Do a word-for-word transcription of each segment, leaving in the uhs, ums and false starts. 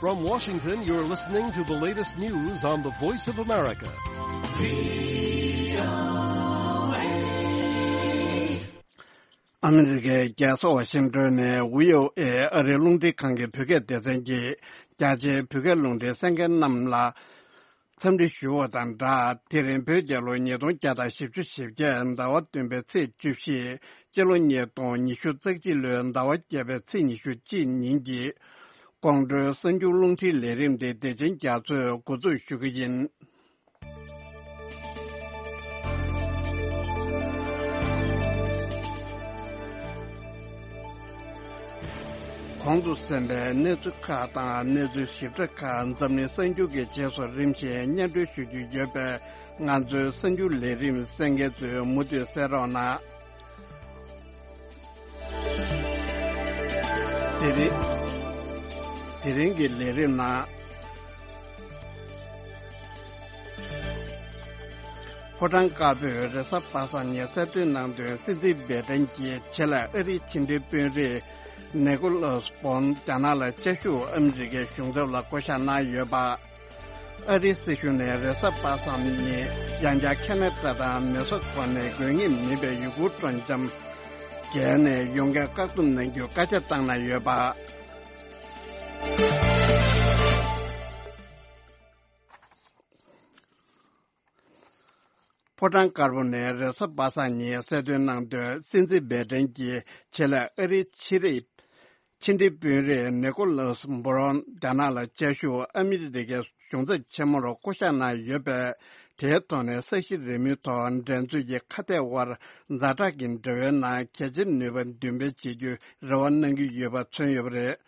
From Washington, you're listening to the latest news on the Voice of America. ཨ་མི་རི་ཀའི་རྒྱལ་ས་ཝ་ཤིང་ཏོན་ནས་བྷི་ཨོ་ཨེ་ཨ་རིའི་རླུང་འཕྲིན་ཁང་གི་བོད་སྐད་སྡེ་ཚན་གྱིས་རྒྱ་ཆེའི་བོད་སྐད་རླུང་འཕྲིན་གསན་མཁན་རྣམས་ལ་འཚམས་འདྲི་ཞུ་བ་དང་སྦྲགས། དེ་རིང་བོད་རྒྱལ་ལོ་ཉིས་སྟོང་བརྒྱ་དང་བཞི་བཅུ་ཞེ་བརྒྱད་ཟླ་བ་བདུན་པའི་ཚེས་བཅུ་བཞི། སྤྱི་ལོ་ཉིས་སྟོང་ཉི་ཤུ་རྩ་གཅིག་ལོའི་ཟླ་བ་བརྒྱད་པའི་ཚེས་ཉི་ཤུ་གཅིག་ཉིན་གྱི་ཀོང་སྤྲོའི་གསར་འགྱུར་རླུང་འཕྲིན་ལས་རིམ་དེ་བདེ་ཆེན་རྒྱ་མཚོས་འགོ་འཛུགས་ཞུ་གི་ཡིན། གོང་དུ་གསན་པའི་གནས་ཚུལ་ཁག་དང་གནས་ཚུལ་ཞིབ་ཕྲ་ཁག་འཛམ་གླིང་གསར་འགྱུར་གྱི་རྗེས་སུ་རིམ་བཞིན་སྙན་སྒྲོན་ཞུ་རྒྱུ་ཡོད་པས། ང་ཚོའི་གསར་འགྱུར་ལས་རིམ་གསན་མཁན་ཚོས་མུ་མཐུད་གསན་རོགས་གནང་། དེ་རིང་། དེ་རིང་གི་ལས་རིམ་ནང་། ཕོ་བྲང་དཀར་པོས་རེས་གཟའ་པ་སངས་ཉིན་གསལ་སྟོན་གནང་དོན། སྲིད་འཛིན་བྷའི་ཌེན་གྱིས་ཆེད་ལས་ཨ་རིའི་ཕྱི་འབྲེལ་དཔོན་རིགས་ནེ་ཀོ་ལོས་བོན་རྒྱ་ནག་ལ་བཅའ་བཞུགས་ཨ་མི་རི་ཀའི་གཞུང་ཚབ་ལ་བསྐོ་གཞག་གནང་ཡོད་པ། ཨ་རིའི་སྲིད་གཞུང་ནས་རེས་གཟའ་པ་སངས་ཉིན་ཡང་བསྐྱར་ཁ་ན་ཌ་དང་མེག་སི་ཀོ་ནས་དགོས་ངེས་མིན་པའི་ཡུལ་སྐོར་སྤྲོ་འཆམ་བརྒལ་ནས་ཡོང་མཁན་བཀག་སྡོམ་གནང་རྒྱུ་བཀའ་རྒྱ་བཏང་གནང་ཡོད་པ། ཕོ་བྲང་དཀར་པོ་ནས་རེས་གཟའ་པ་སངས་ཉིན་གསལ་སྟོན་གནང་དོན། སྲིད་འཛིན་བྷའི་ཌེན་གྱིས་ཆེད་ལས་ཨ་རིའི་ཕྱི་རིགས་ཕྱི་འབྲེལ་དཔོན་རིགས་ནེ་ཀོ་ལོས་བོ་རོན་རྒྱ་ནག་ལ་བཅའ་བཞུགས་ཨ་མི་རི་ཀའི་གཞུང་ཚབ་ཆེན་མོར་བསྐོ་གཞག་གནང་ཡོད་པས། དེའི་ཐོག་ནས་ས་གཞི་རི་མོའི་ཐོག་འགྲན་རྩོད་ཀྱི་ཁ་གཏད་དབར་ཛ་དྲག་གི་འབྲེལ་བའི་ནང་གལ་ཆེའི་ནུས་པ་འདོན་སྤེལ་བྱེད་རྒྱུའི་རེ་བ་གནང་གི་ཡོད་པ་མཚོན་ཡོད་པ་རེད།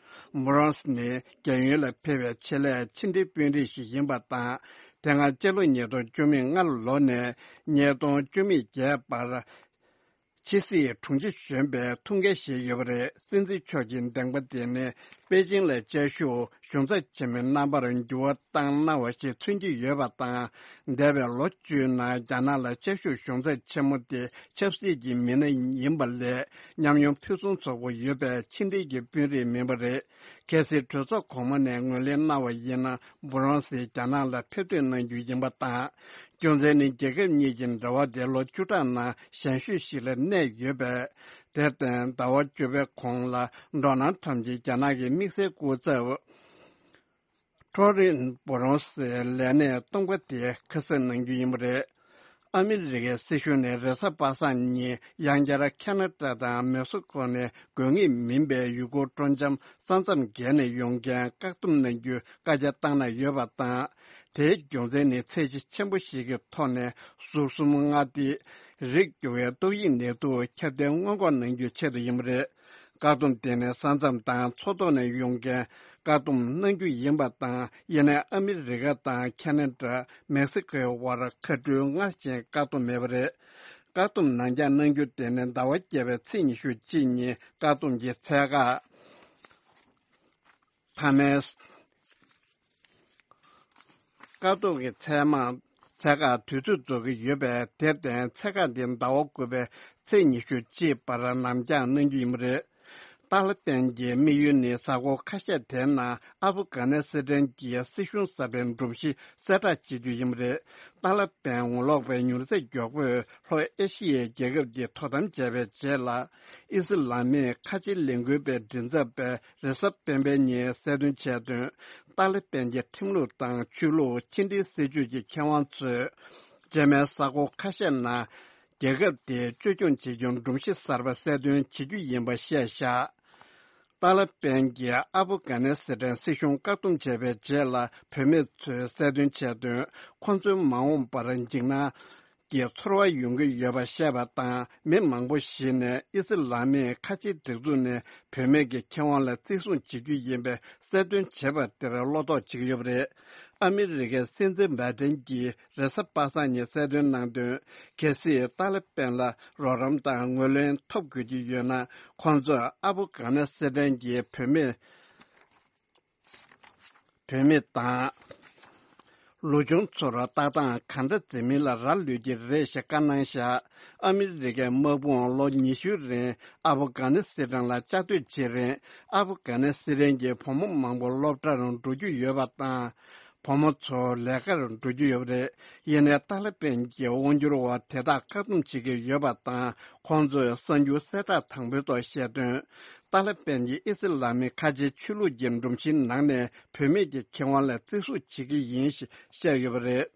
བོ་རོན་ནི་རྒྱལ་ཡུལ་ལ་ཕེབས་པའི་ཆེད་ལས་ཕྱི་འབྲེལ་དཔོན་རིགས་ཤིག་ཡིན་པ་དང་། དེ་སྔ་སྤྱི་ལོ་ཉིས་སྟོང་བཅུ་མེད་ལྔ་ལོ་ནས་ཉིས་སྟོང་བཅུ་མེད་བརྒྱད་བར་ཕྱི་སྲིད་དྲུང་ཆེ་གཞོན་པའི་ཐུགས་འགན་བཞེས་ཡོད་པ་རེད། སྲིད་འཛིན་མཆོག་གི་འདེམས་པ་དེ་ནི་པེ་ཅིང་ལ་བཅའ་བཞུགས་གཞུང་ཚབ་ཆེན་མོའི་རྣམ་པར་འགྱུར་བ་བཏང་གནང་བ་ཞིག་མཚོན་གྱི་ཡོད་པ་དང་། འདས་པའི་ལོ་བཅུའི་ནང་རྒྱ་ནག་ལ་བཅའ་བཞུགས་གཞུང་ཚབ་ཆེན་མོ་དེ་ཆབ་སྲིད་ཀྱི་མི་སྣ་ཡིན་པ་ལས་ཉམས་མྱོང་ཕུན་སུམ་ཚོགས་པོ་ཡོད་པའི་ཕྱི་འབྲེལ་གྱི་དཔོན་རིགས་མིན་པ་རེད། གལ་སྲིད་གྲོས་ཚོགས་གོང་མ་ནས་ངོས་ལེན་གནང་བ་ཡིན་ན། བོ་རོན་སི་རྒྱ་ནག་ལ་ཕེབས་ཐོན་གནང་རྒྱུ་ཡིན་པ་དང་། རྒྱུ་མཚན་ནི་རྒྱལ་ཁབ་གཉིས་ཀྱི་འབྲེལ་བ་དེ་ལོ་བཅུ་ཕྲག་ནང་ཞན་ཤོས་ཤིག་ལ་གནས་ཡོད་པས། དེར་བརྟེན་ཟླ་བ་བཅུ་པའི་གོང་ལ་ཌོ་ནལ་ཊམ་གྱིས་རྒྱ་ནག་གི་དམིགས་བསལ་སྐུ་ཚབ་ཁྲོ་རིན་བོ་རོན་སི་ལས་གནས་སྟོང་པ་དེ་ཁ་གསབ་གནང་རྒྱུ་ཡིན་པ་རེད། ཨ་མི་རི་ཀའི་སྲིད་གཞུང་ནས་རེས་གཟའ་པ་སངས་ཉིན་ཡང་བསྐྱར་ཁ་ན་ཌ་དང་མེག་སི་ཀོ་ནས་དགོས་ངེས་མིན་པའི་ཡུལ་སྐོར་སྤྲོ་འཆམ་ས་མཚམས་བརྒལ་ནས་ཡོང་མཁན་བཀག་སྡོམ་གནང་རྒྱུ་བཀའ་རྒྱ་བཏང་གནང་ཡོད་པ་དང་། དེའི་རྒྱུ་མཚན་ནི་ཚད་གཞི་ཆེན་པོ་ཞིག་གི་ཐོག་ནས་ཟུར་གསུམ་མངའ་སྡེའི་རིགས་སྐྱོ་བའི་ཏོག་དབྱིབས་ནད་དུག་ཁྱབ་གདལ་སྔོན་འགོག་གནང་རྒྱུའི་ཆེད་དུ་ཡིན་པ་རེད། བཀག་སྡོམ་དེ་ནི་ས་མཚམས་དང་མཚོ་ཐོག་ནས་ཡོང་མཁན་བཀག་སྡོམ་གནང་རྒྱུ་ཡིན་པ་དང་། ཡིན་ནའི་ཨ་མི་རི་ཀ་དང་ཁ་ན་ཌ། མེག་སི་ཀོའི་དབར་མཁའ་འགྲུལ་སྔར་བཞིན་བཀག་སྡོམ་མེད་པ་རེད། བཀག་སྡོམ་ནང་འཇགས་གནང་རྒྱུ་དེ་ནི་ཟླ་བ་བརྒྱད་པའི་ཚེས་ཉི་ཤུ་གཅིག་ཉིན་བཀག་སྡོམ་གྱི་ཚད་བཀག་མཐའ་མའི། བཀག་སྡོམ་གྱི་ཚད་མ། ཚད་བཀག་དུས་ཚོད་རྫོགས་ཀྱི་ཡོད་པས། དེར་བརྟེན་ཚད་བཀག་འདི་ཟླ་བ་དགུ་པའི་ཚེས་ཉི་ཤུ་གཅིག་བར་ནམ་འཇགས་གནང་རྒྱུ་ཡིན་པ་རེད། ཏཱ་ལི་པན་གྱི་དམིགས་ཡུལ་ནི་གཟའ་འཁོར་ཁ་ཤས་དེའི་ནང་ཨབ་གྷ་ནི་སི་ཐན་གྱི་སྲིད་གཞུང་གསར་པའི་སྒྲོམ་གཞི་གསལ་བསྒྲགས་བྱེད་རྒྱུ་ཡིན་པ་རེད། ཏཱ་ལི་པན་ངོ་ལོག་པའི་མྱུར་ཚད་མགྱོགས་པོས་ལྷོ་ཨེ་ཤི་ཡའི་རྒྱལ་ཁབ་ཀྱི་དོ་དམ་བྱས་པའི་རྗེས་ལ། ཨི་སི་ལ་མིའི་ཁ་ཆེ་ལས་འགུལ་པའི་མགྲིན་ཚབ་པས་རེས་གཟའ་སྤེན་པའི་ཉིན་གསལ་སྟོན་བྱས་དོན། ཏཱ་ལི་པན་གྱི་ཁྲིམས་ལུགས་དང་ཆོས་ལུགས། ཕྱི་འབྲེལ་སྲིད་ཇུས་ཀྱི་མཁས་དབང་ཚོས། རྗེས་མའི་གཟའ་འཁོར་ཁ་ཤས་ནང་རྒྱལ་ཁབ་དེའི་བཅོས་སྐྱོང་བྱེད་རྒྱུ་སྒྲོམ་གཞི་གསར་པ་གསལ་སྟོན་བྱེད་རྒྱུ་ཡིན་པ་བཤད་བཞག་ཏཱ་ལི་པན་གྱིས་ཨབ་གྷ་ནི་སི་ཐན་སྲིད་གཞུང་བཀག་སྡོམ་བྱས་པའི་རྗེས་ལ། བུད་མེད་ཚོས་གསལ་སྟོན་བྱས་དོན། ཁོང་ཚོའི་མ་འོངས་པར་འཇིགས་སྣང་གི་ཚོར་བ་ཡོང་གི་ཡོད་པ་བཤད་པ་དང་། མི་མང་པོ་ཞིག་ནས་ཨི་སི་ལ་མིའི་ཁ་ཆེའི་སྒྲིག་འཛུགས་ནས་བུད་མེད་ཀྱི་ཁེ་དབང་ལ་བརྩི་སྲུང་བྱེད་རྒྱུ་ཡིན་པའི་གསལ་སྟོན་བྱས་པ་དེར་བློ་དོགས་བྱེད་ཀྱི་ཡོད་པ་རེད། ཨ་མི་རི་ཀའི་སྲིད་འཛིན་བྷའི་ཏན་གྱིས་རེས་གཟའ་པ་སངས་ཉིན་གསལ་སྟོན་གནང་དོན། གལ་སྲིད་ཏཱ་ལི་པན་ལ་རོགས་རམ་དང་ངོས་ལེན་ཐོབ་དགོས་ཀྱི་ཡོད་ན། ཁོང་ཚོས་ཨབ་གྷ་ནི་སི་ཐན་གྱི་བུད་མེད། བུད་མེད་དང་ ལོ་ཆུང་ཚོར་ལྟ་སྟངས་ག་འདྲ་འཛིན་མིན་ལ་རག་ལུས་ཀྱི་རེད་ཞེས་བཀའ་གནང་བཞག་ཨ་མི་རི་ཀའི་དམག་དཔུང་ལོ་ཉི་ཤུའི་རིང་ཨབ་གྷ་ནི་སི་ཐན་ལ་བཅའ་སྡོད་བྱེད་རིང་། ཨབ་གྷ་ནི་སི་ཐན་གྱི་བུ་མོ་མང་པོ་སློབ་གྲྭར་འགྲོ་རྒྱུ་ཡོད་པ་དང་། བུ་མོ་ཚོ་ལས་ཀར་འགྲོ་རྒྱུ་ཡོད་པ་རེད། ཡིན་ནའི་ཏཱ་ལི་པན་གྱི་དབང་སྒྱུར་འོག་དེ་དག་བཀག་སྡོམ་བྱེད་ཀྱི་ཡོད་པ་དང་། ཁོང་ཚོས་གསར་འགྱུར་གསལ་བསྒྲགས་དང་པོའི་ཐོག་བཤད་དོན། ཏཱ་ལི་པན་གྱིས་ཨི་སི་ལ་མི་ཁ་ཆེའི་ཆོས་ལུགས་ཀྱི་སྒྲོམ་གཞིའི་ནང་ནས་བུད་མེད་ཀྱི་ཁེ་དབང་ལ་བརྩི་སྲུང་བྱེད་ཀྱི་ཡིན་ཞེས་བཤད་ཡོད་པ་རེད།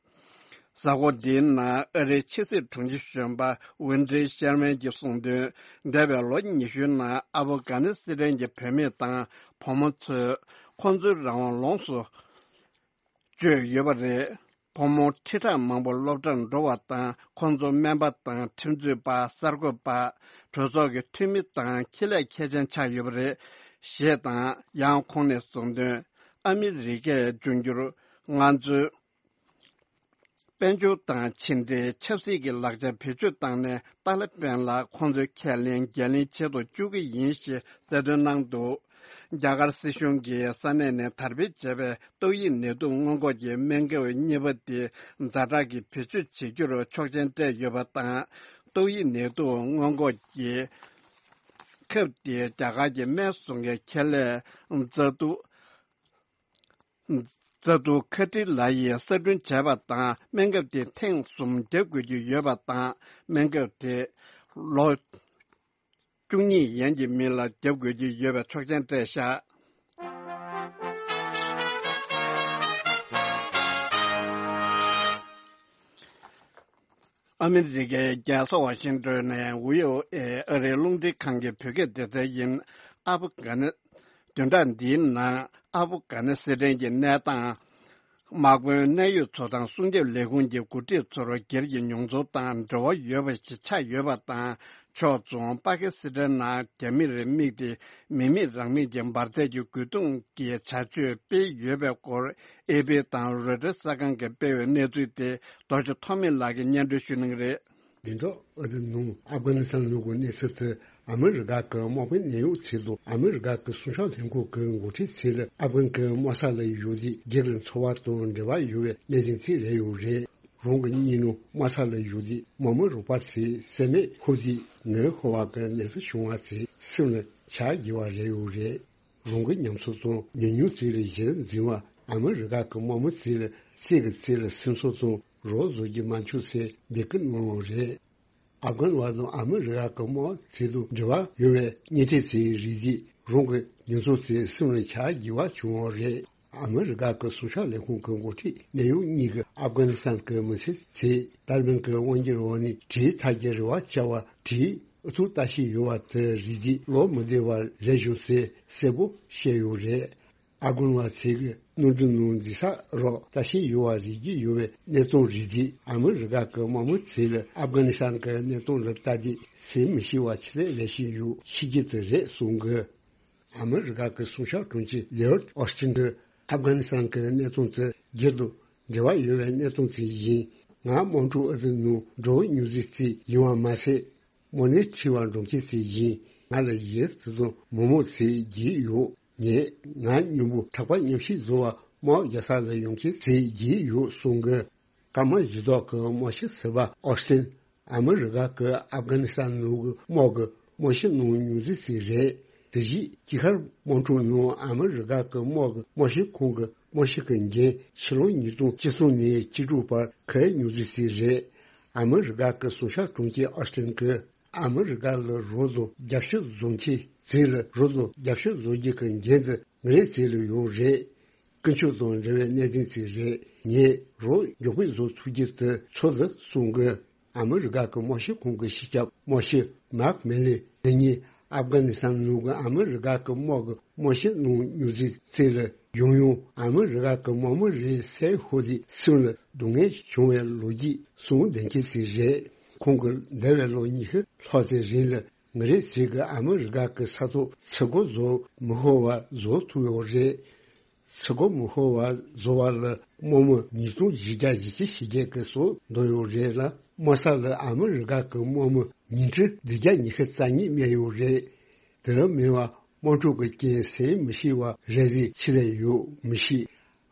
གཟའ་འཁོར་འདིའི་ནང་ཨ་རིའི་ཕྱི་སྲིད་དྲུང་ཆེ་གཞོན་པ་ཝིན་ཏྲི་ཤར་མན་གྱིས་གསུངས་དོན། འདས་པའི་ལོ་ཉི་ཤུའི་ནང་ཨབ་གྷ་ནི་སི་ཐན་གྱི་བུད་མེད་དང་བུ་མོ་ཚོས་ཁོང་ཚོའི་རང་དབང་ལོངས་སུ་སྤྱོད་ཡོད་པ་རེད། བུ་མོ་ཁྲི་ཕྲག་མང་པོ་སློབ་གྲྭར་འགྲོ་བ་དང་། ཁོང་ཚོ་སྨན་པ་དང་། ཁྲིམས་རྩོད་པ། གསར་འགོད་པ། གྲོས་ཚོགས་ཀྱི་འཐུས་མི་དང་། ཁེ་ལས་མཁས་ཅན་ཆགས་ཡོད་པ་རེད། ཞེས་དང་། ཡང་ཁོང་ནས་གསུངས་དོན། ཨ་མི་རི་ཀས་འབྱུང་འགྱུར་ང་ཚོའི་དཔལ་འབྱོར་དང་ཕྱི་འབྲེལ་ཆབ་སྲིད་ཀྱི་ལག་ཆ་བེད་སྤྱོད་བཏང་ནས། ཏཱ་ལི་པན་ལ་ཁོང་ཚོའི་ཁས་ལེན་འགན་ལེན་བྱེད་དུ་བཅུག་གི་ཡིན་ཞེས་གསལ་སྟོན་གནང་འདུག་རྒྱ་གར་སྲིད་གཞུང་གིས་ས་གནས་ནས་དར་སྤེལ་བྱས་པའི་ཏོག་དབྱིབས་ནད་དུག་སྔོན་འགོག་གི་སྨན་ཁབ་གཉིས་པ་དེ་ཛ་དྲག་གི་བེད་སྤྱོད་བྱེད་རྒྱུར་ཆོག་མཆན་སྤྲད་ཡོད་པ་དང་། ཏོག་དབྱིབས་ནད་དུག་སྔོན་འགོག་གི་ཁབ་དེ་རྒྱ་གར་གྱི་སྨན་བཟོ་མཁན་ཁེ་ལས་ཛ་ཏུ་ཛ་ཏུ་ཁ་ཏི་ལ་ཡིས་གསར་སྐྲུན་བྱས་པ་དང་། སྨན་ཁབ་དེ་ཐེངས་གསུམ་བརྒྱབ་དགོས་ཀྱི་ཡོད་པ་དང་། སྨན་ཁབ་དེ་ལོ་བཅུ་གཉིས་ཡན་གྱི་མི་ལ་བརྒྱབ་དགོས་ཀྱི་ཡོད་པའི་ཆོག་མཆན་སྤྲད་བཞག་ཨ་མི་རི་ཀའི་རྒྱལ་ས་ཝ་ཤིང་ཏོན་ནས་ཝི་ཨོ་ཨེ་ཨ་རིའི་རླུང་འཕྲིན་ཁང་གི་བོད་སྐད་སྡེ་ཚན་ཡིན། ཨབ་གྷ་ནི། བདུན་ཕྲག་འདིའི་ནང་ཨབ་གྷ་ནི་སི་ཐན་གྱི་གནས་སྟངས། དམག་དཔོན་གནད་ཡོད་ཚོང་དང་སྲུང་སྐྱོབ་ལས་ཁུངས་ཀྱི་འགོ་ཁྲིད་ཚོར་སྒེར་གྱི་མྱོང་ཚོར་དང་འབྲེལ་བ་ཡོད་པ་ཞིག་ཆགས་ཡོད་པ་དང་། ཕྱོགས་མཚུངས་པ་ཀི་སི་ཐན་ནང་རྒྱ་མིར་དམིགས་ཏེ་མི་མེད་རང་མེད་ཀྱི་འབར་རྫས་ཀྱི་རྒོལ་རྡུང་གི་བྱ་སྤྱོད་སྤེལ་ཡོད་པའི་སྐོར། ཨེ་ཕི་དང་རོའི་ཊར་གསར་ཁང་གིས་སྤེལ་བའི་གནས་ཚུལ་དེ་རྡོ་རྗེ་ཐོགས་མེད་ལགས་ཀྱིས་སྙན་སྒྲོན་ཞུ་གནང་གི་རེད། བདུན་ཕྲག་ཨ་ཟླའི་ནང་ཨབ་གྷ་ནི་སི་ཐན་ལུང་གི་གནས་ཚུལ་དེ། ཨ་མི་རི་ཀ་གི་དམག་དཔོན་གནད་ཡོད་ཚོས་དང་ཨ་མི་རི་ཀ་གི་སྲུང་སྐྱོབ་ལྷན་ཁང་གི་འགོ་ཁྲིད་ཚོས་ཨབ་གྷན་གྱི་དམག་ས་ལ་བཞུགས་ཏེ་སྒེར་གྱི་འཚོ་བ་དང་འབྲེལ་བ་ཡོད་པའི་གནད་དོན་ཚོ་རེད་ཡོད་རེད། རང་གི་གཉེན་ཉེ་དམག་ས་ལ་བཞུགས་ཏེ་དམག་མི་རོགས་པ་ཚོས་བསད་རྨས་ཕོག་དུས་ངལ་ཤོར་བ་གི་གནས་ཚུལ་བྱུང་བ་ཚོ་སེམས་ལ་འཆར་རྒྱུ་བ་རེ་ཡོད་རེད། རང་གི་ཉམས་ཚོར་དང་ཉམས་མྱོང་ཚོ་ལ་གཞི་འཛིན་པ་ཨ་མི་རི་ཀ་གི་དམག་མི་ཚོ་ལ་སེམས་ཀྱི་ཚེ་ལ་སེམས་གསོ་དང་རོགས་བཟོ་རྒྱུ་མ་འཆུག་ཚེ་འབོད་སྐུལ་གནང་ཡོད་རེད། ཨབ་གྷན་བ་དང་ཨ་མི་རི་ཀ་གི་དམག་ཚོ་དང་འབྲེལ་བ་ཡོད་པའི་གཉེན་འཕྲད་ཚོའི་རིགས་དེས་རང་གི་ཉམས་ཚོར་ཚོ་སེམས་ལ་འཆར་རྒྱུ་བ་བྱུང་ཡོད་རེད། ཨ་མི་རི་ཀ་གི་སྲུང་སྐྱོབ་ལས་ཁུངས་ཀྱི་འགོ་ཁྲིད་གནད་ཡོད་གཉིས་ཀྱིས་ཨབ་གྷ་ནི་སི་ཐན་གྱི་མི་སེར་ཚོས་ཏཱ་ལི་བན་གྱི་དབང་སྒྱུར་འོག་ནས་གྲོལ་ཐར་གྱི་རེ་བ་བྱ་བ་དེའི་ཨུ་ཚུགས་ལྟ་བཞིན་ཡོད་པ་དེ་རིགས་དེ་ལོ་མི་བདེ་བ་རེད་བྱུང་ཟེར་གསལ་པོ་བཤད་ཡོད་རེད། ཨབ་གྷན་བ་ཚོས་ཀྱི་གནམ་གྲུ་ནང་འཛུལ་ས་རོགས་ལྟ་བཞིན་ཡོད་པ་རིག་གི་ཡོད་པའི་གནས་སྟངས་རིགས་དེས་ཨ་མི་རི་ཀ་གི་དམག་མི་ཚོས་ལ་ཨབ་གྷ་ནི་སི་ཐན་གྱི་གནས་སྟངས་ལ་ལྟ་དུས་སེམས་མི་ཤི་བ་ཆེ་ཚད་ལས་བཞིན་ཡོད་ཤེས་ཀྱི་དེ་རེད་གསུང་གི། ཨ་མི་རི་ཀ་གི་སྲུང་སྐྱོབ་དྲུང་ཆེ་ལེའོ་ཨོ་སི་ཏིན་གྱིས་ཨབ་གྷ་ནི་སི་ཐན་གྱི་གནས་སྟངས་ཚོ་སྒེར་དང་འབྲེལ་བ་ཡོད་པའི་གནས་སྟངས་ཚོ་ཡིན། ང་དམག་འཁྲུག་ཨ་ཟི་ནང་འགྲོ་མྱོང་ཚེ་ཚོ་ཡིན་པ་མ་ཟད། དམག་ནས་ཁྲིད་པ་འགྲོ་མཁན་ཚོ་ཡིན། ང་ལ་ཡིན་ཚེ་དང་མི་མང་ཚོས་བརྒྱུད་ཡོད། ངས་ང་མཉམ་པོ་གྲགས་པ་མཉམ་བཤད་བཟོ་བ་དམག་རྒྱག་ས་ལ་ཡོང་མཁན་ཚོས་བརྒྱུད་ཡོད་གསུང་གི། སྐར་མ་བཞི་ཐོག་གི་དམག་སྤྱི་ཟུར་པ་ཨོ་སི་ཏིན། ཨ་མི་རི་ཀ་གིས་ཨབ་གྷ་ནི་སི་ཐན་ནང་གི་དམག་གི་དམག་སྤྱི་གནང་མྱོང་ཚུལ་ཞིག་རེད། དེ་བཞིན་དཀྱིལ་ཤར་དམག་འཁྲུག་ནང་ཨ་མི་རི་ཀ་གི་དམག་གི་དམག་སྤྱི་ཁང་གི་དམག་སྤྱི་གི་འགན་ཕྱི་ལོ་ཉིས་སྟོང་བཅུ་གསུམ་ནས་བཅུ་དྲུག་བར་གནང་མྱོང་ཚུལ་ཞིག་རེད། ཨ་མི་རི་ཀ་གི་སྲུང་སྐྱོབ་དྲུང་ཆེ་ཨོ་སི་ཏིན་གྱིས་ཨ་མི་རི་ཀ་ལ་རོགས་དང་རྒྱབ་སྐྱོར་བཟོ་མཁན་ཚོ་ལ་རོགས་དང་རྒྱབ་སྐྱོར་བཟོ་རྒྱུ་གི་འགན་དེ་ང་རང་ཚོ་ལ་ཡོད་རེད། ཀུན་སྤྱོད་དང་འབྲེལ་བའི་གནད་དོན་ཞིག་རེད། ངས་རོགས་མགྱོགས་པོ་བཟོ་ཐུབ་རྒྱུ་དེ་ཚོད་རེད་གསུང་གི། ཨ་མི་རི་ཀ་གི་དམག་སྤྱི་ཁང་གི་སྤྱི་ཁྱབ་དམག་སྤྱི་མཱག་མི་ལི་དེ་ཉིད་ཨབ་གྷ་ནི་སི་ཐན་ནང་གི་ཨ་མི་རི་ཀ་གི་དམག་གི་དམག་སྤྱི་གནང་མྱོང་ཚུལ་ལ་ཡང་ཡང་ཨ་མི་རི་ཀ་གི་དམག་མི་རེད་ཟེར་ཤོད་དུས་སེམས་ལ་སྡུག་བསྔལ་བྱུང་བའི་ལོ་རྒྱུས་གསུང་བསྡད་མཁན་ཞིག་རེད། ཁོང་གིས་འདས་པའི་ལོ་ཉི་ཤུ་ལྷག་ཙམ་རིང་ལ་ང་རང་ཚོ་གིས་ཨ་མི་རི་ཀ་གི་ས་ཐོག་ཚོད་སྐོར་བཟོ་མི་ཤོར་བ་བཟོ་ཐུབ་ཡོད་རེད། ཚོད་སྐོར་མི་ཤོར་བ་བཟོ་བ་ལ་དམག་མི་ཉིས་སྟོང་བཞི་བརྒྱ་ཞེ་བརྒྱད་ཀྱིས་སྲོག་འདོར་ཡོད་རེད་ལ། དམག་ས་ལ་ཨ་མི་རི་ཀ་གི་དམག་མི་ཉིས་ཁྲི་བདུན་བརྒྱ་ཉི་ཤུ་རྩ་གཉིས་རྨས་ཡོད་རེད། དེ་མིན་པ་དམག་འཁྲུག་གི་རྐྱེན་ཟིན་མི་ཤེས་པ་རེ་ཟུང་ཆི་ཟིག་ཡོད་མི་ཤེས།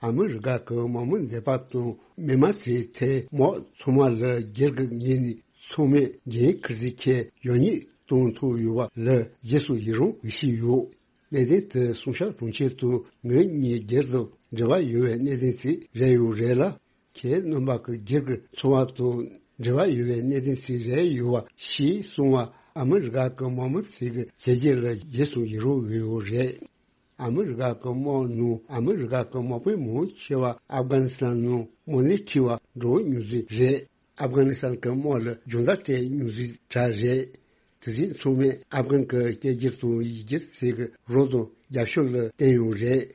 ཨ་མི་རི་ཀ་གི་དམག་མི་འདས་པ་དང་མི་མང་ཚོའི་ཐད་དམག་ཚང་མ་ལ་སྒེར་གྱི་ངོས་ནས་ཚང་མས་འགན་འཁུར་རྩིས་ཁས་ཡོད་ཉེས་གཏོང་ཐུབ་ཡོད་པ་ལ་རྗེས་སུ་ཡི་རང་ཞུས་ཡོད། གནད་དོན་དེ་སུང་ཤ་གྲོང་ཁྱེར་དུ་ངོས་གཉིས་སྒེར་དང་འབྲེལ་བ་ཡོད་པའི་གནད་དོན་ཞིག་རེད་ཡོད་རེད་ལ། ཁྱེད་རྣམ་པ་གི་སྒེར་གྱི་འཚོ་བ་དང་འབྲེལ་བ་ཡོད་པའི་གནད་དོན་ཞིག་རེད་ཡོད་པ་ཞེས་གསུངས་པ། ཨ་མི་རི་ཀ་གི་དམག་མི་ཚོས་ཀྱི་བྱས་རྗེས་ལ་རྗེས་སུ་ཡི་རང་ཡོད་ཡོད་རེད། ཨ་མི་རི་ཀ་གི་དམག་ནང་ཨ་མི་རི་ཀ་གི་དམག་དཔོན་མང་ཆེ་བ་ཨབ་གྷ་ནི་སི་ཐན་ནང་དམག་ལས་ཁྲིད་པ་འགྲོ་མྱོང་ཚུལ་རེད། ཨབ་གྷ་ནི་སི་ཐན་གྱི་དམག་ལ་སྦྱོང་བརྡར་སྤྲད་མྱོང་ཚུལ་འདྲ་རེད། དེ་བཞིན་ཚང་མས་ཨབ་གྷན་གྱི་སྐད་སྒྱུར་དང་ཡིག་སྒྱུར་ཚིག་གི་རོགས་དང་རྒྱབ་སྐྱོར་ལ་བརྟེན་ཡོད་རེད།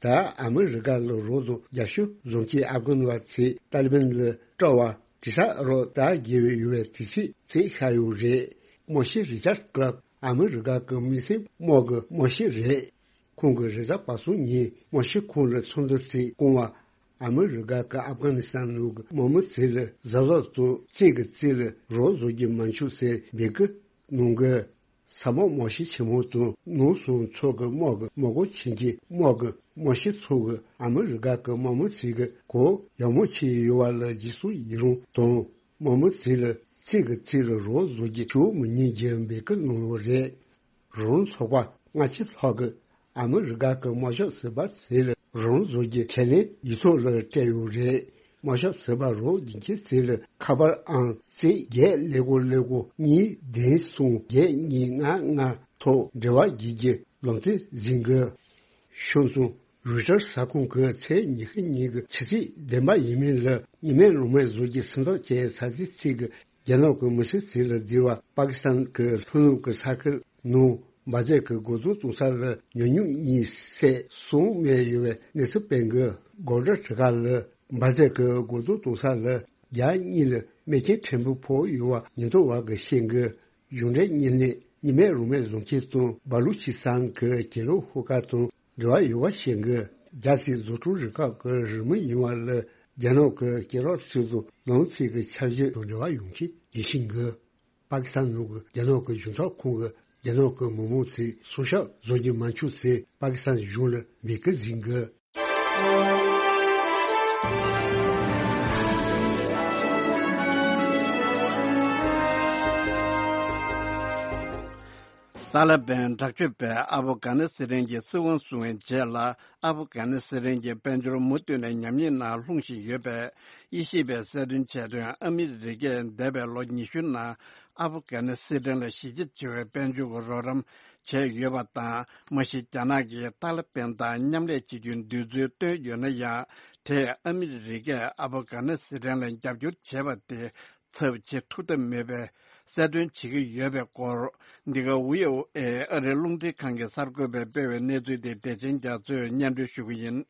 ད་ཨ་མི་རི་ཀ་ལ་རོགས་དང་རྒྱབ་སྐྱོར་བཟོ་མཁན་ཨབ་གྷན་བ་ཚོས་ཏཱ་ལི་བན་ལ་སྤྲད་པ་དྲི་ས་རོགས་ད་རྒྱལ་བའི་ཡོད་པའི་དུས་ཚིགས་ཚིག་ཤར་ཡོད་རེད། དམག་སྤྱི་རི་ཅར་ཀླབ་ཨ་མི་རི་ཀ་གི་མི་སེར་དམག་གི་དམག་སྤྱི་རེད། ཁོང་གིས་རེས་གཟའ་པ་སངས་ཉིན་དམག་སྤྱི་ཁང་ལ་ཚོགས་འདུ་ཞིག་བསྐོངས་པ། ཨ་མི་རི་ཀ་གི་ཨབ་གྷ་ནི་སི་ཐན་ནང་གི་དམག་མི་ཚོ་ལ་གཟབ་གཟབ་དང་རྩེ་གི་རྩེ་ལ་རོགས་བཟོ་རྒྱུ་མ་འཆུག་ཟེར་འབོད་སྐུལ་གནང་གི། ས་དམག་དམག་སྤྱི་ཆེན་མོ་དང་ནང་སོང་ཚོགས་ཀྱི་དམག་གི་དམག་སྐོར་ཆེན་གྱི་དམག་གི་དམག་སྤྱི་ཚོ་གིས་ཨ་མི་རི་ཀ་གི་དམག་མི་ཚོ་གི་གོ་ཡག་མོ་བྱས་ཡོད་པ་ལ་རྗེས་སུ་ཡི་རང་དང་། དམག་མི་ཚོ་ལ་རྩེ་གི་རྩེ་ལ་རོགས་བཟོ་རྒྱུ་ཞུ་མི་ཉན་རྒྱུ་འབོད་སྐུལ་གནང་ཡོད་རེད། རང་རང་ཚོགས་པ་སྔ་ཕྱི་ལྷག་གི་ཨ་མི་རི་ཀ་གི་དམག་ཞབས་ཟུར་པ་ཚོ་ལ་རང་བཟོ་རྒྱུ་ཁས་ལེན་ཡིག་ཐོག་ལ་སྤྲད་ཡོད་རེད། དམག་ཞབས་ཟུར་པ་རོགས་རྒྱུག་མཁན་ཚོ་ལ་ཁ་པར་ཨང་རྩེ་བརྒྱད་ཀླད་ཀོར་ཀླད་ཀོར་གཉིས་བདུན་གསུམ་བརྒྱད་གཉིས་ལྔ་ལྔ་ཐོག་འབྲེལ་བ་བགྱིད་རྒྱུ་ལམ་སྟོན་ཟིན་དགོས། ཤོག་མཚུངས། རོའི་ཊར་གསར་ཁང་གིས་ཚེས་ཉི་ཤུ་ཉིན་གྱི་ཕྱི་ཚེས་བདུན་པ་ཡིན་མིན་ལ་གཉིས་སྨན་རང་སྨན་བཟོ་རྒྱུ་སེམས་ཐག་བཅད་ཚར་རྗེས་ཚིག་གི་རྒྱ་ནག་གི་མི་སེར་ཚོ་ལ་བསྡུས་པ། པ་ཀི་སི་ཐན་གྱི་ལྷོ་ནུབ་ཀྱི་ས་ཁུལ་ནང་འབར་རྫས་ཀྱི་རྒོལ་རྡུང་གཏོང་ས་ལ་ཉམས་མྱོང་གཉིས་སེ་གསུམ་རྨས་ཡོད་པའི་གནས་ཚུལ་སྤེལ་གི། སྒོ་བྲག་གྲི་ཁ་ལ་འབར་རྫས་ཀྱི་རྒོལ་རྡུང་གཏོང་ས་ལ་རྒྱ་གཉིས་ལ་རྨས་སྐྱོན་ཕྲན་བུ་ཕོག་ཡོད་པ་ཉེན་རྟོག་པ་གིས་བཤད་གི། གཞུང་འབྲེལ་བརྙན་ལེན་གཉིས་སྨན་རང་སྨན་བཟོ་མཁན་དང་སྦ་ལུ་ཆི་སི་ཐན་གྱི་གྱེན་ལོགས་ཤོག་ཁག་དང་འབྲེལ་བ་ཡོད་པ་བཤད་གི། རྒྱ་སྲིད་བཟོ་སྐྲུན་རུ་ཁག་གི་རུ་མི་ཡིན་པ་ལ་རྒྱ་ནག་གི་སྐེ་རགས་ཚོས་དང་ནང་ཚིག་གི་འཆར་གཞི་དང་འབྲེལ་བ་ཡོང་ཆེད་ཡིད་བཞིན་གི། པ་ཀི་སི་ཐན་ནང་གི་རྒྱ་ནག་གི་གཞུང་ཚབ་ཁང་གིས་རྒྱ་ནག་གི་མི་མང་ཚོས་སྲོག་ཆགས་བཟོ་རྒྱུ་མ་འཆུག་ཟེར་པ་ཀི་སི་ཐན་གཞུང་ལ་འབོད་སྐུལ་ཟིན་གི། ཏཱ་ལི་བན་དྲག་སྤྱོད་པས་ཨ་ཕོ་གྷ་ནི་སི་ཐན་གྱི་སྲིད་དབང་བཟུང་བའི་རྗེས་ལ། ཨ་ཕོ་གྷ་ནི་སི་ཐན་གྱི་དཔལ་འབྱོར་མུ་མཐུད་ནས་ཉམས་ཉེས་ནང་ལྷུང་བཞིན་ཡོད་པས། དབྱེ་ཞིབ་པས་གསལ་སྟོན་བྱས་དོན། ཨ་མི་རི་ཀས་འདས་པའི་ལོ་ཉི་ཤུ་ནང་ཨ་ཕོ་གྷ་ནི་སི་ཐན་ལ་གཞི་རྒྱ་ཆེ་བའི་དཔལ་འབྱོར་གྱི་རོགས་རམ་བྱས་ཡོད་པ་དང་། མ་གཞི་རྒྱ་ནག་གིས་ཏཱ་ལི་བན་དང་མཉམ་ལས་བྱེད་རྒྱུའི་འདོད་ཚུལ་བཏོན་ཡོད་ན་ཡང་། དེས་ཨ་མི་རི་ཀས་ཨ་ཕོ་གྷ་ནི་སི་ཐན་ལ་རྒྱབ་སྐྱོར་བྱས་པ་དེ་ཚབས་བྱེད་ཐུབ་ཐབས་མེད་པའི་གསལ་སྟོན་བྱེད་ཀྱི་ཡོད་པའི་སྐོར། འདི་ག་བྷི་ཨོ་ཨེ་ཨ་རིའི་རླུང་འཕྲིན་ཁང་གི་གསར་འགོད་པས་སྤེལ་བའི་གནས་ཚུལ་དེ་བདེ་ཆེན་རྒྱ་མཚོས་སྙན་སྒྲོན་ཞུ་གི་ཡིན།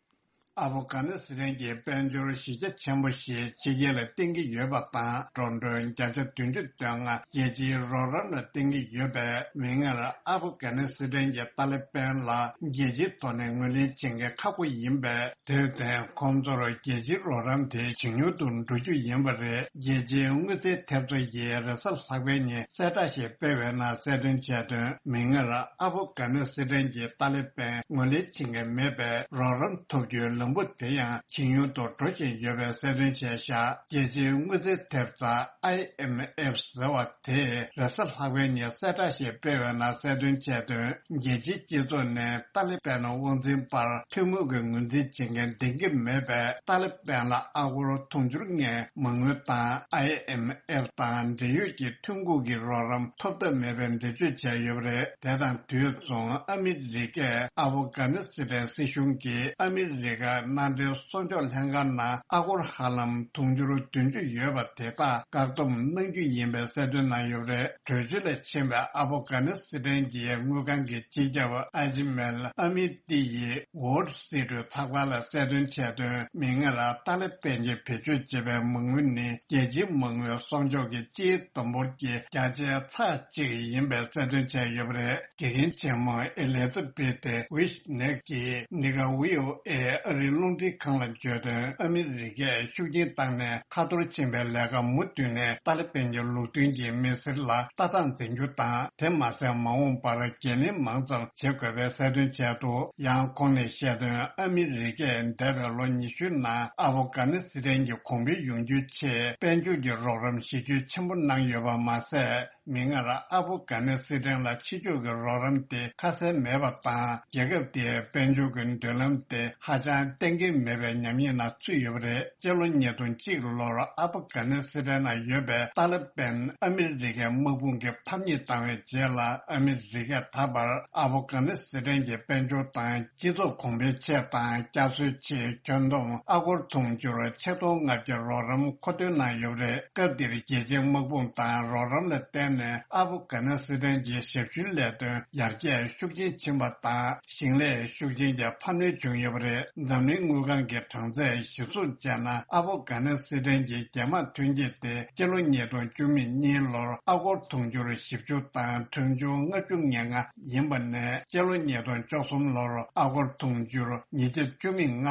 ཨ་ཕོ་གྷ་ནི་སི་ཐན་གྱི་དཔལ་འབྱོར་གཞི་རྒྱ་ཆེན་པོ་ཞིག་ཕྱི་རྒྱལ་ལ་བརྟེན་གྱི་ཡོད་པ་དང་། འགྲོ་གྲོན་བརྒྱ་ཆ་བདུན་ཅུ་དོན་ལྔ་རྒྱལ་སྤྱིའི་རོགས་རམ་ལ་བརྟེན་གྱི་ཡོད་པས། མིག་སྔར་ཨ་ཕོ་གྷ་ནི་སི་ཐན་གྱི་ཏཱ་ལི་བན་ལ་རྒྱལ་སྤྱིའི་ཐོག་ནས་ངོས་ལེན་བྱེད་མཁན་ཁག་པོ་ཡིན་པས། དེར་བརྟེན་ཁོང་ཚོར་རྒྱལ་སྤྱིའི་རོགས་རམ་དེ་ཇེ་ཉུང་དུ་འགྲོ་རྒྱུ་ཡིན་པ་རེད། རྒྱལ་སྤྱིའི་དངུལ་རྩིས་ཐེབས་རྩ་ཡིས་རེས་གཟའ་ལྷག་པའི་ཉིན་གསལ་བསྒྲགས་ཤིག་སྤེལ་བའི་ནང་གསལ་སྟོན་བྱས་དོན། མིག་སྔར་ཨ་ཕོ་གྷ་ནི་སི་ཐན་གྱི་ཏཱ་ལི་བན་ངོས་ལེན་བྱེད་མཁན་མེད་པས། རོགས་རམ་ཐོབ་རྒྱུའི་ལམ་བུ་དེ་ཡང་ཇེ་ཉུང་དུ་འགྲོ་བཞིན་ཡོད་པའི་གསལ་སྟོན་བྱས་བཞག་རྒྱལ་སྤྱིའི་དངུལ་རྩིས་ཐེབས་རྩ་ཨའི་ཨེམ་ཨེཕ་ཟེར་བ་དེས་རེས་གཟའ་ལྷག་པའི་ཉིན་གསལ་བསྒྲགས་ཤིག་སྤེལ་བའི་ནང་གསལ་སྟོན་བྱས་དོན། རྒྱལ་སྤྱིའི་སྤྱི་ཚོགས་ནས་ཏཱ་ལི་བན་དབང་འཛིན་པར་ཐུན་མོང་གི་ངོས་འཛིན་བྱེད་མཁན་འདང་གི་མེད་པས། ཏཱ་ལི་བན་ལ་ཨ་སྒོར་དུང་ཕྱུར་ལྔའི་མ་དངུལ་དང་། ཨའི་ཨེམ་ཨེཕ་དང་འབྲེལ་ཡོད་ཀྱི་ཐོན་ཁུངས་ཀྱི་རོགས་རམ་ཐོབ་ཐབས་མེད་པའི་འགྲེལ་བརྗོད་བྱས་ཡོད་པ་རེད། དེ་དང་དུས་མཚུངས་ཨ་མི་རི་ཀས་ཨ་ཕོ་གྷ་ནི་སི་ཐན་སྲིད་གཞུང་གིས་ཨ་མི་རི་ཀ་མནའ་འབྲེལ་གསོག་འཇོག་ལྷན་ཁང་ནང་ཨ་སྒོར་ཧ་ལམ་དུང་ཕྱུར་བདུན་ཅུ་ཡོད་པ་དེ་དག་བཀག་སྡོམ་གནང་རྒྱུ་ཡིན་པའི་གསལ་སྟོན་གནང་ཡོད་པ་རེད། གྲོས་ཆོད་ལ་ཕྱིན་པའི་ཨ་ཕོ་གྷ་ནི་སི་ཐན་གྱི་དངུལ་ཁང་གི་སྤྱི་ཁྱབ་ཨ་ཇི་མེལ་ཨ་མི་ཏི་ཡིས་Wall Street་ཚགས་པར་ལ་གསལ་སྟོན་བྱས་དོན། མིག་སྔར་ཏཱ་ལི་བན་གྱིས་བེད་སྤྱོད་བྱེད་པའི་མ་དངུལ་ནི་རྒྱལ་སྤྱིའི་མ་དངུལ་གསོག་འཇོག་གི་སྤྱིའི་བསྡོམས་འབོར་གྱི་བརྒྱ་ཆའི་ཚེག་གཅིག་ཡིན་པའི་གསལ་སྟོན་བྱས་ཡོད་པ་རེད། དགེ་རྒན་ཆེན་མོ་ཨེ་ལི་ཛ་བྷེ་ཐི་ཝི་ཤི་ནེག་གིས་འདི་ག་བྷི་ཨོ་ཨེ་ཨ་ རིགས་རླུང་འཕྲིན་ཁང་ལ་བརྗོད་དོན། ཨ་མི་རི་ཀས་ཤུགས་རྐྱེན་བཏང་ནས་ཁ་ཐོར་ཕྱིན་པའི་ལས་ཀ་མུ་མཐུད་ནས་ཏཱ་ལི་པན་གྱི་ལུགས་མཐུན་གྱི་མི་སེར་ལ་ལྟ་སྟངས་འཛིན་རྒྱུ་དང་། དེ་མ་ཟད་མ་འོངས་པར་འགན་ལེན་མང་ཙམ་བྱེད་དགོས་པའི་གསལ་སྟོན་བྱས་འདུག། ཡང་ཁོང་ནས་བཤད་དོན། ཨ་མི་རི་ཀས་འདས་པའི་ལོ་ཉི་ཤུའི་ནང་ཨབ་གྷ་ནི་སི་ཐན་གྱི་གོང་འཕེལ་ཡོང་རྒྱུའི་ཆེད་དཔལ་འབྱོར་གྱི་རོགས་རམ་གཞི་རྒྱུ་ཆེན་པོ་གནང་ཡོད་པ་མ་ཟད། མིག་སྔར་ཨབ་གྷ་ནི་སི་ཐན་ལ་ཕྱི་ཕྱོགས་ཀྱི་རོགས་རམ་དེ་ཁ་གསལ་མེད་པ་དང་། རྒྱལ་ཁབ་དེའི་དཔལ་འབྱོར་གྱི་མདུན་ལམ་དེ་ཧ་ཅང་གཏན་འཁེལ་མེད་པའི་ཉམས་ཉེས་ནང་ཚུད་ཡོད་པ་རེད། སྤྱི་ལོ་ཉིས་སྟོང་གཅིག་ལོར་ཨབ་གྷ་ནི་སི་ཐན་ནང་ཡོད་པའི་ཏཱ་ལི་པན་ཨ་མི་རི་ཀའི་དམག་དཔུང་གིས་ཕམ་ཉེས་བཏང་བའི་རྗེས་ལ། ཨ་མི་རི་ཀས་ད་བར་ཨབ་གྷ་ནི་སི་ཐན་གྱི་དཔལ་འབྱོར་དང་སྤྱི་ཚོགས་གོང་འཕེལ་ཆེད་དང་བསྐྱར་གསོའི་ཆེད་ཁྱོན་བསྡོམས་ཨ་སྒོར་དུང་ཕྱུར་ཆིག་སྟོང་ལྔ་བརྒྱ་རོགས་རམ་མཁོ་འདོན་གནང་ཡོད་པ་རེད། སྐབས་འདིར་རྒྱལ་སྤྱིའི་དམག་དཔུང་དང་རོགས་རམ་ལ་བརྟེན་ནས་ཨབ་གྷ་ནི་སི་ཐན་གྱི་ཞབས་ཞུའི་ལས་དོན་ཡར་རྒྱས་ཤུགས་ཆེན་ཕྱིན་པ་དང་། ཞིང་ལས་ཤུགས་ཆེན་གྱི་འཕར་སྣོན་བྱུང་ཡོད་པ་རེད། འཛམ་གླིང་དངུལ་ཁང་གི་གྲངས་ཚད་གཞིར་བཟུང་བྱས་ན། ཨབ་གྷ་ནི་སི་ཐན་གྱི་རྒྱལ་དམངས་ཐོན་སྐྱེད་དེ་སྤྱི་ལོ་ཉིས་སྟོང་བཅུ་གཉིས་ལོར་ཨ་སྒོར་དུང་ཕྱུར་བཞི་བཅུ་དང་ཁྲག་འབྱུང་ལྔ་བཅུ་ང་ལྔ་ཡིན་པ་ནས། སྤྱི་ལོ་ཉིས་སྟོང་བཅུ་གསུམ་ལོར་ཨ་སྒོར་དུང་ཕྱུར་ཉིས་བརྒྱ་བཅུ་གཅིག་དང་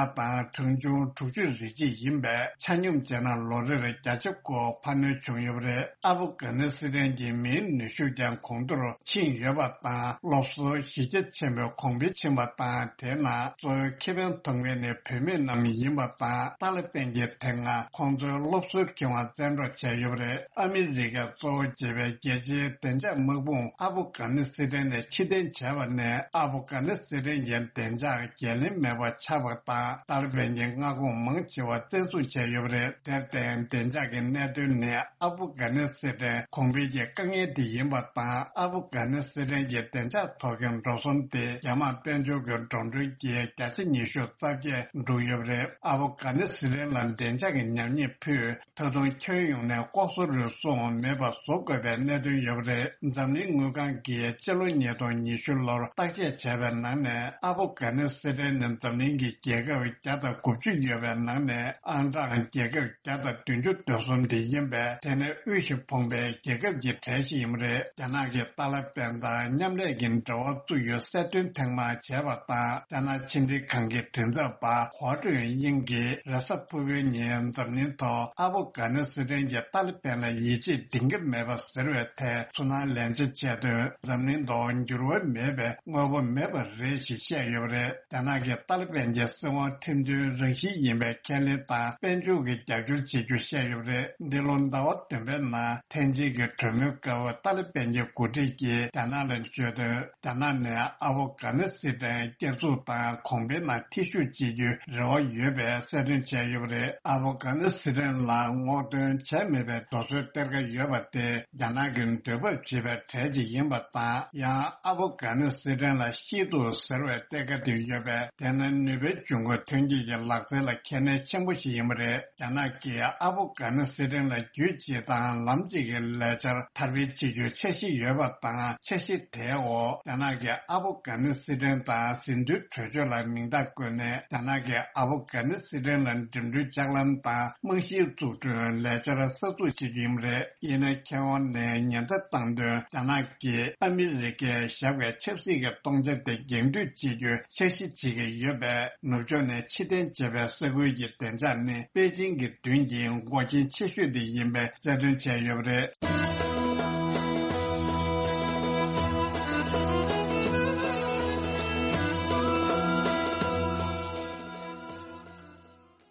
ཁྲག་འབྱུང་དྲུག་ཅུ་རེ་གཅིག་ཡིན་པས། ཆ་སྙོམས་བྱས་ན་ལོ་རེར་བརྒྱ་ཆ་དགུ་འཕར་སྣོན་བྱུང་ཡོད་པ་རེད། ཨབ་གྷ་ནི་སི་ཐན་གྱི་མིའི་ནུས་ཤུགས་ཀྱང་གོང་མཐོར་ཕྱིན་ཡོད་པ་དང་། སློབ་གསོ་གཞི་རྒྱ་ཆེན་པོས་གོང་འཕེལ་ཕྱིན་པ་དང་། དེའི་ནང་གཙོ་བོའི་ཁེ་ཕན་ཐོབ་མཁན་ནི་བུད་མེད་རྣམས་ཡིན་པ་དང་། ཏཱ་ལི་པན་གྱིས་དེ་སྔ་ཁོང་ཚོའི་སློབ་གསོའི་ཁེ་དབང་བཙན་འཕྲོག་བྱས་ཡོད་པ་རེད། ཨ་མི་རི་ཀས་གཙོ་བོ་བྱས་པའི་རྒྱལ་སྤྱིའི་བདེ་འཇགས་དམག་དཔུང་ཨབ་གྷ་ནི་སི་ཐན་ནས་ཕྱིར་འཐེན་བྱས་པ་ནས། ཨབ་གྷ་ནི་སི་ཐན་གྱི་བདེ་འཇགས་འགན་ལེན་མེད་པ་ཆགས་པ་དང་། ཏཱ་ལི་པན་གྱི་མངའ་ཁོངས་མང་ཆེ་བ་བཙན་བཟུང་བྱས་ཡོད་པ་རེད། དེར་བརྟེན། བདེ་འཇགས་ཀྱི་གནད་དོན་ནི་ཨབ་གྷ་ནི་སི་ཐན་གོང་འཕེལ་གྱི་དཀའ་ངལ་དེ་ཡིན་པ་དང་། ཨབ་གྷ་ནི་སི་ཐན་གྱི་བདེ་འཇགས་ཐོག་གི་འགྲོ་སོང་དེ་རྒྱ་དམག་དཔལ་འབྱོར་གྱི་འགྲོ་གྲོན་གྱི་བརྒྱ་ཆ་ཉི་ཤུ་རྩ་བརྒྱད་འགྲོ་ཡོད་པ་རེད། ཨབ་གྷ་ནི་སི་ཐན་ལ་བདེ་འཇགས་ཀྱི་ཉམས་ཉེས་ཕུད། ད་དུང་ཁྱོན་ཡོངས་ནས་ལྐོག་ཟ་རུལ་སུངས་མེད་པ་བཟོ་དགོས་པའི་གནད་དོན་ཡོད་པ་རེད། འཛམ་གླིང་དངུལ་ཁང་གིས་སྤྱི་ལོ་ཉིས་སྟོང་ཉི་ཤུ་ལོར་བརྟག་དཔྱད་བྱས་པའི་ནང་ནས། ཨབ་གྷ་ནི་སི་ཐན་ནི་འཛམ་གླིང་གི་རྒྱལ་ཁབ་བརྒྱ་དང་དགུ་བཅུ་ཡོད་པའི་ནང་ནས། ཨང་གྲངས་རྒྱལ་ཁབ་བརྒྱ་དང་བདུན་ཅུ་དོན་གསུམ་དེ་ཡིན་པས། དེ་ནི་དབུལ་ཞིང་ཕོངས་པའི་རྒྱལ་ཁབ་ཀྱི་གྲས་ཤིག་ཡིན་པ་རེད། རྒྱ་ནག་གིས་ཏཱ་ལི་པན་དང་མཉམ་ལས་ཀྱི་འབྲེལ་བ་བཙུགས་ཡོད་གསལ་སྟོན་ཐེངས་མང་བྱས་པ་དང་། རྒྱ་ནག་ཕྱི་འབྲེལ་ཁང་གི་མགྲིན་ཚབ་པ་ཧོ་ཀྲུན་དབྱིང་གིས་རེས་གཟའ་ཕུར་བུའི་ཉིན་འཛམ་གླིང་ཐོག་ཨ་ཕོ་གྷ་ནི་སི་ཐན་གྱིས་ཏཱ་ལི་པན་ལ་ཡིད་ཆེས་འདིང་གི་མེད་པ་ཟེར་བའི་ཐད་ཚུར་སྣང་ལན་ཆ་བྱས་དོན། འཛམ་གླིང་ཐོག་འགྱུར་བ་མེད་པའི་དངོས་པོ་མེད་པ་རེད་ཞེས་བཤད་ཡོད་པ་རེད། རྒྱ་ནག་གིས་ཏཱ་ལི་པན་གྱི་སྲིད་དབང་ཁྲིམས་མཐུན་རང་བཞིན་ཡིན་པའི་ཁས་ལེན་དང་། དཔལ་འབྱོར་གྱི་རྒྱབ་སྐྱོར་བྱེད་རྒྱུ་བཤད་ཡོད་པ་རེད། འདི་ལོ་ཟླ་བ་བདུན་པའི་ནང་ཐེན་ཅིན་གྱི་གྲོས་མོལ་སྐབས་ཏཱ་ལི་པན་གྱི་འགོ་ཁྲིད་ཀྱིས་རྒྱ་ནག་ལ་བརྗོད་དོན། རྒྱ་ནག་ནས་ཨ་ཕོ་གྷ་ནི་སི་ཐན་བསྐྱར་འཛུགས་དང་གོང་འཕེལ་ནང་ཐེ་ཞུགས་བྱེད་རྒྱུའི་རེ་བ་ཡོད་པའི་གསལ་སྟོན་བྱས་ཡོད་པ་རེད། ཨ་ཕོ་གྷ་ནི་སི་ཐན་ལ་སྔོག་འདོན་བྱས་མེད་པའི་རྡོ་སོལ་གཏེར་ཁ་ཡོད་པ་དེ་རྒྱ་ནག་གི་འདོད་པ་བྱེད་པའི་གྲས་ཅིག་ཡིན་པ་དང་། ཡང་ཨ་ཕོ་གྷ་ནི་སི་ཐན་ལ་ཤིས་ཏུ་ཟེར་བའི་གཏེར་ཁ་དེ་ཡོད་པས། དེ་ནི་ནུས་པའི་འབྱུང་ཁུངས་ཐོན་སྐྱེད་ཀྱི་ལག་རྩལ་ལ་གལ་གནད་ཆེན་པོ་ཞིག་ཡིན་པ་རེད། རྒྱ་ནག་གིས་ཨ་ཕོ་གྷ་ནི་སི་ཐན་ལ་རྒྱུད་གཅིག་དང་ལམ་གཅིག་གི་ལས་འཆར་དར་སྤེལ་བྱེད་རྒྱུའི་འཆར་གཞི་ཡོད་པ་དང་། འཆར་གཞི་དེའི་འོག་རྒྱ་ནག་གིས་ཨ་ཕོ་གྷ་ནི་སི་ཐན་དང་ཟིན་ཐོའི་གྲོས་ཆོད་ལ་མིང་རྟགས་བཀོད་ནས། རྒྱ་ནག་གིས་ཨ་ཕོ་གྷ་ནི་སི་ཐན་ལ་འགྲིམ་འགྲུལ་ལྕགས་ལམ་དང་རྨང་གཞིའི་འཛུགས་སྐྲུན་ལས་འཆར་གསར་འཛུགས་བྱེད་རྒྱུ་ཡིན་པ་རེད། ཡིན་ནའི་མཁས་དབང་ནས་ཉེན་བརྡ་བཏང་དོན། རྒྱ་ནག་གིས་ཨ་མི་རི་ཀས་བཞག་པའི་ཆབ་སྲིད་ཀྱི་སྟོང་ཆ་དེ་འགེངས་གཏོང་བྱེད་རྒྱུའི་འཆར་གཞི་བྱེད་ཀྱི་ཡོད་པས། ནུབ་ཕྱོགས་ནས་ཕྱིར་འཐེན་བྱས་པའི་ས་ཁུལ་གྱི་བདེ་འཇགས་ནི་པེ་ཅིང་གི་མདུན་གྱི་འགོག་རྐྱེན་ཆེ་ཤོས་དེ་ཡིན་པའི་གསལ་སྟོན་བྱས་ཡོད་པ་རེད།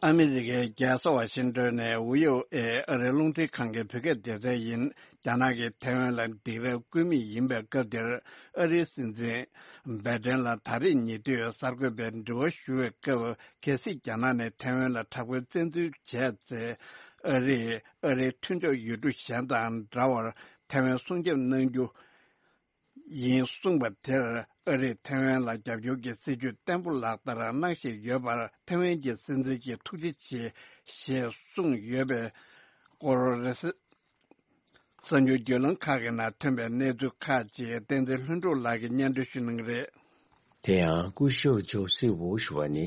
ཨ་མི་རི་ཀའི་རྒྱལ་ས་ཝ་ཤིང་ཏོན་ནས་བྷི་ཨོ་ཨེ་ཨ་རིའི་རླུང་འཕྲིན་ཁང་གི་བོད་སྐད་སྡེ་ཚན་ཡིན། རྒྱ་ནག་གིས་ཐའེ་ཝན་ལ་སྡིགས་ར་བསྐུལ་མུས་ཡིན་པའི་སྐབས་འདིར། ཨ་རིའི་སྲིད་འཛིན་བྷའི་ཏན་ལ་ད་རེས་ཉེ་དུས་གསར་འགོད་པས་འདྲི་བ་ཞུ་བའི་སྐབས། གལ་སྲིད་རྒྱ་ནག་ནས་ཐའེ་ཝན་ལ་དྲག་པོའི་བཙན་འཛུལ་བྱས་ཚེ། ཨ་རིས་ཨ་རིའི་མཐུན་ཕྱོགས་ཡུལ་གྲུ་གཞན་དང་འདྲ་བར་ཐའེ་ཝན་སྲུང་སྐྱོབ་གནང་རྒྱུ་ཡིན་གསུངས་པ་དེར། ཨ་རིས་ཐའེ་ཝན་ལ་རྒྱབ་སྐྱོར་གྱི་སྲིད་ཇུས་བརྟན་པོ་ལག་བསྟར་གནང་བཞིན་ཡོད་པར། ཐའེ་ཝན་གྱི་སྲིད་འཛིན་གྱིས་ཐུགས་རྗེ་ཆེ་ཞེས་གསུངས་ཡོད་པའི་སྐོར། གསར་འགྱུར་བརྒྱུད་ལམ་ཁག་གི་ནང་ཐོན་པའི་གནས་ཚུལ་ཁག་ཅིག་བསྟན་འཛིན་ལྷུན་གྲུབ་ལགས་ཀྱིས་སྙན་སྒྲོན་ཞུ་གནང་གི་རེད། དེ་ཡང་སྐུ་ཞབས་ཇོ་སི་ཝུ་ཞུ་བ་ནི་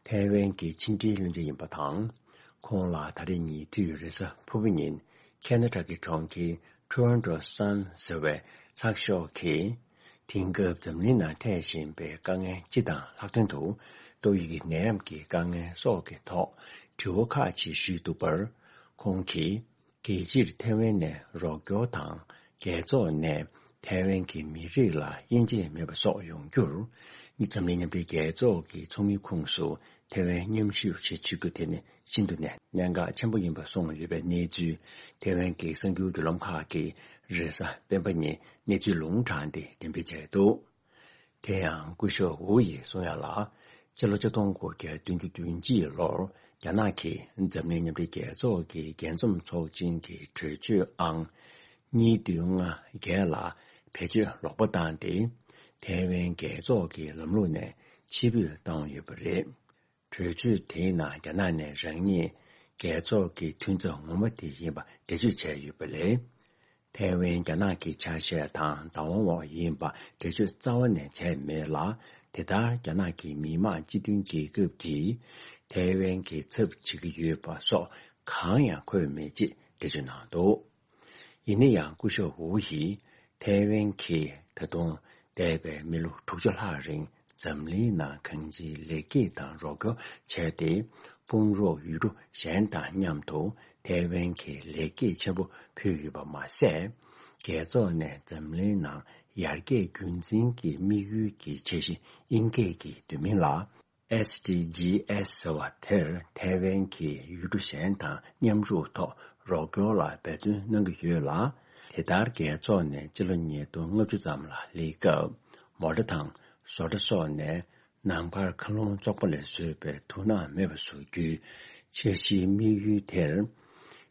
ཐའེ་ཝན་གྱི་ཕྱི་འབྲེལ་བློན་ཆེན་ཡིན་པ་དང་། ཁོང་ལ་ད་རེས་ཉེ་དུས་རེས་གཟའ་ཕུར་བུ་ཉིན་ཁེ་ན་ཌ་གི་གྲོང་ཁྱེར་ཊོ་རོན་ཊོ་སན་ཟེར་བའི་ཚགས་ཤོག་གིས། དེང་སྐབས་འཛམ་གླིང་ནང་འཕྲད་བཞིན་པའི་དཀའ་ངལ་སྤྱི་དང་ལྷག་དོན་དུ། ཏོག་དབྱིབས་ཀྱི་ནད་ཡམས་ཀྱི་དཀའ་ངལ་སོགས་ཀྱི་ཐོག་དྲི་བ་ཁག་ཅིག་ཞུས་འདུག་པར། ཁོང་གིས། རྒྱལ་སྤྱིར་ཐའེ་ཝན་ནས་རོགས་སྐྱོར་དང་། རྒྱལ་ཚོགས་ནས་ཐའེ་ཝན་གྱི་མི་རིགས་ལ་དབྱེ་འབྱེད་མེད་པ་སོགས་ཡོང་རྒྱུར། འཛམ་གླིང་མཉམ་འབྲེལ་རྒྱལ་ཚོགས་ཀྱི་ཚོགས་མིའི་ཁོངས་སུ་ཐའེ་ཝན་མཉམ་ཞུགས་བྱེད་བཅུག་རྒྱུ་དེ་ནི་ཤིན་ཏུ་ནས་གནད་འགག་ཆེན་པོ་ཡིན་པ་གསུངས་ཡོད་པའི་གནས་ཚུལ། ཐའེ་ཝན་གྱི་གསར་འགྱུར་བརྒྱུད་ལམ་ཁག་གིས་རེས་གཟའ་སྤེན་པ་ཉིན་གནས་ཚུལ་ལུང་དྲངས་ཏེ་འགྲེམས་སྤེལ་བྱས་འདུག། དེ་ཡང་སྐུ་ཞབས་ཝུ་ཡིས་གསུངས་ཡ་ལ། ཕྱི་ལོ་ཆིག་སྟོང་དགུ་བརྒྱ་བདུན་ཅུ་དོན་གཅིག་ལོར་རྒྱ་ནག་གིས་འཛམ་གླིང་མཉམ་འབྲེལ་རྒྱལ་ཚོགས་ཀྱི་རྒྱས་འཛོམས་ཚོགས་ཆེན་གྱི་གྲོས་ཆོད་ཨང་གཉིས་བདུན་ལྔ་བརྒྱད་ལ་བེད་སྤྱོད་ལོག་པ་བཏང་སྟེ། ཐའེ་ཝན་རྒྱལ་ཚོགས་ཀྱི་ལམ་ལུགས་ནས་ཕྱིར་འབུད་བཏང་ཡོད་པ་རེད། གྲོས་ཆོད་དེའི་ནང་རྒྱ་ནག་ནས་རང་ཉིད་རྒྱལ་ཚོགས་ཀྱི་མཐུན་ཚོགས་ངོ་མ་དེ་ཡིན་པ་འགྲེལ་བརྗོད་བྱས་ཡོད་པ་ལས། ཐའེ་ཝན་རྒྱ་ནག་གི་ཆ་ཤས་དང་བདག་དབང་འོག་ཡིན་པ་འགྲེལ་བརྗོད་རྩ་བ་ནས་བྱས་མེད་ལ། དེ་ལྟར་རྒྱ་ནག་གི་མི་དམངས་སྤྱི་མཐུན་རྒྱལ་ཁབ་ཀྱིས་ཐའེ་ཝན་གྱི་ཚབ་བྱེད་ཀྱི་ཡོད་པ་སོགས་གང་ཡང་འཁོད་མེད་ཅེས་འགྲེལ་བརྗོད་གནང་འདུག། ཡིན་ན་ཡང་སྐུ་ཞབས་ཝུ་ཡིས་ཐའེ་ཝན་གྱིས་ད་དུང་འདས་པའི་མི་ལོ་དྲུག་ཅུ་ལྷག་རིང་འཛམ་གླིང་ནང་གང་ཅིའི་ལེགས་སྐྱེས་དང་རོགས་སྐྱོར་བྱས་ཏེ། དཔུང་རོགས་ཡུལ་གྲུ་གཞན་དང་མཉམ་དུ་ཐའེ་ཝན་གྱི་ལེགས་སྐྱེས་ཆེན་པོ་ཕུལ་ཡོད་པ་མ་ཟད། རྒྱལ་ཚོགས་ནས་འཛམ་གླིང་ནང་ཡར་རྒྱས་རྒྱུན་འཛིན་གྱི་དམིགས་ཡུལ་གྱི་འཆར་གཞི་དབྱིན་སྐད་ཀྱི་བསྡུས་མིང་ལ། ཨེས་ཌི་ཇི་ཨེས་ཟེར་བ་དེར་ཐའེ་ཝན་གྱིས་ཡུལ་གྲུ་གཞན་དང་མཉམ་རུབ་ཐོག་རོགས་སྐྱོར་ལ་འབད་བརྩོན་གནང་གི་ཡོད་ལ། དེ་ལྟར་རྒྱལ་ཚོགས་ནས་སྤྱི་ལོ་ཉིས་སྟོང་ལྔ་བཅུ་ཙམ་ལ་སླེབས་སྐབས། མོ་ཊ་དང་བཟོ་གྲྭ་སོགས་ནས་ནང་པར་མཁའ་རླུང་བཙོག་པ་ལས་བཟོས་པའི་དུག་སྣ་མེད་པ་བཟོ་རྒྱུའི་འཆར་གཞིའི་དམིགས་ཡུལ་དེར།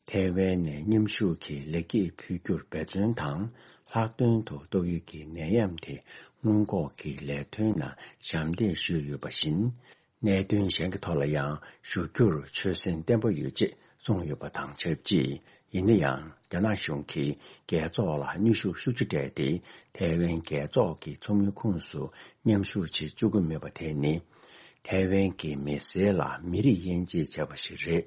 ཐའེ་ཝན་ནས་མཉམ་ཞུགས་ཀྱིས་ལེགས་སྐྱེས་ཕུལ་རྒྱུར་འབད་བརྩོན་དང་། ལྷག་དོན་དུ་ཏོག་དབྱིབས་ཀྱི་ནད་ཡམས་དེ་སྔོན་འགོག་གི་ལས་དོན་ནང་ཞབས་འདེགས་ཞུས་ཡོད་པ་བཞིན། གནད་དོན་གཞན་གྱི་ཐོག་ལ་ཡང་ཞུགས་རྒྱུར་ཆོད་སེམས་བརྟན་པོ་ཡོད་ཅེས་གསུངས་ཡོད་པ་དང་ཆབས་ཅིག། ཡིན་ན་ཡང་། རྒྱ་ནག་གཞུང་གིས་རྒྱལ་ཚོགས་ལ་གནོན་ཤུགས་ཤུགས་ཆེ་སྤྲད་དེ། ཐའེ་ཝན་རྒྱལ་ཚོགས་ཀྱི་ཚོགས་མིའི་ཁོངས་སུ་མཉམ་ཞུགས་བྱེད་བཅུག་གི་མེད་པ་དེ་ནི། ཐའེ་ཝན་གྱི་མི་སེར་ལ་མི་རིགས་དབྱེ་འབྱེད་བྱས་པ་ཞིག་རེད།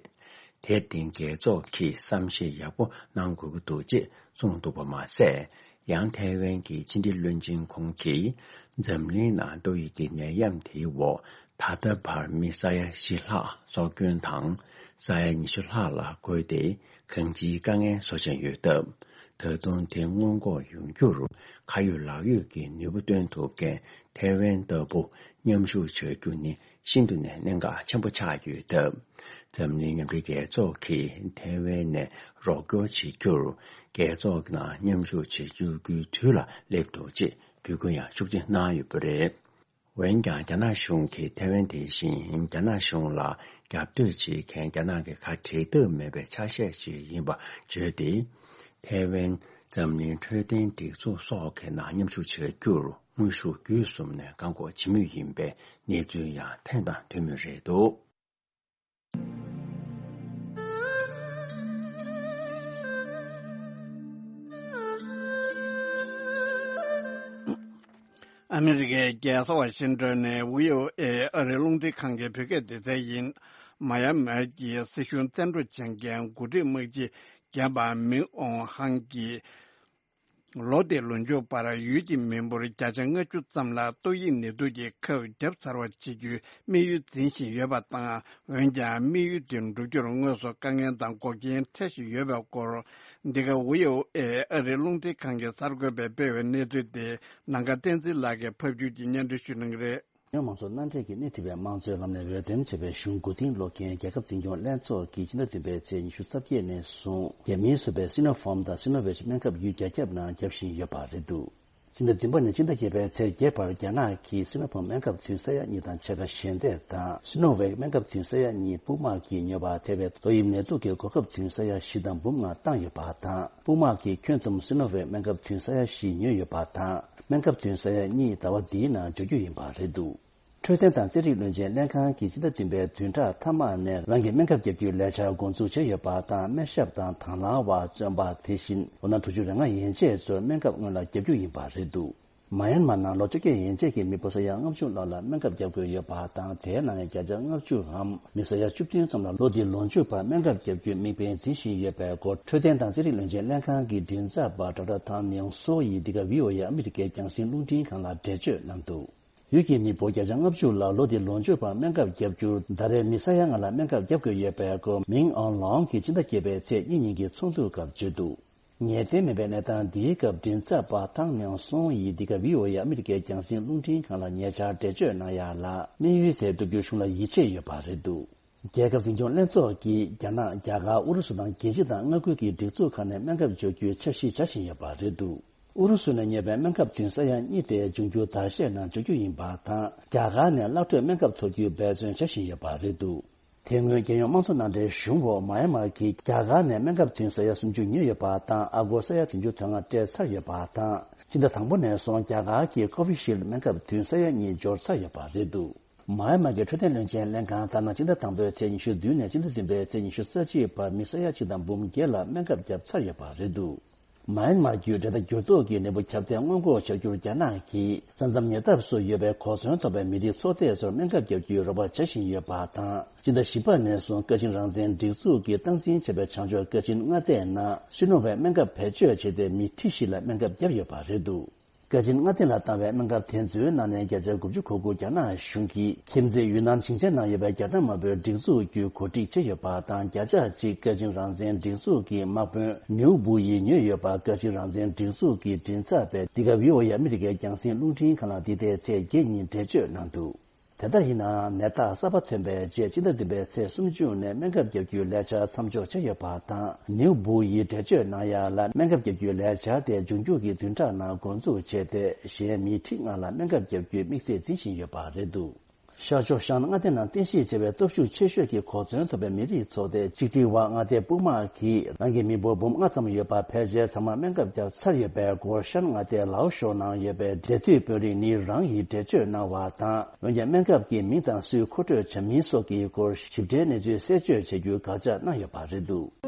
དེར་བརྟེན། རྒྱལ་ཚོགས་ཀྱིས་བསམ་ཤེས་ཡག་པོ་གནང་དགོས་ཀྱི་འདུག་ཅེས་གསུངས་འདུག་པ་མ་ཟད། ཡང་ཐའེ་ཝན་གྱི་ཕྱི་འབྲེལ་བློན་ཆེན་ཁོང་གིས། འཛམ་གླིང་ནང་ཏོག་དབྱིབས་ཀྱི་ནད་ཡམས་དེའི་འོག་ད་ལྟ་བར་མི་ས་ཡ་བཞི་ལྷག་སྲོག་སྐྱོན་དང་། ས་ཡ་ཉི་ཤུ་ལྷག་ལ་འགོས་ཏེ། གང་ཅིའི་དཀའ་ངལ་བཟོ་བཞིན་ཡོད་སྟབས། ད་དུང་དེ་སྔོན་འགོག་ཡོང་རྒྱུར། ཁ་ཡོད་ལག་ཡོད་ཀྱི་ནུས་པ་བཏོན་ཐུབ་མཁན་ཐའེ་ཝན་ལྟ་བུ་མཉམ་ཞུགས་བྱ་རྒྱུ་ནི། ཤིན་ཏུ་ནས་གནད་འགག་ཆེན་པོ་ཆགས་ཡོད་སྟབས། འཛམ་གླིང་མཉམ་འབྲེལ་རྒྱལ་ཚོགས་ཀྱིས་ཐའེ་ཝན་ནས་རོགས་སྐྱོར་བྱེད་རྒྱུར། རྒྱལ་ཚོགས་ནང་མཉམ་ཞུགས་བྱེད་བཅུག་རྒྱུའི་དུས་ལ་སླེབས་འདུག་ཅེས་འབོད་སྐུལ་ཡང་ཤུགས་ཆེ་གནང་ཡོད་པ་རེད། འོན་ཀྱང་། རྒྱ་ནག་གཞུང་གིས་ཐའེ་ཝན་དེ་བཞིན་རྒྱ་ནག་གཞུང་ལ་རྒྱབ་གཏོད་བྱེད་མཁན་རྒྱ་ནག་གི་ཁ་བྲལ་ཐབས་མེད་པའི་ཆ་ཤས་ཤིག་ཡིན་པ་བརྗོད་དེ། ཐའེ་ཝན་འཛམ་གླིང་འཕྲོད་བསྟེན་སྒྲིག་འཛུགས་སོགས་ཀྱི་ནང་མཉམ་ཞུགས་བྱ་རྒྱུར། དངོས་ཤུགས་བརྒྱུད་གསུམ་ནས་བཀག་འགོག་བྱེད་མུས་ཡིན་པའི་གནས་ཚུལ་ཡང་ཐོན་དང་ཐོན་མུས་རེད་འདུག། ཨ་མི་རི་ཀའི་རྒྱལ་ས་ཝ་ཤིང་ཏོན་ནས་བྷི་ཨོ་ཨེ་ཨ་རིའི་རླུང་འཕྲིན་ཁང་གི་བོད་སྐད་སྡེ་ཚན་ཡིན། མཱ་ཡན་མར་གྱི་སྲིད་གཞུང་བཙན་འཕྲོག་བྱེད་མཁན་འགོ་ཁྲིད་དམག་སྤྱི་རྒན་པ་མིང་ཨོང་ཧང་གིས། ལོ་འདིའི་ལོ་མཇུག་བར་ཡུལ་གྱི་མི་འབོར་བརྒྱ་ཆ་ལྔ་བཅུ་ཙམ་ལ་ཏོག་དབྱིབས་ནད་དུག་གི་ཁབ་བརྒྱབ་ཚར་བ་བྱེད་རྒྱུའི་དམིགས་ཡུལ་འཛིན་བཞིན་ཡོད་པ་དང་། འོན་ཀྱང་དམིགས་ཡུལ་དེ་འགྲུབ་རྒྱུར་དངོས་སུ་དཀའ་ངལ་དང་འགོག་རྐྱེན་འཕྲད་བཞིན་ཡོད་པའི་སྐོར། འདི་ག་བྷི་ཨོ་ཨེ་ཨ་རིའི་རླུང་འཕྲིན་ཁང་གི་གསར་འགོད་པས་སྤེལ་བའི་གནས་ཚུལ་དེ་ནམ་མཁའ་བསྟན་འཛིན་ལགས་ཀྱིས་ཕབ་སྒྱུར་གྱིས་སྙན་སྒྲོན་ཞུ་གནང་གི་རེད། ཉོ་མང་ཚོགས་མནའ་འབྲེལ་གྱིས་སྣེ་ཁྲིད་པའི་དམངས་གཙོའི་ལམ་ནས་འོས་འདེམས་བྱས་པའི་གཞུང་མགོ་རྟིང་སློག་མཁན་རྒྱལ་ཁབ་འཛིན་སྐྱོང་ལྷན་ཚོགས་ཀྱིས་ཕྱི་ཟླ་བདུན་པའི་ཚེས་ཉི་ཤུ་རྩ་བརྒྱད་ནས་བཟུང་རྒྱ་མིས་བཟོས་པའི་སི་ནོ་ཕོམ་དང་སི་ནོ་ཝེག་སྨན་ཁབ་ཡུལ་རྒྱ་ཁྱབ་ནང་བརྒྱབ་བཞིན་ཡོད་པ་རེད་འདུག། ཕྱི་ཟླ་བདུན་པ་ནས་ཕྱི་ཟླ་བརྒྱད་པའི་ཚེས་བརྒྱད་བར་རྒྱ་ནག་གིས་སི་ནོ་ཕོམ་སྨན་ཁབ་ཐུན་ས་ཡ་གཉིས་དང་ཕྱེད་ཀ་ཞལ་འདེབས་དང་། སི་ནོ་ཝེག་སྨན་ཁབ་ཐུན་ས་ཡ་གཉིས་དཔུང་དམག་གིས་ཉོས་པ་ཐེ་བའི་ཏོག་དབྱིབས་ནད་དུག་གི་གོ་སྐབས་ཐུན་ས་ཡ་བཞི་དང་འབུམ་ལྔ་བཏང་ཡོད་པ་དང་། དཔུང་དམག་གིས་ཁྱོན་བསྡོམས་སི་ནོ་ཝེག་སྨན་ཁབ་ཐུན་ས་ཡ་བཞི་ཉོས་ཡོད་པ་དང་། སྨན་ཁབ་ཐུན་ས་ཡ་གཉིས་ཟླ་བ་འདིའི་ནང་འཇོག་རྒྱུ་ཡིན་པ་རེད་འདུག། འཕྲོད་བསྟེན་དང་རྩེད་རིགས་བློན་ཆེན་ལྷན་ཁང་གིས་ཕྱི་ཟླ་བདུན་པའི་བདུན་ཕྲག་མཐའ་མ་ནས་རང་གི་སྨན་ཁབ་བརྒྱབ་རྒྱུའི་ལས་འཆར་འགོ་འཛུགས་བྱས་ཡོད་པ་དང་། སྨན་ཞབས་དང་དང་བླངས་པ། བཙོན་པ། དེ་བཞིན་ལོ་ན་དྲུག་ཅུ་རེ་ལྔ་ཡན་ཆད་ཚོར་སྨན་ཁབ་སྔོན་ལ་བརྒྱབ་རྒྱུ་ཡིན་པ་རེད་འདུག། མ་ཡན་མར་ནང་ལོ་བཅོ་བརྒྱད་ཡན་ཆད་ཀྱི་མི་སྤུན་ས་ཡ་ལྔ་བཅུ་ལྷག་ལ་སྨན་ཁབ་བརྒྱབ་དགོས་ཡོད་པ་དང་། དེའི་ནང་ནས་བརྒྱ་ཆ་ལྔ་བཅུའམ་མི་ས་ཡ་བཅུ་བདུན་ཙམ་ལ་ལོ་འདིའི་ལོ་མཇུག་བར་སྨན་ཁབ་བརྒྱབ་རྒྱུའི་དམིགས་འབེན་འཛིན་བཞིན་ཡོད་པའི་སྐོར། འཕྲོད་བསྟེན་དང་རྩེད་རིགས་བློན་ཆེན་ལྷན་ཁང་གི་མགྲིན་ཚབ་པ་ཌོག་ཊར་ཐང་མིང་སོ་ཡིས་འདི་ག་བྷི་ཨོ་ཨེ་ཨ་མི་རི་ཀའི་རྒྱང་སྲིང་རླུང་འཕྲིན་ཁང་ལ་འགྲེལ་བརྗོད་གནང་འདུག། ཡུལ་གྱི་མི་འབོར་བརྒྱ་ཆ་ལྔ་བཅུ་ལ་ལོ་འདིའི་ལོ་མཆོད་པར་སྨན་ཁབ་བརྒྱབ་རྒྱུར་ཟླ་རེར་མི་ས་ཡ་ལྔ་ལ་སྨན་ཁབ་བརྒྱབ་དགོས་ཡོད་པའི་སྐོར་མིང་ཨོན་ལོང་གིས་སྤྱི་ཟླ་བརྒྱད་པའི་ཚེས་གཉིས་ཉིན་གྱི་ཚོགས་འདུའི་སྐབས་བརྗོད་འདུག་ངེས་གཏན་མེད་པའི་གནས་སྟངས་འདིའི་སྐབས་མགྲིན་ཚབ་པ་ཐང་མིང་སོང་ཡིས་འདི་ག་བྷི་ཨོ་ཨེ་ཨ་མི་རི་ཀའི་རྒྱང་སྲིང་རླུང་འཕྲིན་ཁང་ལ་ཉེ་ཆར་འགྲེལ་བརྗོད་གནང་ཡ་ལ། དམིགས་ཡུལ་དེ་བསྒྲུབ་རྒྱུར་གཞུང་ལ་ཡིད་ཆེས་ཡོད་པ་རེད་འདུག་རྒྱལ་ཁབ་འཛིན་སྐྱོང་ལྷན་ཚོགས་ཀྱིས་རྒྱ་ནག་རྒྱ་གར་ཨུ་རུ་སུ་དང་རྒྱལ་སྤྱི་དང་མངའ་ཁུལ་གྱི་སྒྲིག་འཛུགས་ཁག་ནས་སྨན་ཁབ་འབྱོར་རྒྱུའི་འཆར་གཞི་འཆར་བཞིན་ཡོད་པ་རེད་འདུག་ཨུ་རུ་སུ་ནས་ཉོས་པའི་སྨན་ཁབ་བདུན་ས་ཡ་གཉིས་དེ་འབྱུང་འགྱུར་ཟླ་ཤས་ནང་འབྱོར་རྒྱུ་ཡིན་པ་དང་། རྒྱ་གར་ནས་གླ་སྤྲོད་སྨན་ཁབ་ཐོབ་རྒྱུའི་འབད་བརྩོན་བྱ་བཞིན་ཡོད་པ་རེད་འདུག་དེ་སྔོན་རྒྱལ་ཡོངས་དམངས་གཙོ་མནའ་འབྲེལ་གཞུང་འོག་མཱ་ཡན་མར་གྱིས་རྒྱ་གར་ནས་སྨན་ཁབ་བདུན་ས་ཡ་སུམ་ཅུ་ཉོས་ཡོད་པ་དང་། ཨ་སྒོར་ས་ཡ་བདུན་ཅུ་དོན་ལྔ་སྤྲད་ཚར་ཡོད་པ་དང་། སྤྱི་ཟླ་དང་པོ་ནས་བཟུང་རྒྱ་གར་གྱིས་ཀོ་ཝི་ཤིལ་སྨན་ཁབ་བདུན་ས་ཡ་གཉིས་འབྱོར་ཚར་ཡོད་པ་རེད་འདུག་མཱ་ཡན་མར་གྱི་འཕྲོད་བསྟེན་བློན་ཆེན་ལྷན་ཁང་ལྟར་ན། སྤྱི་ཟླ་དང་པོའི་ཚེས་ཉི་ཤུ་བདུན་ནས་སྤྱི་ཟླ་བདུན་པའི་ཚེས་ཉི་ཤུ་རྩ་གཅིག་བར་མི་ས་ཡ་གཅིག་དང་འབུམ་བརྒྱད་ལ་སྨན་ཁབ་བརྒྱབ་ཚར་ཡོད་པ་རེད་འདུག་མཱ་ཡན་མར་བརྒྱུད་འབྲེལ་ཟླ་འགྱུར་ལྡོག་གི་ནད་འབུ་ཁྱབ་གདལ་སྔོན་འགོག་བྱ་རྒྱུར་རྒྱ་ནག་གིས་ས་མཚམས་ཉེ་འདབས་སུ་ཡོད་པའི་གོ་མཚོན་ཐོབ་པའི་མི་རིགས་ཚོགས་སྡེ་ཚོར་སྨན་ཁབ་བརྒྱབ་རྒྱུའི་རོགས་པ་བྱ་བཞིན་ཡོད་པ་དང་། སྤྱི་ཟླ་བཞི་པ་ནས་བཟུང་ཀ་ཆིན་རང་བཙན་སྒྲིག་འཛུགས་ཀྱིས་སྟངས་འཛིན་བྱས་པའི་བྱང་ཕྱོགས་ཀ་ཆིན་མངའ་སྡེ་ནང་སི་ནོ་ཝེག་སྨན་ཁབ་བེད་སྤྱོད་བྱས་ཏེ། མི་ཁྲི་བཞི་ལ་སྨན་ཁབ་བརྒྱབ་ཡོད་པ་རེད་འདུག་ཀ་ཆིན་མངའ་སྡེ་ལ་བཏང་བའི་སྨན་ཁབ་དེ་ཚོའི་ནང་ནས་བརྒྱ་ཆ་དགུ་བཅུ་གོ་དགུ་རྒྱ་ནག་གཞུང་གིས་ཁྱིམ་མཚེས་ཡུན་ནན་ཞིང་ཆེན་ནང་ཡོད་པའི་རྒྱ་ནག་དམར་པོའི་སྒྲིག་འཛུགས་བརྒྱུད་གོ་སྒྲིག་བྱས་ཡོད་པ་དང་། བརྒྱ་ཆ་གཅིག་ཀ་ཆིན་རང་བཙན་སྒྲིག་འཛུགས་ཀྱི་དམག་དཔོན་ནིའུ་བུ་ཡིས་ཉོས་ཡོད་པ་ཀ་ཆིན་རང་བཙན་སྒྲིག་འཛུགས་ཀྱི་མགྲིན་ཚབ་པས་འདི་ག་བྷི་ཨོ་ཨེ་ཨ་མི་རི་ཀའི་རྒྱང་སྲིང་རླུང་འཕྲིན་ཁང་ལ་འདི་ཟླའི་ཚེས་བརྒྱད་ཉིན་འགྲེལ་བརྗོད་གནང་འདུག་དེ་ལྟར་ཡིན་ནའང་ནད་རྟགས་གསར་པ་ཐོན་པའི་རྗེས་སྤྱི་ཟླ་བདུན་པའི་ཚེས་སུམ་ཅུ་ནས་སྨན་ཁབ་བརྒྱབ་རྒྱུའི་ལས་འཆར་མཚམས་འཇོག་བྱས་ཡོད་པ་དང་། ནིའུ་བུ་ཡིས་འགྲེལ་བརྗོད་གནང་ཡ་ལ། སྨན་ཁབ་བརྒྱབ་རྒྱུའི་ལས་འཆར་དེ་འབྱུང་འགྱུར་གྱི་བདུན་ཕྲག་ནང་འགོ་འཛུགས་བྱས་ཏེ། གཞན་མི་ཁྲི་ལྔ་ལ་སྨན་ཁབ་བརྒྱབ་རྒྱུའི་དམིགས་ཚད་འཛིན་བཞིན་ཡོད་པ་རེད་འདུག་ཤར་ཕྱོགས་ཤང་མངའ་སྡེ་ནང་རྟེན་གཞི་བྱས་པའི་སྟོབས་ཤུགས་ཆེ་ཤོས་ཀྱི་གོ་མཚོན་ཐོབ་པའི་མི་རིགས་ཚོགས་སྡེ་གཅིག་སྒྲིལ་དབར་མངའ་སྡེ་སྤུ་མ་གིས་རང་གི་མི་འབོར་འབུམ་ལྔ་ཙམ་ཡོད་པ་ཕལ་ཆེར་ཚང་མ་སྨན་ཁབ་བརྒྱབ་ཚར་ཡོད་པའི་སྐོར་ཤན་མངའ་སྡེའི་ལའོ་ཤོ་ནང་ཡོད་པའི་འབྲེལ་མཐུད་དཔོན་རིགས་ནི་རང་ཡིས་འགྲེལ་བརྗོད་གནང་བ་དང་། འོན་ཀྱང་སྨན་ཁབ་ཀྱི་མིང་དང་སུས་མཁོ་སྤྲོད་བྱ་མིན་སོགས་ཀྱི་སྐོར་ཞིབ་ཕྲའི་གནས་ཚུལ་གསལ་བརྗོད་བྱ་རྒྱུའི་དགག་བྱ་གནང་ཡོད་པ་རེད་འདུག་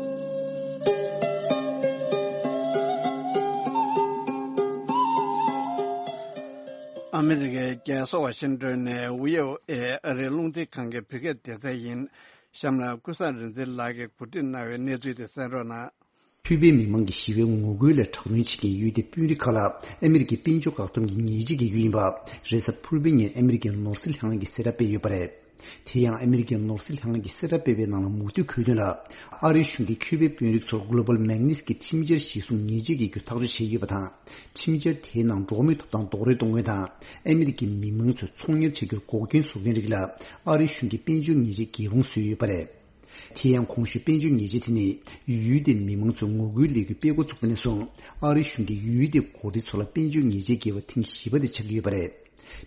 ཨ་མི་རི་ཀའི་རྒྱལ་ས་ཝ་ཤིང་ཏོན་ནས་ཝི་ཨོ་ཨེ་ཨ་རིའི་རླུང་འཕྲིན་ཁང་གི་བོད་སྐད་སྡེ་ཚན་ཡིན། གཤམ་ལ་ཀུན་བཟང་རིག་འཛིན་ལགས་ཀྱིས་གོ་སྒྲིག་གནང་བའི་གནས་ཚུལ་དེ་གསན་རོགས་གནང་། ཁུ་པའི་མི་མང་གི་ཞི་བའི་ངོ་རྒོལ་ལ་དྲག་གནོན་བྱེད་མཁན་ཡུལ་དེའི་དཔོན་རིགས་ཁག་ལ་ཨ་མི་རི་ཀའི་དཔལ་འབྱོར་བཀག་སྡོམ་གྱི་ཉེས་ཆད་འགེལ་རྒྱུ་ཡིན་པ། རེས་གཟའ་ཕུར་བུའི་ཉིན་ཨ་མི་རི་ཀའི་ནོར་སྲིད་ལྷན་ཁང་གིས་གསལ་བསྒྲགས་སྤེལ་ཡོད་པ་རེད། དེ་ཡང་ཨ་མི་རི་ཀའི་ནོར་སྲིད་ལྷན་ཁང་གིས་གསལ་བསྒྲགས་སྤེལ་བའི་ནང་ལ་མུ་མཐུད་འཁོད་དོན་ལ། ཨ་རིའི་གཞུང་གིས་ཁུ་པའི་དཔོན་རིགས་ཚོར་Global Magnitsky་ཁྲིམས་འཆར་གཞིར་བཟུང་ཉེས་ཆད་འགེལ་རྒྱུ་ཐག་གཅོད་བྱས་ཡོད་པ་དང་། ཁྲིམས་འཆར་དེའི་ནང་འགྲོ་བ་མིའི་ཐོབ་ཐང་རྡོག་རོལ་གཏོང་མཁན་དང་། ཨ་མི་རི་ཀའི་མི་མང་ཚོས་ཚོང་གཉེར་བྱ་རྒྱུར་འགོག་རྐྱེན་བཟོ་མཁན་རིགས་ལ་ཨ་རིའི་གཞུང་གིས་དཔལ་འབྱོར་ཉེས་ཆད་འགེལ་དབང་བཟོས་ཡོད་པ་རེད། དེ་ཡང་གོང་ཞུས་དཔལ་འབྱོར་ཉེས་ཆད་དེ་ནི་ཡུལ་དེའི་མི་མང་ཚོས་ངོ་རྒོལ་ལས་འགུལ་སྤེལ་འགོ་བཙུགས་པ་ནས་བཟུང་ཨ་རིའི་གཞུང་གིས་ཡུལ་དེའི་འགོ་ཁྲིད་ཚོ་ལ་དཔལ་འབྱོར་ཉེས་ཆད་འགེལ་བ་ཐེངས་བཞི་པ་དེ་ཆགས་ཀྱི་ཡོད་པ་རེད།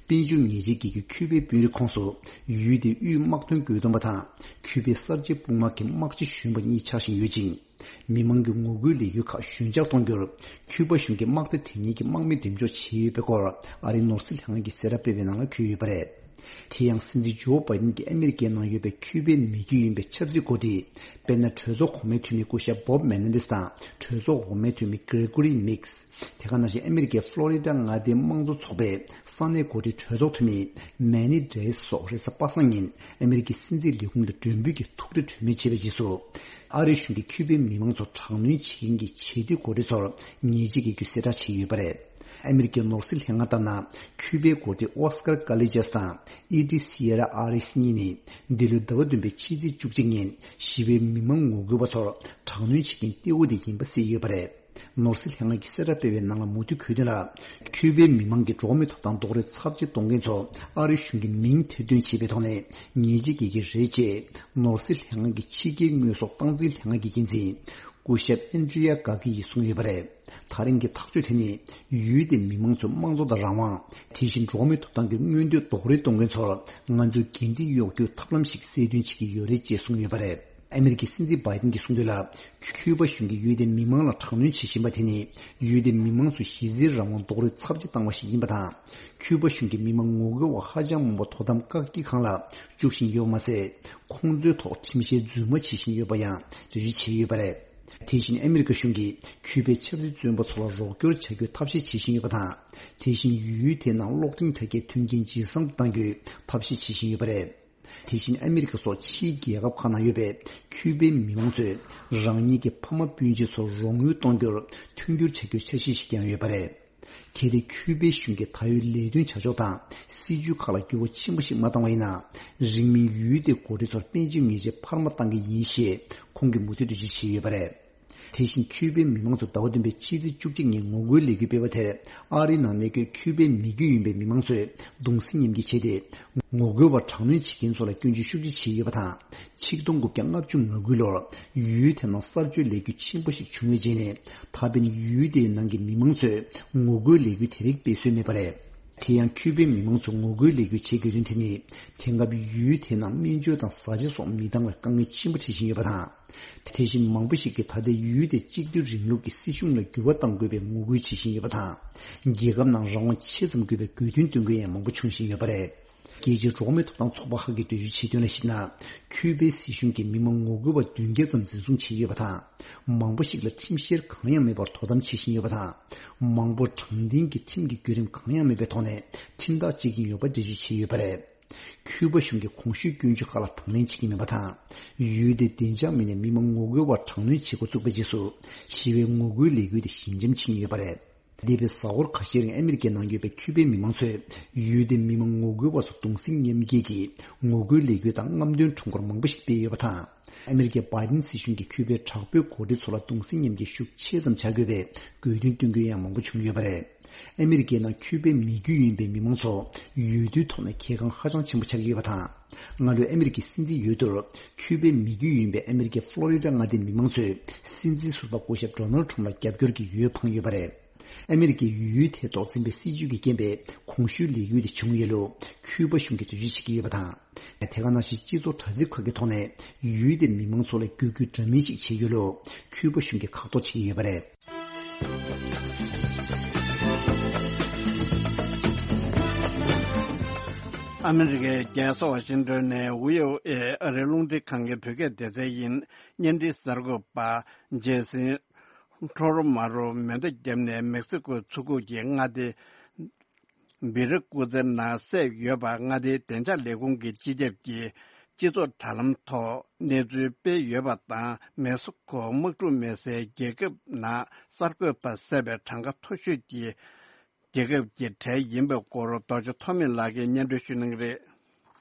དཔལ་འབྱོར་ཉེས་ཆད་འགེལ་རྒྱུ་ཁུ་པའི་དཔོན་རིགས་ཁོངས་སུ་ཡུལ་དེའི་དབུས་དམག་དོན་བཀོད་འདོམས་པ་དང་ཁུ་པའི་གསར་བརྗེ་དཔུང་དམག་གི་དམག་སྤྱི་གཞོན་པ་གཉིས་ཆགས་བཞིན་ཡོད་ཅིང་། མི་མང་གི་ངོ་རྒོལ་ལས་འགུལ་ཁག་ཞོད་འཇགས་གཏོང་རྒྱུར་ཁུ་པ་གཞུང་གིས་དམག་སྡེ་དེ་གཉིས་ཀྱི་དམག་མི་འགྲེམས་འཇོག་བྱས་ཡོད་པའི་སྐོར་ཨ་རིའི་ནོར་སྲིད་ལྷན་ཁང་གིས་གསལ་བསྒྲགས་སྤེལ་བའི་ནང་ལ་འཁོད་ཡོད་པ་རེད། དེ་ཡང་སྲིད་འཛིན་ཇོ་བྷའི་ཏིན་གྱིས་ཨ་མི་རི་ཀའི་ནང་ཡོད་པའི་ཁུ་པའི་མི་རྒྱུད་ཡིན་པའི་ཆབ་སྲིད་འགོ་ཁྲིད། དཔེར་ན་གྲོས་ཚོགས་གོང་མའི་འཐུས་མི་སྐུ་ཞབས་Bob Menendez་དང་གྲོས་ཚོགས་འོག་མའི་འཐུས་མི་Gregory Meeks། དེ་ག་ནང་བཞིན་ཨ་མི་རི་ཀའི་ཕློ་རི་ཌ་མངའ་སྡེའི་དམངས་གཙོ་ཚོགས་པའི་ས་གནས་འགོ་ཁྲིད་གྲོས་ཚོགས་འཐུས་མི་Manny Days་སོགས་རེས་གཟའ་པ་སངས་ཉིན་ཨ་མི་རི་ཀའི་སྲིད་འཛིན་ལས་ཁུངས་ལ་མགྲོན་འབོད་ཀྱིས་ཐུག་འཕྲད་གྲོས་མོལ་བྱས་པའི་རྗེས་སུ། ཨ་རིའི་གཞུང་གིས་ཁུ་པའི་མི་མང་ཚོར་དྲག་གནོན་བྱེད་མཁན་གྱི་བྱེད་གཏེ་འགོ་ཁྲིད་ཚོར་ཉེས་ཆད་འགེལ་རྒྱུ་གསལ་བསྒྲགས་བྱས་ཡོད་པ་རེད། ཨ་མི་རི་ཀའི་ནོར་སྲིད་ལྷན་ཁང་ལྟར་ན། ཁུ་པའི་འགོ་ཁྲིད་Oscar Callejas་དང་Edith Sierra Arias་གཉིས་ནི་འདི་ལོའི་ཟླ་བ་བདུན་པའི་ཕྱི་ཚེས་བཅུ་གཅིག་ཉིན་ཞི་བའི་མི་མང་ངོ་རྒོལ་བ་ཚོར་དྲག་གནོན་བྱེད་མཁན་གཏེ་བོ་དེ་ཡིན་པ་གསལ་ཡོད་པ་རེད། ནོར་སྲིད་ལྷན་ཁང་གིས་གསལ་བསྒྲགས་སྤེལ་བའི་ནང་ལ་མུ་མཐུད་འཁོད་དོན་ལ། ཁུ་པའི་མི་མང་གི་འགྲོ་བ་མིའི་ཐོབ་ཐང་རྡོག་རོལ་ཚབས་ཆེ་གཏོང་མཁན་ཚོ་ཨ་རིའི་གཞུང་གི་མིང་ཐེར་འདོན་བྱས་པའི་ཐོག་ནས་ཉེས་ཆད་འགེལ་གྱི་རེད་ཅེས་ནོར་སྲིད་ལྷན་ཁང་གི་ཕྱི་རྒྱལ་དངོས་ཟོག་སྟངས་འཛིན་ལྷན་ཁང་གི་འགན་འཛིན་སྐུ་ཞབས་Andrea Gabby་ཡིས་གསུངས་ཡོད་པ་རེད། ད་རིང་གི་ཐག་གཅོད་དེ་ནི་ཡུལ་དེའི་མི་མང་ཚོའི་དམངས་གཙོ་དང་རང་དབང་། དེ་བཞིན་འགྲོ་བ་མིའི་ཐོབ་ཐང་གི་མངོན་འདོད་རྡོག་རོལ་གཏོང་མཁན་ཚོར་ང་ཚོས་འགན་འཁྲི་གཡོག་རྒྱུའི་ཐབས་ལམ་ཞིག་གསལ་སྟོན་བྱེད་ཀྱི་ཡོད་རེད་ཅེས་གསུངས་ཡོད་པ་རེད། ཨ་མི་རི་ཀའི་སྲིད་འཛིན་བྷའི་ཏིན་གྱིས་གསུངས་དོན་ལ། ཁུ་པ་གཞུང་གིས་ཡུལ་དེའི་མི་མང་ལ་དྲག་གནོན་བྱེད་བཞིན་པ་དེ་ནི་ཡུལ་དེའི་མི་མང་ཚོའི་གཞི་རྩའི་རང་དབང་རྡོག་རོལ་ཚབས་ཆེ་བཏང་བ་ཞིག་ཡིན་པ་དང་། ཁུ་པ་གཞུང་གིས་མི་མང་ངོ་རྒོལ་བ་ཧ་ཅང་མང་པོ་དོ་དམ་བཀག་སྐྱིལ་ཁང་ལ་བཅུག་བཞིན་ཡོད་པ་མ་ཟད། ཁོང་ཚོའི་ཐོག་ཁྲིམས་བཤེར་རྫུན་མ་བྱེད་བཞིན་ཡོད་པ་ཡང་འགྲེལ་བརྗོད་བྱས་ཡོད་པ་རེད། དེ་བཞིན་ཨ་མི་རི་ཀ་གཞུང་གིས་ཁུ་པའི་ཆབ་སྲིད་བཙོན་པ་ཚོ་ལ་རོགས་སྐྱོར་བྱ་རྒྱུའི་ཐབས་ཤེས་བྱེད་བཞིན་ཡོད་པ་དང་། དེ་བཞིན་ཡུལ་དེའི་ནང་གློག་འཕྲིན་དྲ་རྒྱའི་མཐུན་རྐྱེན་ཇེ་བཟང་དུ་གཏང་རྒྱུའི་ཐབས་ཤེས་བྱེད་བཞིན་ཡོད་པ་རེད། དེ་བཞིན་ཨ་མི་རི་ཀ་སོགས་ཕྱིའི་རྒྱལ་ཁབ་ཁག་ནང་ཡོད་པའི་ཁུ་པའི་མི་མང་ཚོས་རང་ཉིད་ཀྱི་ཕ་མ་སྤུན་མཆེད་ཚོར་རོགས་དངུལ་གཏོང་རྒྱུར་མཐུན་འགྱུར་བྱ་རྒྱུའི་འཆར་གཞི་ཞིག་ཀྱང་ཡོད་པ་རེད། ཁེ་རེ་ཁྱུ་པའི་གཞུང་གིས་ད་ཡོད་ལས་དོན་བྱ་ཕྱོགས་དང་སྲིད་ཇུས་ཁག་ལ་འགྱུར་བ་ཆེན་པོ་ཞིག་མ་བཏང་བ་ཡིན་ན། རིང་མིན་ཡུལ་དེའི་འགོ་ཁྲིད་ཚོར་དཔལ་འབྱོར་ཉེས་ཆད་འཕར་མ་བཏང་གི་ཡིན་ཞེས་ཁོང་གིས་མུ་མཐུད་འགྲེལ་བརྗོད་བྱས་ཡོད་པ་རེད། དེ་བཞིན་ཁྱུ་པའི་མི་མང་ཚོས་ཟླ་བ་བདུན་པའི་ཕྱི་ཚེས་བཅུ་གཅིག་ཉིན་ངོ་རྒོལ་ལས་འགུལ་སྤེལ་བ་དེར་ཨ་རིའི་ནང་གནས་འཁོད་ཁྱུ་པའི་མི་རྒྱུད་ཡིན་པའི་མི་མང་ཚོས་གདུང་སེམས་མཉམ་སྐྱེད་བྱས་ཏེ། ངོ་རྒོལ་བ་དྲག་གནོན་བྱེད་མཁན་ཚོ་ལ་སྐྱོན་བརྗོད་ཤུགས་ཆེ་བྱས་ཡོད་པ་དང་། ཆིག་སྟོང་དགུ་བརྒྱ་ལྔ་བཅུ་ང་དགུ་ལོར་ཡུལ་དེ་ནང་གསར་བཅོས་ལས་འགུལ་ཆེན་པོ་ཞིག་བྱུང་བའི་རྗེས་ནས། ད་ཕན་ཡུལ་དེའི་ནང་གི་མི་མང་ཚོས་ངོ་རྒོལ་ལས་འགུལ་དེ་རིགས་སྤེལ་སྲོལ་མེད་པ་རེད། དེ་ཡང་ཁྱུ་པའི་མི་མང་ཚོས་ངོ་རྒོལ་ལས་འགུལ་བྱེད་དགོས་དོན་དེ་ནི། དེང་སྐབས་ཡུལ་དེའི་ནང་སྨན་བཅོས་དང་བཟའ་བཅའ་སོགས་མི་འདང་བའི་དཀའ་ངལ་ཆེན་པོ་འཕྲད་བཞིན་ཡོད་པ་དང་། དེ་བཞིན་མང་པོ་ཞིག་གིས་ད་ལྟའི་ཡུལ་དེ་གཅིག་སྡུད་རིང་ལུགས་ཀྱི་སྲིད་གཞུང་ལ་འགྱུར་བ་གཏང་དགོས་པའི་ངོ་རྒོལ་བྱེད་བཞིན་ཡོད་པ་དང་། རྒྱལ་ཁབ་ནང་རང་དབང་ཆེ་ཙམ་དགོས་པའི་དགོས་འདུན་བཏོན་མཁན་ཡང་མང་པོ་འབྱུང་བཞིན་ཡོད་པ་རེད། རྒྱལ་སྤྱིའི་འགྲོ་བ་མིའི་ཐོབ་ཐང་ཚོགས་པ་ཁག་གིས་འགྲེལ་བརྗོད་བྱས་དོན་ལ་གཞིགས་ན། ཁྱུ་པའི་སྲིད་གཞུང་གིས་མི་མང་ངོ་རྒོལ་བ་བདུན་བརྒྱ་ཙམ་འཛིན་བཟུང་བྱས་ཡོད་པ་དང་། མང་པོ་ཞིག་ལ་ཁྲིམས་བཤེར་གང་ཡང་མེད་པར་དོ་དམ་བྱེད་བཞིན་ཡོད་པ་དང་། མང་པོ་དྲང་བདེན་གྱི་ཁྲིམས་ཀྱི་བརྒྱུད་རིམ་གང་ཡང་མེད་པའི་ཐོག་ནས་ཁྲིམས་ཐག་བཅད་ཀྱིན་ཡོད་པ་འགྲེལ་བརྗོད་བྱས་ཡོད་པ་རེད། ཁྱུ་པ་གཞུང་གིས་གོང་ཞུས་སྐྱོན་བརྗོད་ཁག་ལ་དང་ལེན་བྱེད་ཀྱི་མེད་པ་དང་། ཡུལ་དེའི་བདེ་འཇགས་མི་སྣས་མི་མང་ངོ་རྒོལ་བར་དྲག་གནོན་བྱེད་འགོ་བཙུགས་པའི་རྗེས་སུ། ཞི་བའི་ངོ་རྒོལ་ལས་འགུལ་དེ་ཞི་འཇམ་ཕྱིན་ཡོད་པ་རེད། འདས་པའི་གཟའ་འཁོར་ཁ་ཤས་རིང་ཨ་མི་རི་ཀའི་ནང་ཡོད་པའི་ཁྱུ་པའི་མི་མང་ཚོས་ཡུལ་དེའི་མི་མང་ངོ་རྒོལ་བ་ཚོ་གདུང་སེམས་མཉམ་སྐྱེད་ཀྱིས་ངོ་རྒོལ་ལས་འགུལ་དང་རྔམ་སྟོན་ཁྲོམ་སྐོར་མང་པོ་ཞིག་སྤེལ་ཡོད་པ་དང་། ཨ་མི་རི་ཀའི་བྷའི་ཌེན་སྲིད་གཞུང་གིས་ཁྱུ་པའི་དྲག་པོའི་འགོ་ཁྲིད་ཚོ་ལ་གདུང་སེམས་མཉམ་སྐྱེད་ཤུགས་ཆེ་ཙམ་བྱ་དགོས་པའི་དགོས་འདུན་བཏོན་མཁན་ཡང་མང་པོ་བྱུང་ཡོད་པ་རེད། ཨ་མི་རི་ཀའི་ནང་ཁྱུ་པའི་མི་རྒྱུད་ཡིན་པའི་མི་མང་ཚོ་ཡུལ་དུས་ཐོག་ནས་གལ་འགངས་ཧ་ཅང་ཆེན་པོ་ཆགས་ཀྱི་ཡོད་པ་དང་། སྔ་ལོའི་ཨ་མི་རི་ཀའི་སྲིད་འཛིན་འོས་བསྡུར་ཁྱུ་པའི་མི་རྒྱུད་ཡིན་པའི་ཨ་མི་རི་ཀའི་ཕློ་རི་ཌ་མངའ་སྡེའི་མི་མང་ཚོས་སྲིད་འཛིན་ཟུར་པ་སྐུ་ཞབས་ཌོ་ནལ་ཌི་ཊརམ་ཕི་ལ་རྒྱབ་སྐྱོར་གྱི་འོས་འཕངས་ཡོད་པ་རེད། ཨ་མི་རི་ཀའི་ཡུལ་དེའི་ཐོག་འཛིན་པའི་སྲིད་བྱུས་ཀྱི་རྐྱེན་པས་གོང་ཞུས་ལས་འགུལ་དེ་བྱུང་ཡོད་ལུགས་ཁྱུ་པ་གཞུང་གིས་འགྲེལ་བརྗོད་བྱེད་ཀྱི་ཡོད་པ་དང་། དེ་ག་ནང་བཞིན་སྤྱི་ཚོགས་དྲ་ཚིགས་ཁག་གི་ཐོག་ནས་ཡུལ་དེའི་མི་མང་ཚོ་ལ་བརྒྱུད་སྐུལ་འདྲ་མིན་ཞིག་བྱས་ཡོད་ལུགས་ཁྱུ་པ་གཞུང་གིས་ཁག་ཐེག་བྱེད་ཀྱི་ཡོད་པ་རེད། ཨ་མི་རི་ཀའི་རྒྱལ་ས་ཝ་ཤིང་ཏོན་ནས་བྷི་ཨོ་ཨེ་ཨ་རིའི་རླུང་འཕྲིན་ཁང་གི་བོད་སྐད་སྡེ་ཚན་ཡིན། བརྙན་འཕྲིན་གསར་འགོད་པ་རྗེས་ཟིན་ཁྲོ་རོ་མ་རོ་མེ་མདའ་བརྒྱབ་ནས་མེག་སི་ཀོའི་མཚོ་ཁུག་གི་མངའ་སྡེ་བི་ར་ཀུ་ཛའི་ནང་བསད་ཡོད་པ་མངའ་སྡེའི་བདེ་འཇགས་ལས་ཁུངས་ཀྱི་སྤྱི་ཁྱབ་ཀྱིས་སྤྱི་ཚོགས་དྲ་ལམ་ཐོག་གནས་ཚུལ་སྤེལ་ཡོད་པ་དང་། མེག་སི་ཀོ་དམག་འཁྲུག་མེད་སའི་རྒྱལ་ཁབ་ནང་གསར་འགོད་པ་བསད་པའི་གྲངས་ཀ་མཐོ་ཤོས་ཀྱི་རྒྱལ་ཁབ་ཀྱི་གྲས་ཡིན་པའི་སྐོར་རྡོ་རྗེ་ཐོགས་མེད་ལགས་ཀྱིས་སྙན་སྒྲོན་ཞུ་གནང་གི་རེད།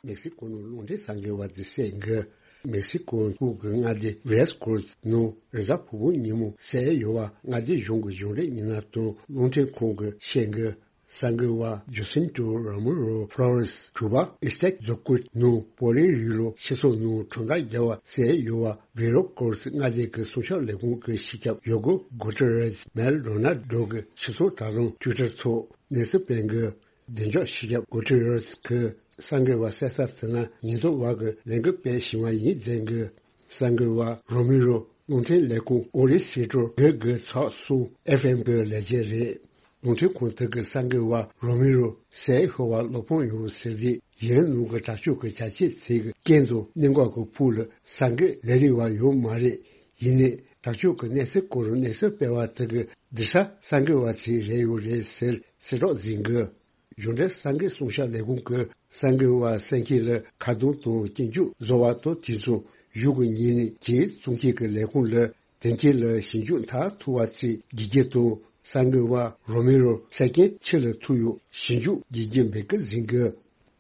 མེག་སི་ཀོ་ནང་རླུང་འཕྲིན་གསར་འགོད་པ་དེ་བསད་འགོས། མེག་སི་ཀོ་ཁུལ་གྱི་མངའ་སྡེ་ཝེ་ར་ཀོ་ནང་རེས་གཟའ་ཕུར་བུ་ཉིན་མོ་བསད་ཡོད་པ་མངའ་སྡེ་གཞུང་གི་གཞུང་འབྲེལ་མི་སྣ་དང་རླུང་འཕྲིན་ཁང་གིས་བཤད་འགོས། གསར་འགོད་པ་ཇོ་སིན་ཏོ་རོ་མི་རོ་ཕློ་རེས་དྲུག་པ་ཨི་སྟེག་རྫོང་ཁུལ་ནང་བོ་ལི་རི་ལོ་སྤྱི་ཚོགས་ནང་གྲོང་རྡལ་རྒྱག་པ་བསད་ཡོད་པ་བྷི་རོ་ཀོར་སི་མངའ་སྡེ་གི་སྲུང་སྐྱོབ་ལས་ཁུངས་ཀྱི་སྤྱི་ཁྱབ་ཡོ་གོ་གོ་ཏི་རེས་མེལ་རོ་ན་ཌོ་གི་སྤྱི་ཚོགས་དྲ་ལམ་ཊུའི་ཊར་ཐོག་གནས་ཚུལ་སྤེལ་འགོས། བདེ་འཇགས་སྤྱི་ཁྱབ་གོ་ཏི་རེས་ཀྱིས་གསར་འགོད་པ་བསད་ས་དེ་ནི་ཉེན་རྟོག་པ་གིས་ལས་འགུལ་སྤེལ་བཞིན་པ་ཡིན་ཟེར་འགོས། གསར་འགོད་པ་རོ་མི་རོ་རླུང་འཕྲིན་ལས་ཁུངས་ཨོ་རི་སི་ཀྲོ་བོད་དགོས་ཚོགས་སུ་ཨེཕ་ཨེམ་གྱི་ལས་བྱེད་རེད། རླུང་འཕྲིན་ཁང་དེ་གི་གསར་འགོད་པ་རོ་མི་རོ་བསད་ཤོར་བ་ལོ་ཕུང་ཡོང་ཟེར་དུས་ཡུན་ནང་གི་དྲག་སྤྱོད་ཀྱི་བྱ་སྤྱོད་ཚིག་གི་རྐྱེན་དང་གནད་འགག་གི་ཕུགས་ལ་གསར་འགོད་ལས་རིགས་པ་ཡོད་མ་རེད། ཡིན་ནའི་དྲག་སྤྱོད་ཀྱི་གནས་ཚུལ་སྐོར་གནས་ཚུལ་སྤེལ་བ་དེ་གི་འདི་ས་གསར་འགོད་པ་ཚོས་རེད་ཡོད་རེད་ཟེར་གསལ་བསྒྲགས་མཛད་འགོས། གཞུང་འབྲེལ་གསར་འགོད་སྲུང་སྐྱོབ་ལས་ཁུངས་ཀྱིས་གསར་འགོད་པ་བསད་མཁན་ལ་ཁ་རྡུང་དང་སྐྱོན་བརྗོད་བཟོ་བ་དང་དུས་མཚུངས་གཞུང་གི་ཉེས་མིང་ཇེ་བཙོང་མཁན་གྱི་ལས་ཁུངས་ལ་དོན་རྐྱེན་ལ་ཞིབ་འཇུག་མཐར་ཐུག་པ་ཚོའི་དགེ་རྒན་དང་གསར་འགོད་པ་རོ་མི་རོ་བསད་རྐྱེན་ཕྱི་ལ་ཐུག་ཡོད་ཞིབ་འཇུག་དགེ་རྒན་འབོད་སྐུལ་མཛད་འགོས།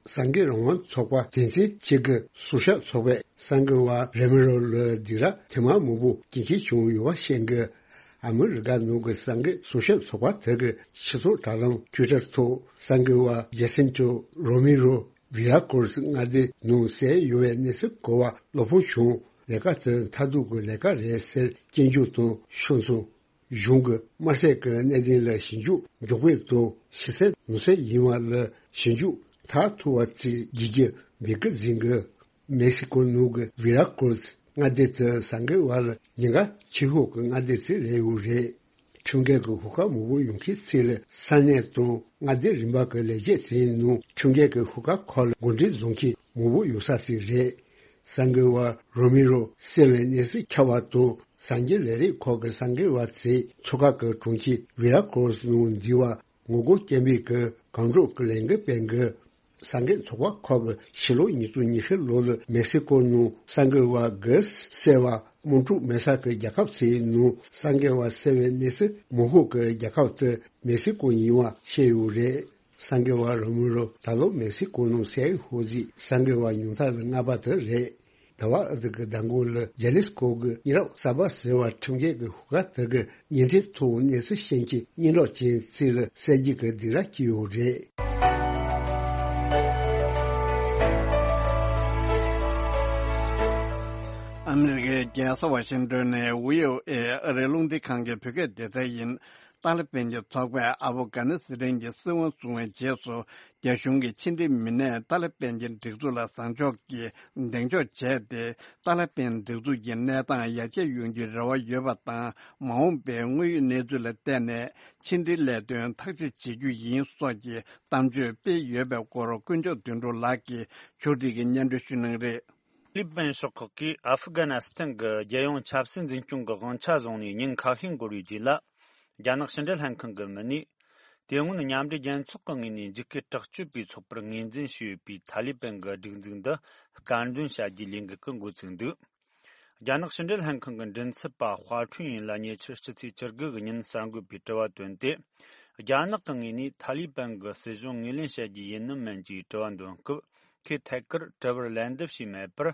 གསར་འགོད་རང་དབང་ཚོགས་པ་དོན་ཚན་གཅིག་གི་སྲུང་སྐྱོབ་ཚོགས་པས་གསར་འགོད་པ་རོ་མི་རོ་ལ་སྡིགས་ར་ཐེངས་མ་མང་པོ་སྐྱོན་མཁན་བྱུང་ཡོད་པ་བཤད་འགོས། ཨ་མི་རི་ཀ་ནང་གི་གསར་འགོད་སྲུང་སྐྱོབ་ཚོགས་པ་དེ་གི་སྤྱི་ཚོགས་དྲ་ལམ་ཊུའི་ཊར་ཐོག་གསར་འགོད་པ་ཇེ་སིན་ཏོ་རོ་མི་རོ་བི་ཡ་ཀོར་སི་མངའ་སྡེ་ནང་བསད་ཡོད་པའི་གནས་ཚུལ་གོ་བ་ལོ་ཕུང་བྱུང་། ལས་ཀ་དེ་མཐར་ཐུག་གི་ལས་ཀ་རེད་ཟེར་སྐྱོན་བརྗོད་དང་ཕྱོགས་མཚུངས། གཞུང་གི་དམར་ཟས་ཀྱི་གནད་དོན་ལ་ཞིབ་འཇུག་མགྱོགས་པོས་དང་ཞིབ་གསལ་ནོར་གསལ་ཡིན་པ་ལ་ཞིབ་འཇུག་མཐར་ཐུག་པ་བཅས་དགེ་རྒན་འབོད་སྐུལ་མཛད་འགོས། མེག་སི་ཀོ་ནང་གི་ཝི་ར་ཀོར་སི་མངའ་སྡེ་དེ་གསར་འགོད་པ་ལ་ཉེན་ཁ་ཆེ་ཤོས་ཀྱི་མངའ་སྡེ་ཞིག་རེད་ཡོད་རེད། ཁྲིམས་འགལ་གྱི་ཤོག་ཁག་མང་པོ་ཡོང་མཁན་ཚོ་ལ་ས་གནས་དང་མངའ་སྡེ་རིམ་པ་གི་ལས་བྱེད་ཚོའི་ནང་ཁྲིམས་འགལ་གྱི་ཤོག་ཁག་ཁག་ལ་གོ་སྒྲིག་བཟོ་མཁན་མང་པོ་ཡོད་ས་ཞིག་རེད། གསར་འགོད་པ་རོ་མི་རོ་བསད་པའི་གནས་ཚུལ་ཁྱབ་པ་དང་གསར་འགྱུར་ལས་རིགས་ཁག་གི་གསར་འགོད་པ་ཚོས་མཚོ་ཁ་གི་གྲོང་ཁྱེར་ཝི་ར་ཀོར་སི་ནང་འདུས་པ་ངོ་རྒོལ་སྐད་འབོད་ཀྱི་གང་རུང་གི་ལས་འགུལ་སྤེལ་འགོས། གསར་འགོད་ཚོགས་པ་ཁག་གིས་ཕྱི་ལོ་ཉིས་སྟོང་ཉི་ཤུ་ལོ་ལ་མེག་སི་ཀོ་ནང་གསར་འགོད་པ་དགུ་བསད་པ་ དམག་འཁྲུག་མེད་ས་གི་རྒྱལ་ཁབ་ཚོའི་ནང་གསར་འགོད་པ་གསལ་བའི་གནས་ཚུལ་མང་པོ་གི་རྒྱལ་ཁབ་དེ་མེག་སི་ཀོ་ཡིན་པ་བཤད་ཡོད་རེད། གསར་འགོད་པ་རོ་མི་རོ་ད་ལོ་མེག་སི་ཀོ་ནང་ཟེར་ཧོ་ཟི་གསར་འགོད་པ་ཉུང་མཐའ་ལ་ལྔ་པ་དེ་རེད། ཟླ་བ་ཨ་ཏི་གི་ཟླ་མགོ་ལ་ཇེ་ལི་སི་ཀོ་གི་མི་རབས་གསར་པ་ཟེར་བ་ཁྲིམས་འགལ་གི་ཤོག་ཁག་དེ་གི་ཉེ་འབྲེལ་ཐོག་གནས་ཚུལ་ཤེས་མཁན་སྙན་གྲགས་ཅན་རྩིས་ལ་གསལ་བརྗོད་ཀྱི་སྡིགས་ར་སྐྱེས་ཡོད་རེད། ཨ་མི་རི་ཀའི་རྒྱལ་ས་ཝ་ཤིང་ཏོན་ནས་བྷི་ཨོ་ཨེ་ཨ་རིའི་རླུང་འཕྲིན་ཁང་གི་བོད་སྐད་སྡེ་ཚན་ཡིན། ཏཱ་ལི་པན་གྱི་ཚོགས་པས་ཨབ་གྷ་ནི་སི་ཐན་གྱི་སྲིད་དབང་བཟུང་བའི་རྗེས་སུ། རྒྱ་གཞུང་གི་ཕྱི་འབྲེལ་མི་སྣས་ཏཱ་ལི་པན་གྱི་སྒྲིག་འཛུགས་ལ་བཟང་ཕྱོགས་ཀྱིས་གདེང་འཇོག་བྱས་ཏེ། ཏཱ་ལི་པན་སྒྲིག་འཛུགས་ཀྱི་གནས་སྟངས་ཡར་རྒྱས་ཡོང་རྒྱུའི་རེ་བ་ཡོད་པ་དང་། མ་འོངས་པའི་དངོས་ཡོད་གནས་ཚུལ་ལ་བལྟས་ནས་ཕྱི་འབྲེལ་ལས་དོན་ཐག་གཅོད་བྱེད་རྒྱུ་ཡིན་སོགས་ཀྱི་གཏམ་བརྗོད་སྤེལ་ཡོད་པའི་སྐོར་དཀོན་མཆོག་དོན་གྲུབ་ལགས་ཀྱིས་ཕྱོགས་སྒྲིག་གི་སྙན་སྒྲོན་ཞུ་གནང་རེད། ཏཱ་ལི་པན་ཤོག་ཁག་གིས་ཨ་ཧྥུ་གྷ་ནི་སི་ཐན་གྱི་རྒྱལ་ཡོངས་ཆབ་སྲིད་འཛིན་སྐྱོང་གི་དབང་ཆ་བཟུང་ནས་ཉིན་ཁ་ཤས་འགོར་བའི་རྗེས་ལ། རྒྱ་ནག་ཕྱི་འབྲེལ་ལྷན་ཁང་གི་མི་སྣས། དེ་སྔོན་མཉམ་འབྲེལ་རྒྱལ་ཚོགས་ཀྱི་ངོས་ནས་འཇིགས་སྐུལ་དྲག་སྤྱོད་པའི་ཚོགས་པར་ངོས་འཛིན་བྱས་ཡོད་པའི་ཐ་ལི་པན་གྱི་སྒྲིག་འཛུགས་འདི་སྐྱོན་འདོན་བྱ་རྒྱུའི་ལས་འགུལ་ཞིག་འགོ་བཙུགས་འདུག་རྒྱ་ནག་ཕྱི་འབྲེལ་ལྷན་ཁང་གི་མགྲིན་ཚབ་པ་ཧྭ་ཁྲུན་ཡིན་ལ་ཉེ་ཆར་ཕྱི་ཚེས་བཅུ་དགུ་གི་ཉིན་གསར་འགོད་པས་དྲི་བ་བཏོན་ཏེ། རྒྱ་ནག་གི་ངོས་ནས་ཐ་ལི་པན་གྱི་སྲིད་གཞུང་ངོས་ལེན་བྱ་རྒྱུ་ཡིན་ནམ་མིན་གྱི་དྲི་བ་འདོན་སྐབས། ཁོས་ཐད་ཀར་དྲི་བར་ལན་འདེབས་བྱས་མེད་པར།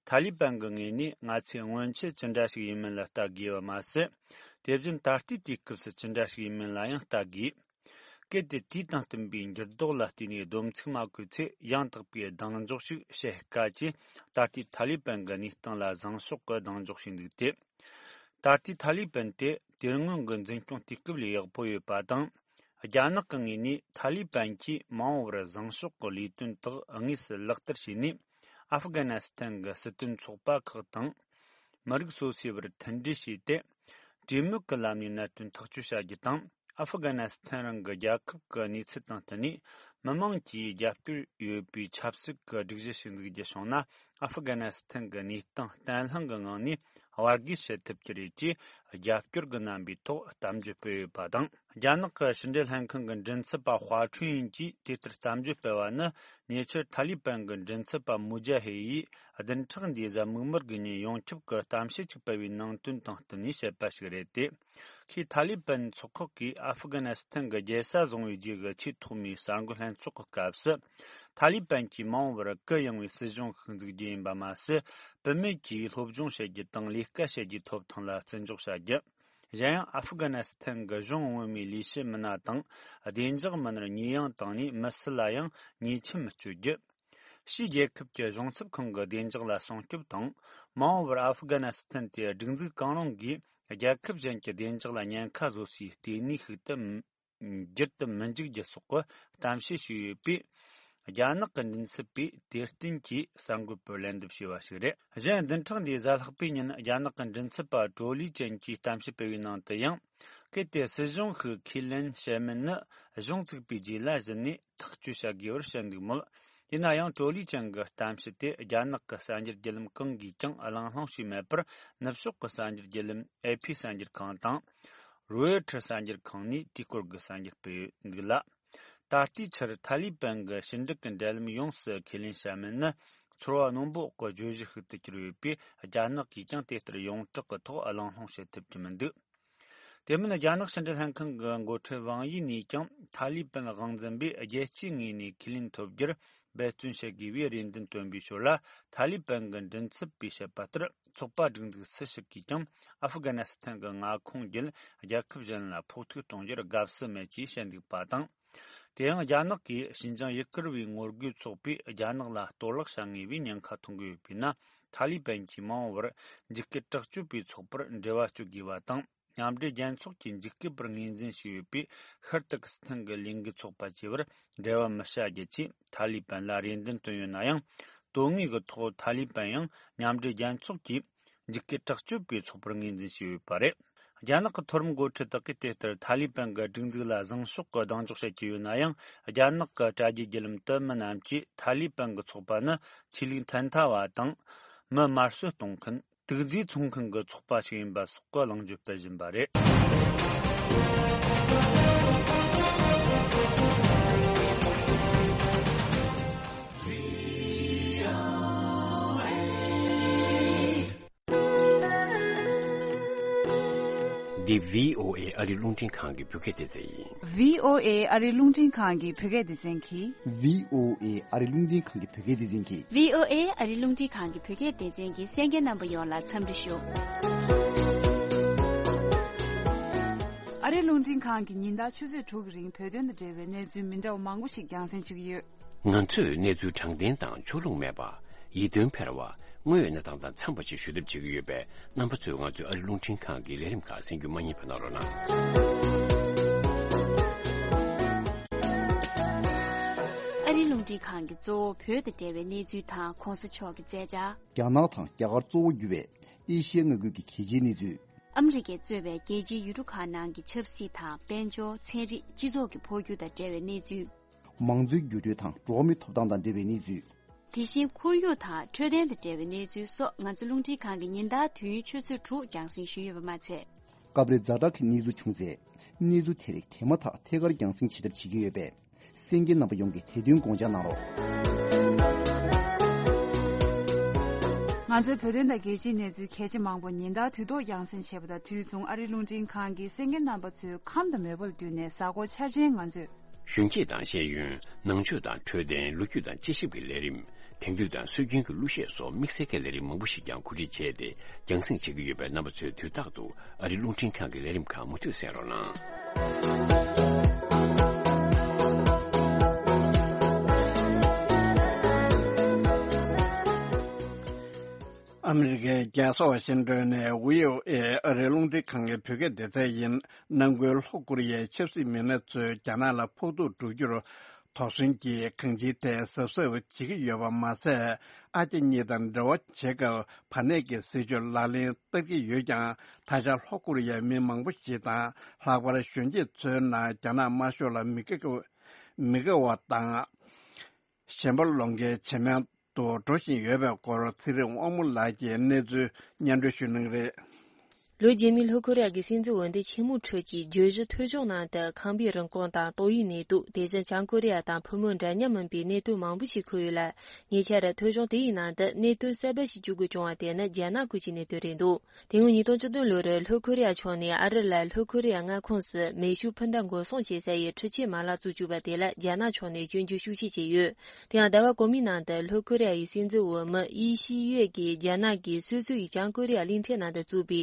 ཐ་ལི་པན་གྱི་ངོས་ནས་ང་ཚོས་སྔོན་ཆད་ཅི་འདྲ་ཞིག་ཡིན་མིན་ལ་ལྟ་དགོས་པ་མ་ཟད། དེ་བཞིན་ད་ལྟའི་དུས་སྐབས་སུ་ཅི་འདྲ་ཞིག་ཡིན་མིན་ལ་ཡང་ལྟ་དགོས། གལ་ཏེ་དུས་དང་བསྟུན་པའི་འགྱུར་ལྡོག་ལ་བལྟས་ནས་སྡོམ་ཚིག་མ་བཀོད་ཚེ། ཡང་དག་པའི་གདེང་འཇོག་ཞིག་བྱེད་དཀའ་ཅེས། ད་ལྟའི་ཐ་ལི་པན་གྱི་གནས་སྟངས་ལ་བཟང་ཕྱོགས་ཀྱི་གདེང་འཇོག་བྱས་འདུག་སྟེ། ད་ལྟའི་ཐ་ལི་པན་དེ་དེ་སྔོན་གྱི་འཛིན་སྐྱོང་དུས་སྐབས་ལས་ཡག་པོ་ཡོད་པ་དང་། རྒྱ་ནག་གི་ངོས་ནས་ཐ་ལི་པན་གྱིས་མ་འོངས་པར་བཟང་ཕྱོགས་ཀྱི་ལས་དོན་དག་དངོས་སུ་ལག་བསྟར་བྱས་ནས། ཨ་ཧྥུ་གྷ་ནི་སི་ཐན་གྱི་སྲིད་དོན་ཚོགས་པ་ཁག་དང་། མི་རིགས་སོ་སོའི་བར་མཐུན་སྒྲིལ་བྱས་ཏེ། གྲོས་མོལ་གྱི་ལམ་ནས་གནད་དོན་ཐག་གཅོད་བྱ་རྒྱུ་དང་། ཨ་ཧྥུ་གྷ་ནི་སི་ཐན་རང་གི་རྒྱལ་ཁབ་ཀྱི་གནས་ཚུལ་དང་བསྟུན་ནས། མི་མང་གིས་རྒྱབ་སྐྱོར་ཡོད་པའི་ཆབ་སྲིད་ཀྱི་སྒྲིག་གཞི་ཞིག་འཛུགས་རྒྱུ་བྱུང་ན། ཨ་ཧྥུ་གྷ་ནི་སི་ཐན་གྱི་གནས་སྟངས་བརྟན་ལྷིང་གི་ངང་ནས་བར་བརྒལ་བྱེད་ཐུབ་ཀྱི་རེད་ཅེས། རྒྱབ་སྐྱོར་གྱི་རྣམ་པའི་ཐོག་གཏམ་བརྗོད་སྤེལ་ཡོད་པ་དང་། རྒྱ་ནག་གི་ཕྱི་འབྲེལ་ལྷན་ཁང་གི་མགྲིན་ཚབ་པ་ཧྭ་ཁྲུན་ཡིན་གྱིས་དེ་ལྟར་གཏམ་བརྗོད་སྤེལ་བ་ནི། ཉེ་ཆར་ཐ་ལི་པན་གྱི་མགྲིན་ཚབ་པ་མུ་ཇ་ཧེ་ཡིས་བདུན་ཕྲག་འདིའི་གཟའ་མིག་དམར་གྱི་ཉིན་ཡོངས་ཁྱབ་ཀྱི་གཏམ་བཤད་ཅིག་སྤེལ་བའི་ནང་དོན་དང་བསྟུན་ནས་བཤད་པ་ཞིག་རེད་དེ། ཁོས་ཐ་ལི་པན་ཚོགས་ཁག་གིས་ཨ་ཧྥུ་གྷ་ནི་སི་ཐན་གྱི་རྒྱལ་ས་བཟུང་བའི་རྗེས་ཀྱི་ཆེས་ཐོག་མའི་གསར་འགོད་ལྷན་ཚོགས་ཀྱི་སྐབས་སུ། ཐ་ལི་པན་གྱིས་མ་འོངས་པར་གུ་ཡངས་པའི་སྲིད་གཞུང་ཞིག་འཛུགས་རྒྱུ་ཡིན་པ་མ་ཟད། བུད་མེད་ཀྱིས་སློབ་སྦྱོང་བྱེད་རྒྱུ་དང་ལས་ཀ་བྱེད་རྒྱུའི་ཐོབ་ཐང་ལ་བརྩི་འཇོག་བྱ་རྒྱུ། གཞན་ཡང་། ཨ་ཧྥུ་གྷ་ནི་སི་ཐན་གྱི་གཞུང་ངོ་མའི་ལས་བྱེད་མི་སྣ་དང་། བདེ་འཇགས་མི་སྣར་ཉེས་ཡངས་བཏང་ནས་མི་སུ་ལ་ཡང་ཉེས་ཆད་མི་གཅོད་རྒྱུ། ཕྱིའི་རྒྱལ་ཁབ་ཀྱི་གཞུང་ཚབ་ཁང་གི་བདེ་འཇགས་ལ་སྲུང་སྐྱོབ་དང་། མ་འོངས་པར་ཨ་ཧྥུ་གྷ་ནི་སི་ཐན་དེ་སྒྲིག་འཛུགས་གང་རུང་གིས་རྒྱལ་ཁབ་གཞན་གྱི་བདེ་འཇགས་ལ་ཉེན་ཁ་བཟོ་སའི་ལྟེ་གནས་ཤིག་ཏུ་འགྱུར་དུ་མི་འཇུག་རྒྱུ་སོགས་ཀྱི་གཏམ་བཤད་བྱས་ཡོད་པས། རྒྱ་ནག་གི་མགྲིན་ཚབ་པས་དེར་བརྟེན་གྱིས་གསར་འགོད་པར་ལན་འདེབས་བྱས་པ་ཞིག་རེད། གཞན། བདུན་ཕྲག་འདིའི་གཟའ་ལྷག་པའི་ཉིན་རྒྱ་ནག་གི་མགྲིན་ཚབ་པ་ཀྲོ་ལི་ཅན་གྱིས་གཏམ་བཤད་སྤེལ་བའི་ནང་དུ་ཡང་། གལ་ཏེ་སྲིད་གཞུང་ཞིག་ཁས་ལེན་བྱས་མིན་ནི་གཞུང་བཙུགས་པའི་རྗེས་ལ་གཞི་ནས་ཐག་གཅོད་བྱ་དགོས་པར་བཤད་འདུག་མོད། ཡིན་ན་ཡང་། ཀྲོ་ལི་ཅན་གྱི་གཏམ་བཤད་དེ་རྒྱ་ནག་གི་གསར་འགྱུར་བརྒྱུད་ལམ་གང་གིས་ཀྱང་གླེང་སློང་བྱས་མེད་པར། ནུབ་ཕྱོགས་ཀྱི་གསར་འགྱུར་བརྒྱུད་ལམ་ཨེ་ཕི་གསར་འགྱུར་ཁང་དང་། རོའེ་ཊར་གསར་འགྱུར་ཁང་ནས་དེའི་སྐོར་གྱི་གསར་འགྱུར་སྤེལ་ཡོད་འདུག་ལ། ད་ལྟའི་ཆར་ཐ་ལི་པན་གྱི་ཕྱི་འབྲེལ་གྱི་འབྲེལ་ལམ་ཡོངས་སུ་ཁས་ལེན་བྱ་མིན་ནི། ཚོར་བ་རྣོན་པོ་འོག་གི་བརྗོད་གཞི་ཞིག་ཏུ་གྱུར་ཡོད་པས། རྒྱ་ནག་གིས་ཀྱང་དེ་ལྟར་ཡོངས་གྲགས་ཀྱི་ཐོག་གླེང་སློང་བྱེད་ཐུབ་ཀྱི་མི་འདུག་དེ་མིན། རྒྱ་ནག་ཕྱི་འབྲེལ་ལྷན་ཁང་གི་འགོ་ཁྲིད་ཝང་ཡི་ནས་ཀྱང་། ཐ་ལི་པན་དབང་འཛིན་པས་རྒྱལ་སྤྱིའི་ངོས་ནས་ཁས་ལེན་ཐོབ་རྒྱུར་འབད་བརྩོན་བྱེད་དགོས་པའི་རེ་འདུན་བཏོན་པའི་ཞོར་ལ། ཐ་ལི་པན་གྱི་མགྲིན་ཚབ་པས་བཤད་པ་ལྟར། ཚོགས་པ་སྒྲིག་འཛུགས་སུ་ཞིག་གིས་ཀྱང་། ཨ་ཧྥུ་གྷ་ནི་སི་ཐན་གྱི་མངའ་ཁོངས་བརྒྱུད་རྒྱལ་ཁབ་གཞན་ལ་ཕོག་ཐུག་གཏོང་རྒྱུར་དགའ་བསུ་མེད་ཅེས་བཤད་འདུག་པ་དང་། དེ་ཡང་། རྒྱ་ནག་གིས་ཞིན་ཅང་ཡུ་གུར་བའི་ངོ་རྒོལ་ཚོགས་པས་རྒྱ་ནག་ལ་གཏོར་བརླག་བྱ་ངེས་པའི་ཉེན་ཁ་མཐོང་གི་ཡོད་པས་ན། ཐ་ལི་པན་གྱིས་མ་འོངས་པར་འཇིགས་སྐུལ་དྲག་སྤྱོད་པའི་ཚོགས་པར་འབྲེལ་བ་གཅོད་དགོས་པ་དང་། མཉམ་འབྲེལ་རྒྱལ་ཚོགས་ཀྱི་འཇིགས་སྐུལ་པར་ངོས་འཛིན་བྱས་ཡོད་པའི་ཤར་ཏུར་ཀི་སི་ཐན་གྱི་ལས་འགུལ་ཚོགས་པ་བཅས་པར་འབྲེལ་བ་མི་བྱ་རྒྱུ་ཆེད་ཐ་ལི་པན་ལ་རེ་འདུན་བཏོན་ཡོད་ན་ཡང་། དོན་དངོས་ཀྱི་ཐོག་ཐ་ལི་པན་ཡང་མཉམ་འབྲེལ་རྒྱལ་ཚོགས་ཀྱིས་འཇིགས་སྐུལ་དྲག་སྤྱོད་པའི་ཚོགས་པར་ངོས་འཛིན་བྱས་ཡོད་པ་རེད། རྒྱ་ནག་གི་མཐོ་རིམ་འགོ་ཁྲིད་དག་གིས་དེ་ལྟར་ཐ་ལི་པན་གྱི་སྒྲིག་འཛུགས་ལ་བཟང་ཕྱོགས་ཀྱི་གདེང་འཇོག་བྱེད་ཀྱི་ཡོད་ན་ཡང་། རྒྱ་ནག་གི་དྲ་རྒྱའི་བརྒྱུད་ལམ་དུ་མི་རྣམས་ཀྱིས་ཐ་ལི་པན་གྱི་ཚོགས་པ་ནི་ཆོས་ལུགས་ཐལ་མཐའ་བ་དང་། མི་དམར་གསོད་གཏོང་མཁན། དུག་རྫས་འཚོང་མཁན་གྱི་ཚོགས་པ་ཞིག་ཡིན་པ་སོགས་ཀྱི་གླེང་བརྗོད་སྤེལ་བཞིན་པ་རེད། འདི་བྷི་ཨོ་ཨེ་ཨ་རིའི་རླུང་འཕྲིན་ཁང་གི་བོད་སྐད་སྡེ་ཚན་ཡིན། བྷི་ཨོ་ཨེ་ཨ་རིའི་རླུང་འཕྲིན་ཁང་གི་བོད་སྐད་སྡེ་ཚན་གྱིས། བྷི་ཨོ་ཨེ་ཨ་རིའི་རླུང་འཕྲིན་ཁང་གི་བོད་སྐད་སྡེ་ཚན་གྱིས། བྷི་ཨོ་ཨེ་ཨ་རིའི་རླུང་འཕྲིན་ཁང་གི་བོད་སྐད་སྡེ་ཚན་གྱི་གསན་མཁན་རྣམ་པ་ཡོངས་ལ་འཚམས་འདྲི་ཞུ། ཨ་རིའི་རླུང་འཕྲིན་ཁང་གིས་ཉིན་ལྟར་ཆུ་ཚོད་དྲུག་གི་རིང་བོད་དོན་དང་འབྲེལ་བའི་གནས་ཚུལ་མི་འདྲ་བ་མང་པོ་ཞིག་རྒྱང་སྲིང་ཞུ་གི་ཡོད། ང་ཚོས་གནས་ཚུལ་དྲང་བདེན་དང་ཕྱོགས་ལྷུང་མེད་པ། ཡིད་རྟོན་འཕེར་བ། དངོས་ཡོད་གནས་སྟངས་དང་འཚམས་པ་ཞིག་ཞུ་ཐབས་བྱེད་ཀྱི་ཡོད་པས། རྣམ་པ་ཚོས་ང་ཚོའི་ཨ་རིའི་རླུང་འཕྲིན་ཁང་གི་ལས་རིམ་ཁག་གསན་རྒྱུ་མ་བསྙེལ་བ་གནང་རོགས་གནང་། ཨ་རིའི་རླུང་འཕྲིན་ཁང་གིས་གཙོ་བོ་བོད་དང་འབྲེལ་བའི་གནས་ཚུལ་དང་གོང་ས་མཆོག་གི་མཛད་འཆར། རྒྱ་ནག་དང་རྒྱ་གར་གཙོ་བོ་གྱུར་བའི་ཨེ་ཤི་ཡའི་མངའ་ཁུལ་གྱི་གལ་ཆེའི་གནས་ཚུལ། ཨ་མི་རི་ཀས་གཙོས་པའི་རྒྱལ་སྤྱིའི་ཡུལ་གྲུ་ཁག་ནང་གི་ཆབ་སྲིད་དང་། དཔལ་འབྱོར། ཚན་རིག་སྤྱི་ཚོགས་ཀྱི་འཕོ་འགྱུར་དང་འབྲེལ་བའི་གནས་ཚུལ། མང་གཙོའི་འགྱུར་འགྲོས་དང་འགྲོ་བ་མིའི་ཐོབ་ཐང་དང་འབྲེལ་བའི་གནས་ཚུལ། དེ་བཞིན་ཁོར་ཡུག་དང་འཕྲོད་བསྟེན་དང་འབྲེལ་བའི་གནས་ཚུལ་སོགས། ང་ཚོའི་རླུང་འཕྲིན་ཁང་གིས་ཉིན་ལྟར་དུས་ཡུན་ཆུ་ཚོད་དྲུག་རྒྱང་སྲིང་ཞུས་ཡོད་པ་མ་ཚད། སྐབས་རེ་ཛ་དྲག་གི་གནས་ཚུལ་བྱུང་ཚེ། གནས་ཚུལ་དེ་རིགས་དེ་མ་ཐག་ཐད་ཀར་རྒྱང་སྲིང་བྱེད་ཐབས་བྱེད་ཀྱི་ཡོད་པས། གསན་མཁན་རྣམ་པ་ཡོངས་ཀྱིས་དེ་དོན་དགོངས་འཇགས་གནང་རོགས། ང་ཚོའི་བོད་དོན་དང་རྒྱལ་སྤྱིའི་གནས་ཚུལ་གལ་ཆེ་མང་པོ་ཉིན་ལྟར་དུས་ཐོག་རྒྱང་སྲིང་བྱེད་པ་དང་དུས་མཚུངས། ཨ་རིའི་རླུང་འཕྲིན་ཁང་གིས་གསན་མཁན་རྣམ་པ་ཚོའི་ཁམས་དང་མོས་པ་ལ་བསྟུན་ནས། གཟའ་འཁོར་འཆར་ཅན་ང་ཚོས། གཞོན་སྐྱེས་དང་ཤེས་ཡོན། ནང་ཆོས་དང་འཕྲོད་བསྟེན། ལོ་རྒྱུས་དང་དཔྱད་ཞིབ་ཀྱི་ལས་རིམ། དེང་དུས་དང་སྲོལ་རྒྱུན་གྱི་གླུ་གཞས་སོགས་དམིགས་བསལ་གྱི་ལས་རིམ་མང་པོ་ཞིག་ཀྱང་གོ་སྒྲིག་བྱས་ཏེ། རྒྱང་སྲིང་བྱེད་ཀྱི་ཡོད་པས། རྣམ་པ་ཚོས་དུས་རྟག་ཏུ་ཨ་རིའི་རླུང་འཕྲིན་ཁང་གི་ལས་རིམ་ཁག་མུ་མཐུད་གསན་རོགས་གནང་། ཨ་མི་རི་ཀའི་རྒྱལ་ས་ཝ་ཤིང་ཏོན་ནས་བྷི་ཨོ་ཨེ་ཨ་རིའི་རླུང་འཕྲིན་ཁང་གི་བོད་སྐད་སྡེ་ཚན་ཡིན། ནང་ཁུལ་ལྷོ་ཀོ་རི་ཡའི་ཆབ་སྲིད་མི་སྣ་ཚོས་རྒྱ་ནག་ལ་ཕོག་ཐུག་འགྲོ་རྒྱུར་དོགས་ཟོན་གྱིས་གང་ཅིའི་ཐད་གཟབ་གཟབ་བྱེད་ཀྱི་ཡོད་པ་མ་ཟད། ཨ་རྒྱ་གཉིས་དང་འབྲེལ་བ་བྱེད་སྐབས་བར་གནས་ཀྱི་སྲིད་བྱུས་ལག་ལེན་བསྟར་གྱི་ཡོད་ཀྱང་། ད་ཆ་ལྷོ་ཀོ་རི་ཡའི་མི་མང་པོ་ཞིག་དང་། ལྷག་པར་གཞོན་སྐྱེས་ཚོའི་ནང་རྒྱ་ནག་དམར་ཤོག་ལ་མི་དགའ་མི་དགའ་བ་དང་། ཞེན་པ་སློང་མཁན་ཇེ་མང་དུ་འགྲོ་བཞིན་ཡོད་པའི་སྐོར་ཚེ་རིང་དབང་མོ་ལགས་ཀྱིས་གནས་ཚུལ་སྙན་སྒྲོན་ཞུ་གནང་གི་རེད། ལོ་རྗེས་མའི་ལྷོ་ཀོ་རི་ཡ་གི་སྲིད་འཛིན་འོས་འདེམས་ཆེན་མོའི་ཁྲོད་ཀྱི་བརྗོད་གཞི་ཐོལ་བྱུང་ནང་དུ། ཁང་པའི་རིན་གོང་དང་ཏོག་དབྱིབས་ནད་དུག་དེ་བཞིན་བྱང་ཀོ་རི་ཡ་དང་ཕོ་མོ་འདྲ་མཉམ་མིན་པའི་གནད་དོན་མང་པོ་ཞིག་འཁོད་ཡོད་ལ། ཉེ་ཆར་ཐོལ་བྱུང་དེ་ཡི་ནང་དུ་གནད་དོན་གསར་པ་ཞིག་བཅུག་དགོས་བྱུང་བ་དེ་ནི་རྒྱ་ནག་ཁུལ་གྱི་གནད་དོན་རེད་འདུག་དེ་སྔོན་ཉིས་སྟོང་བཅུ་བདུན་ལོར་ལྷོ་ཀོ་རི་ཡ་ཕྱོགས་ནས་ཨ་རི་ལ་ལྷོ་ཀོ་རི་ཡ་མངའ་ཁོངས་སུ་མེ་ཤུགས་འཕུར་མདའ་འགོག་སྲུང་བྱེད་ས་ཡི་འཕྲུལ་ཆས་མ་ལག་བཙུགས་བཅུག་པ་དེ་ལ་རྒྱ་ནག་ཕྱོགས་ནས་སྐྱོན་བརྗོད་ཤུགས་ཆེ་བྱས་ཡོད། དེ་ཡང་ཟླ་བ་གོང་མའི་ནང་དུ་ལྷོ་ཀོ་རི་ཡ་ཡི་སྲིད་འཛིན་འོས་མི་ཡི་ཤི་ཡོད་ཀྱིས་རྒྱ་ནག་གིས་སོ་སོ་ཡིས་བྱང་ཀོ་རི་ཡ་གླིང་ཕྲན་ནང་དུ་བཙུགས་པའི་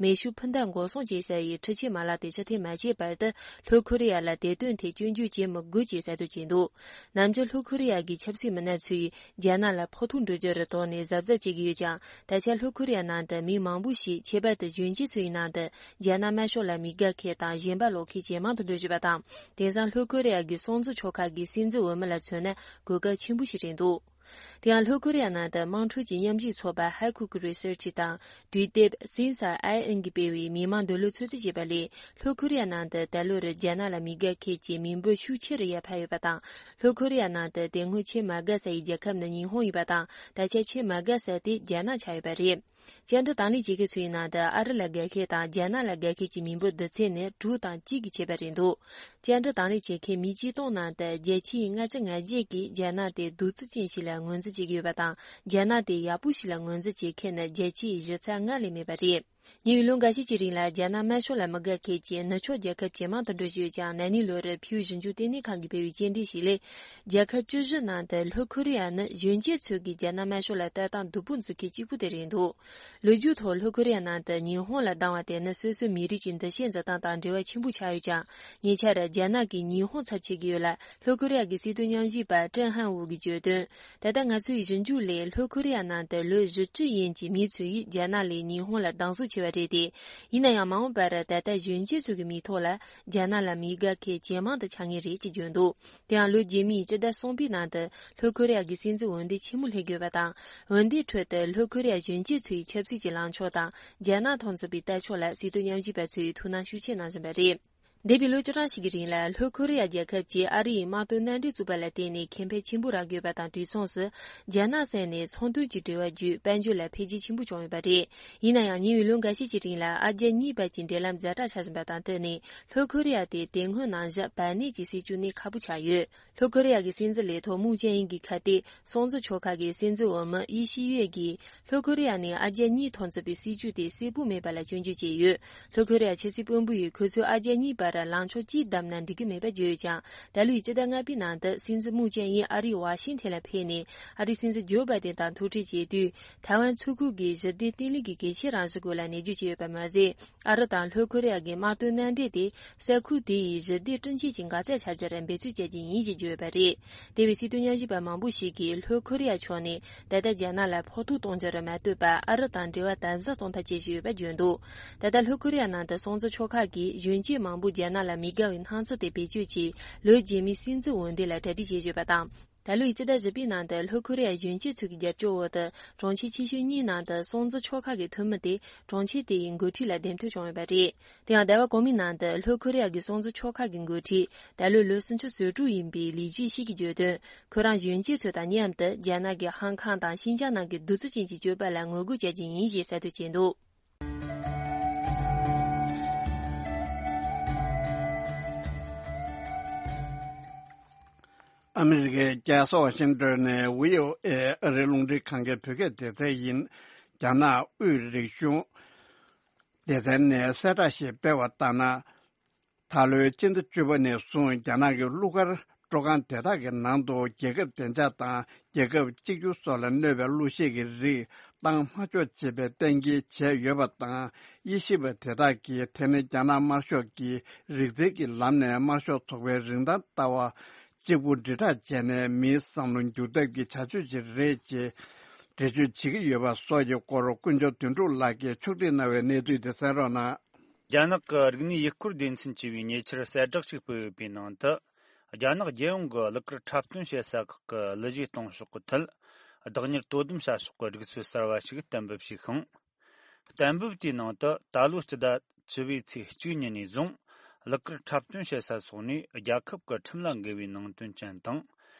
མེ་ཤུགས་འཕུར་མདའ་འགོག་སྲུང་བྱེད་ས་ཡི་འཕྲུལ་ཆས་མ་ལག་དེ་ཕྱིར་འཐེན་མ་བྱས་བར་དུ། ལྷོ་ཀོ་རི་ཡ་ལ་དེ་དོན་ཐད་སྐྱོན་བརྗོད་བྱེད་མི་དགོས་ཅེས་གསལ་སྟོན་བྱས་འདུག་ནམ་རྒྱུན་ལྷོ་ཀོ་རི་ཡ་གི་ཆབ་སྲིད་མི་སྣ་ཚོས་རྒྱ་ནག་ལ་ཕོག་ཐུག་འགྲོ་རྒྱུར་དོགས་ནས་གཟབ་གཟབ་བྱེད་ཀྱི་ཡོད་ཀྱང་། ད་ཆ་ལྷོ་ཀོ་རི་ཡ་ནང་དུ་མི་མང་པོ་ཞིག་ཁྱད་པར་དུ་གཞོན་སྐྱེས་ཚོའི་ནང་དུ་རྒྱ་ནག་དམར་ཤོག་ལ་མི་དགའ་མཁན་དང་ཞེན་པ་ལོག་མཁན་ཇེ་མང་དུ་འགྲོ་བཞིན་པ་དང་། དེང་སང་ལྷོ་ཀོ་རི་ཡ་གི་སྲུང་བརྩི་ཆོག་ཁག་གི་སྲིད་འཛིན་འོས་མི་ལ་མཚོན་ན་གོ་སྐབས་ཆེན་པོ་ཞིག་རེད་འདུག་དེ་ཡང་ལྷོ་ཀོ་རི་ཡ་ནང་དུ་དམངས་ཁྲོད་ཀྱི་མཉམ་ཞུགས་ཚོགས་པ་Haikuku Research དང་དུས་དེབ་Sensei གིས་སྤེལ་བའི་མི་མང་འདོད་བློ་ཚོད་རྩིས་བྱས་པ་ལས། ལྷོ་ཀོ་རི་ཡ་ནང་དུ་ད་ལོར་རྒྱ་ནག་ལ་མི་དགའ་མཁན་གྱི་མི་འབོར་ཤུགས་ཆེ་རུ་ཡར་འཕར་ཡོད་པ་དང་། ལྷོ་ཀོ་རི་ཡ་ནང་དུ་དེ་སྔོན་ཆེས་མ་དགའ་ས་ཡི་རྒྱལ་ཁབ་ནི་ཉི་ཧོང་ཡིན་པ་དང་། ད་ཆ་ཆེས་མ་དགའ་ས་དེ་རྒྱ་ནག་ཆགས་ཡོད་པ་རེད། བཅར་འདྲི་དང་ལེན་བྱེད་མཁན་ཚོའི་ནང་དུ་ཨ་རི་ལ་དགའ་མཁན་དང་རྒྱ་ནག་ལ་དགའ་མཁན་གྱི་མི་འབོར་བསྡུར་ཚད་ནི་དྲུག་དང་གཅིག་གི་ཁྱད་པར་རེད་འདུག་བཅར་འདྲི་དང་ལེན་བྱེད་མཁན་མི་ཆིག་སྟོང་ནང་དུ་བརྒྱ་ཆའི་ལྔ་བཅུ་ང་བརྒྱད་ཀྱིས་རྒྱ་ནག་དེ་གདུག་རྩུབ་ཅན་ཞིག་ལ་ངོས་འཛིན་བྱེད་ཀྱི་ཡོད་པ་དང་། རྒྱ་ནག་དེ་ཡག་པོ་ཞིག་ལ་ངོས་འཛིན་བྱེད་མཁན་ནི་བརྒྱ་ཆའི་བཞི་ཚེག་ལྔ་ལས་མེད་པ་རེད། ཉེ་བའི་ལོ་འགའ་ཤས་ཀྱི་རིང་ལ་རྒྱ་ནག་དམར་ཤོག་ལ་མི་དགའ་མཁན་གྱི་ནུབ་ཕྱོགས་རྒྱལ་ཁབ་ཇེ་མང་དུ་འགྲོ་བཞིན་ཡོད་ཀྱང་། ན་ནིང་ལོར་ཕིའུ་ཞིབ་འཇུག་ལྟེ་གནས་ཁང་གིས་སྤེལ་བའི་དཔྱད་འདེམས་ཤིག་ལས། རྒྱལ་ཁབ་བཅུ་བཞི་ནང་དུ་ལྷོ་ཀོ་རི་ཡ་ནི་གཞོན་སྐྱེས་ཚོས་ཀྱི་རྒྱ་ནག་དམར་ཤོག་ལ་ལྟ་སྟངས་སྡུག་པོ་འཛིན་མཁན་གཅིག་པུ་དེ་རེད་འདུག་ལོ་རྒྱུས་ཐོག་ལྷོ་ཀོ་རི་ཡ་ནང་དུ་ཉི་ཧོང་ལ་སྡང་བ་དེ་ནི་སོ་སོའི་མི་རིགས་ཀྱི་འདུ་ཤེས་འཛིན་སྟངས་དང་འབྲེལ་བ་ཆེན་པོ་ཆགས་ཡོད་ཀྱང་། ཉེ་ཆར་རྒྱ་ནག་གིས་ཉི་ཧོང་ཚབ་བྱེད་ཀྱི་ཡོད་ལ། ལྷོ་ཀོ་རི་ཡ་གི་སྲིད་དོན་མཉམ་ཞུགས་པ་ཀྲེན་ཧན་ཝུ་གིས་བརྗོད་དོན། ད་ལྟ་ང་ཚོའི་ཞིབ་འཇུག་ལས་ལྷོ་ཀོ་རི་ཡ་ནང་དུ་ལོ་བཞི་བཅུ་ཡན་གྱི་མི་ཚོས་རྒྱ་ནག་ལས་ཉི་ཧོང་ལ་སྡང་ཟུག་ཆེ་བ་རེད་དེ། ཡིན་ན་ཡང་མ་འོངས་པར་ད་ལྟ་གཞོན་སྐྱེས་ཚོ་གི་མིག་ཐོག་ལ་རྒྱ་ནག་ལ་མི་དགའ་མཁན་ཇེ་མང་དུ་ཆགས་ངེས་རེད་ཅེས་བརྗོད་འདུག་དེ་ཡང་ལོ་རྗེས་མའི་སྤྱི་ཟླ་གསུམ་པའི་ནང་དུ་ལྷོ་ཀོ་རི་ཡ་གི་སྲིད་འཛིན་འོས་འདེམས་ཆེན་མོ་སླེབས་ཀྱི་ཡོད་པ་དང་། འོས་འདེམས་ཁྲོད་དུ་ལྷོ་ཀོ་རི་ཡ་གཞོན་སྐྱེས་ཚོའི་ཆབ་སྲིད་ཀྱི་ལངས་ཕྱོགས་དང་རྒྱ་ནག་མཐོང་ཚུལ་པའི་ལྟ་ཕྱོགས་ལ་སྲིད་དོན་མཉམ་ཞུགས་པ་ཚོས་ཐུགས་སྣང་ཤུགས་ཆེ་གནང་བཞིན་པ་རེད། འདས་པའི་ལོ་བཅུ་གྲངས་ཤིག་གི་རིང་ལ་ལྷོ་ཁོ་རེ་ཡ་རྒྱལ་ཁབ་ཀྱིས་ཨ་རི་ཡི་དམག་དོན་མནའ་འབྲེལ་བཙུགས་པ་ལ་བརྟེན་ནས་ཁེ་ཕན་ཆེན་པོ་རག་ཡོད་པ་དང་། དུས་མཚུངས་སུ་རྒྱ་ནག་ས་ནས་ཚོང་དོན་གྱི་འབྲེལ་བ་བརྒྱུད་དཔལ་འབྱོར་ལ་འཕེལ་རྒྱས་ཆེན་པོ་བྱུང་ཡོད་པ་རེད། ཡིན་ན་ཡང་ཉེ་བའི་ལོ་འགའ་ཤས་ཀྱི་རིང་ལ་ཨ་རྒྱ་གཉིས་བར་གྱི་འབྲེལ་ལམ་ཛ་དྲག་ཆགས་བཞིན་པ་དང་བསྟུན་ནས། ལྷོ་ཁོ་རེ་ཡ་དེ་དེ་སྔོན་ནང་བཞིན་བར་གནས་ཀྱི་སྲིད་བྱུས་ནས་ཁག་པོ་ཆགས་ཡོད། ལྷོ་ཁོ་རེ་ཡ་གི་སྲིད་འཛིན་ལས་ཐོག་མུའུ་ཅན་ཨིན་གྱིས་ཁ་གཏད་སྲུང་བརྩི་ཆོལ་ཁ་གི་སྲིད་འཛིན་འོག་མི་ཡི་ཤི་ཡུའེ་གིས། ལྷོ་ཁོ་རེ་ཡ་ནས་ཨ་རྒྱ་གཉིས་ཐོག་མཛད་པའི་སྲིད་བྱུས་དེ་གསལ་པོ་མེད་པ་ལ་སྐྱོན་བརྗོད་བྱས་ཡོད། ལྷོ་ཁོ་རེ་ཡ་ཆབ་སྲིད་དཔོན་པོ་ཡིས་ཁོ་ཚོས་ཨ་རྒྱ་གཉིས་བར་ལངས་ཕྱོགས་གཅིག་བདམས་ན་འགྲིག་གི་མེད་པ་བརྗོད་ཡོད་ཀྱང་། ད་ལོའི་སྤྱི་ཟླ་ལྔ་པའི་ནང་དུ་སྲིད་འཛིན་མུའུ་ཅན་ཨིན་ཨ་རིའི་ཝ་ཤིང་ཐན་ལ་ཕེབས་ནས། ཨ་རིའི་སྲིད་འཛིན་ཇོ་བྷའི་ཏན་དང་ཐུག་འཕྲད་བྱས་དུས། ཐའེ་ཝན་མཚོ་ཁུག་གི་ཞི་བདེ་བརྟན་ལྷིང་གི་གལ་ཆེའི་རང་བཞིན་སྐོར་ལ་ནན་བརྗོད་བྱས་ཡོད་པ་མ་ཟད། ཨ་རི་དང་ལྷོ་ཁོ་རེ་ཡ་གི་དམག་དོན་མནའ་འབྲེལ་དེ་ས་ཁུལ་དེ་ཡི་ཞི་བདེ་བསྐྲུན་ཆེད་ཀྱི་འགག་རྩའི་འཆར་གཞིར་འབད་བརྩོན་བྱ་རྒྱུ་ཡིན་ཞེས་བརྗོད་ཡོད་པ་རེད། དེ་བས་སྲིད་དོན་ཉམས་ཞིབ་པ་མང་པོ་ཞིག་གིས་ལྷོ་ཁོ་རེ་ཡ་ཕྱོགས་ནས་ད་ལྟ་རྒྱ་ནག་ལ་ཕོག་ཐུག་གཏོང་རྒྱུར་མ་ལྟོས་པར་ཨ་རི་དང་འབྲེལ་བ་དམ་ཟབ་གཏོང་ཐབས་བྱེད་བཞིན་ཡོད་པ་བརྗོད་འདུག་ད་ལྟ་ལྷོ་ཁོ་རེ་ཡ་ནང་དུ་སྲུང་བརྩི་ཆོལ་ཁ་གིས་གཞོན་སྐྱེས་མང་པོ་རྒྱ་ནག་ལ་མི་དགའ་བའི་སྣང་ཚུལ་དེ་བེད་སྤྱོད་ཀྱིས་ལོ་རྗེས་མའི་སྲིད་འཛིན་འོས་འདེམས་ལ་གྲ་སྒྲིག་བྱེད་བཞིན་ཡོད་པ་དང་། ད་ལོའི་སྤྱི་ཟླ་བཞི་པའི་ནང་དུ་ལྷོ་ཁོ་རེ་ཡ་གཞོན་སྐྱེས་ཚོ་གི་རྒྱབ་སྐྱོར་འོག་ཏུ་གྲོང་ཁྱེར་ཆེ་ཤོས་གཉིས་ནང་དུ་སྲུང་བརྩི་ཆོལ་ཁ་གི་འཐུས་མི་དེ་གྲོང་ཁྱེར་དེ་ཡི་འགོ་ཁྲིད་ལ་འདེམས་ཐོན་བྱུང་ཡོད་པ་རེད། དེ་ཡང་ཟླ་བ་གོང་མའི་ནང་དུ་ལྷོ་ཁོ་རེ་ཡ་གི་སྲུང་བརྩི་ཆོལ་ཁ་གི་འགོ་ཁྲིད་ད་ལོའི་ལོ་སུམ་ཅུ་སོ་དྲུག་ཡིན་པའི་ལི་ཇུ་ཤི་གིས་བརྗོད་དོན། ཁོ་རང་གཞོན་སྐྱེས་ཚོ་དང་མཉམ་དུ་རྒྱ་ནག་གི་ཧང་ཁང་དང་ཤིན་ཅང་ནང་གི་གདུག་རྩུབ་ཅན་གྱི་སྤྱོད་པ་ལ་ངོ་རྒོལ་བྱ་རྒྱུ་ཡིན་ཞེས་གསལ་སྟོན་བྱས་འདུག་ཨ་མི་རི་ཀའི་རྒྱལ་ས་ཝ་ཤིང་ཏོན་ནས་བྷི་ཨོ་ཨེ་ཨ་རིའི་རླུང་འཕྲིན་ཁང་གི་བོད་སྐད་སྡེ་ཚན་ཡིན། རྒྱ་ནག་དབུས་རིག་གཞུང་སྡེ་ཚན་ནས་གསལ་བསྒྲགས་ཤིག་སྤེལ་བ་ལྟར་ན། ད་ལོའི་སྤྱི་ཟླ་བཅུ་པ་ནས་བཟུང་རྒྱ་ནག་གི་གླུ་གར་སྤྲོ་ཁང་དེ་དག་གི་ནང་དུ་རྒྱལ་ཁབ་བདེ་འཇགས་དང་རྒྱལ་ཁབ་གཅིག་གྱུར་སོགས་ལ་གནོད་པའི་གླུ་གཞས་ཀྱི་རིགས་བཏང་མ་ཆོག་ཅེས་པའི་གཏན་འཁེལ་བྱས་ཡོད་པ་དང་། དབྱེ་ཞིབ་པ་དེ་དག་གིས་དེ་ནི་རྒྱ་ནག་དམར་ཤོག་གི་རིག་རྩལ་གྱི་ལམ་ནས་དམར་ཤོག་ཚོགས་པའི་རིན་ཐང་ལྟ་བ་གཅིག་པུ་དྲིལ་བསྒྲགས་བྱས་ནས་མིའི་བསམ་བློ་འགྱུར་ཐབས་ཀྱི་བྱ་སྤྱོད་ཅིག་རེད་ཅེས་འགྲེལ་བརྗོད་བྱེད་ཀྱི་ཡོད་པ་སོགས་ཀྱི་སྐོར་དཀོན་མཆོག་དོན་གྲུབ་ལགས་ཀྱིས་ཕྱོགས་སྒྲིག་གནང་བའི་གནས་ཚུལ་དེ་གསན་རོགས་གནང་། རྒྱ་ནག་གི་རིག་གནས་ཡུལ་སྐོར་སྡེ་ཚན་ཞེས་པའི་ཉེ་ཆར་གསལ་བསྒྲགས་ཤིག་སྤེལ་ཡོད་པའི་ནང་དུ། རྒྱ་ནག་རྒྱལ་ཡོངས་ཀྱི་གླུ་གར་འཁྲབ་སྟོན་བྱེད་ས་ཁག་གི་གླུ་གཞས་གཏོང་ཕྱོགས་ཀྱི་ཐད། བདག་གཉེར་དོ་དམ་བྱ་ཕྱོགས་ཀྱི་སྒྲིག་སྲོལ་གསར་བ་ཞིག་གཏན་འབེབས་བྱས་ཤིང་། གཏན་འབེབས་དེའི་ནང་དུ་ད་ལོའི་སྤྱི་ཟླ་བཅུ་པའི་ཚེས་གཅིག་ཉིན་ནས་བཟུང་། གླུ་གར་འཁྲབ་སྟོན་བྱེད་ས་སོགས་ནས་རྒྱལ་ཁབ་ཀྱི་ཁྲིམས་ལ་འགལ་བའི་ནང་དོན་ཅན་དང་།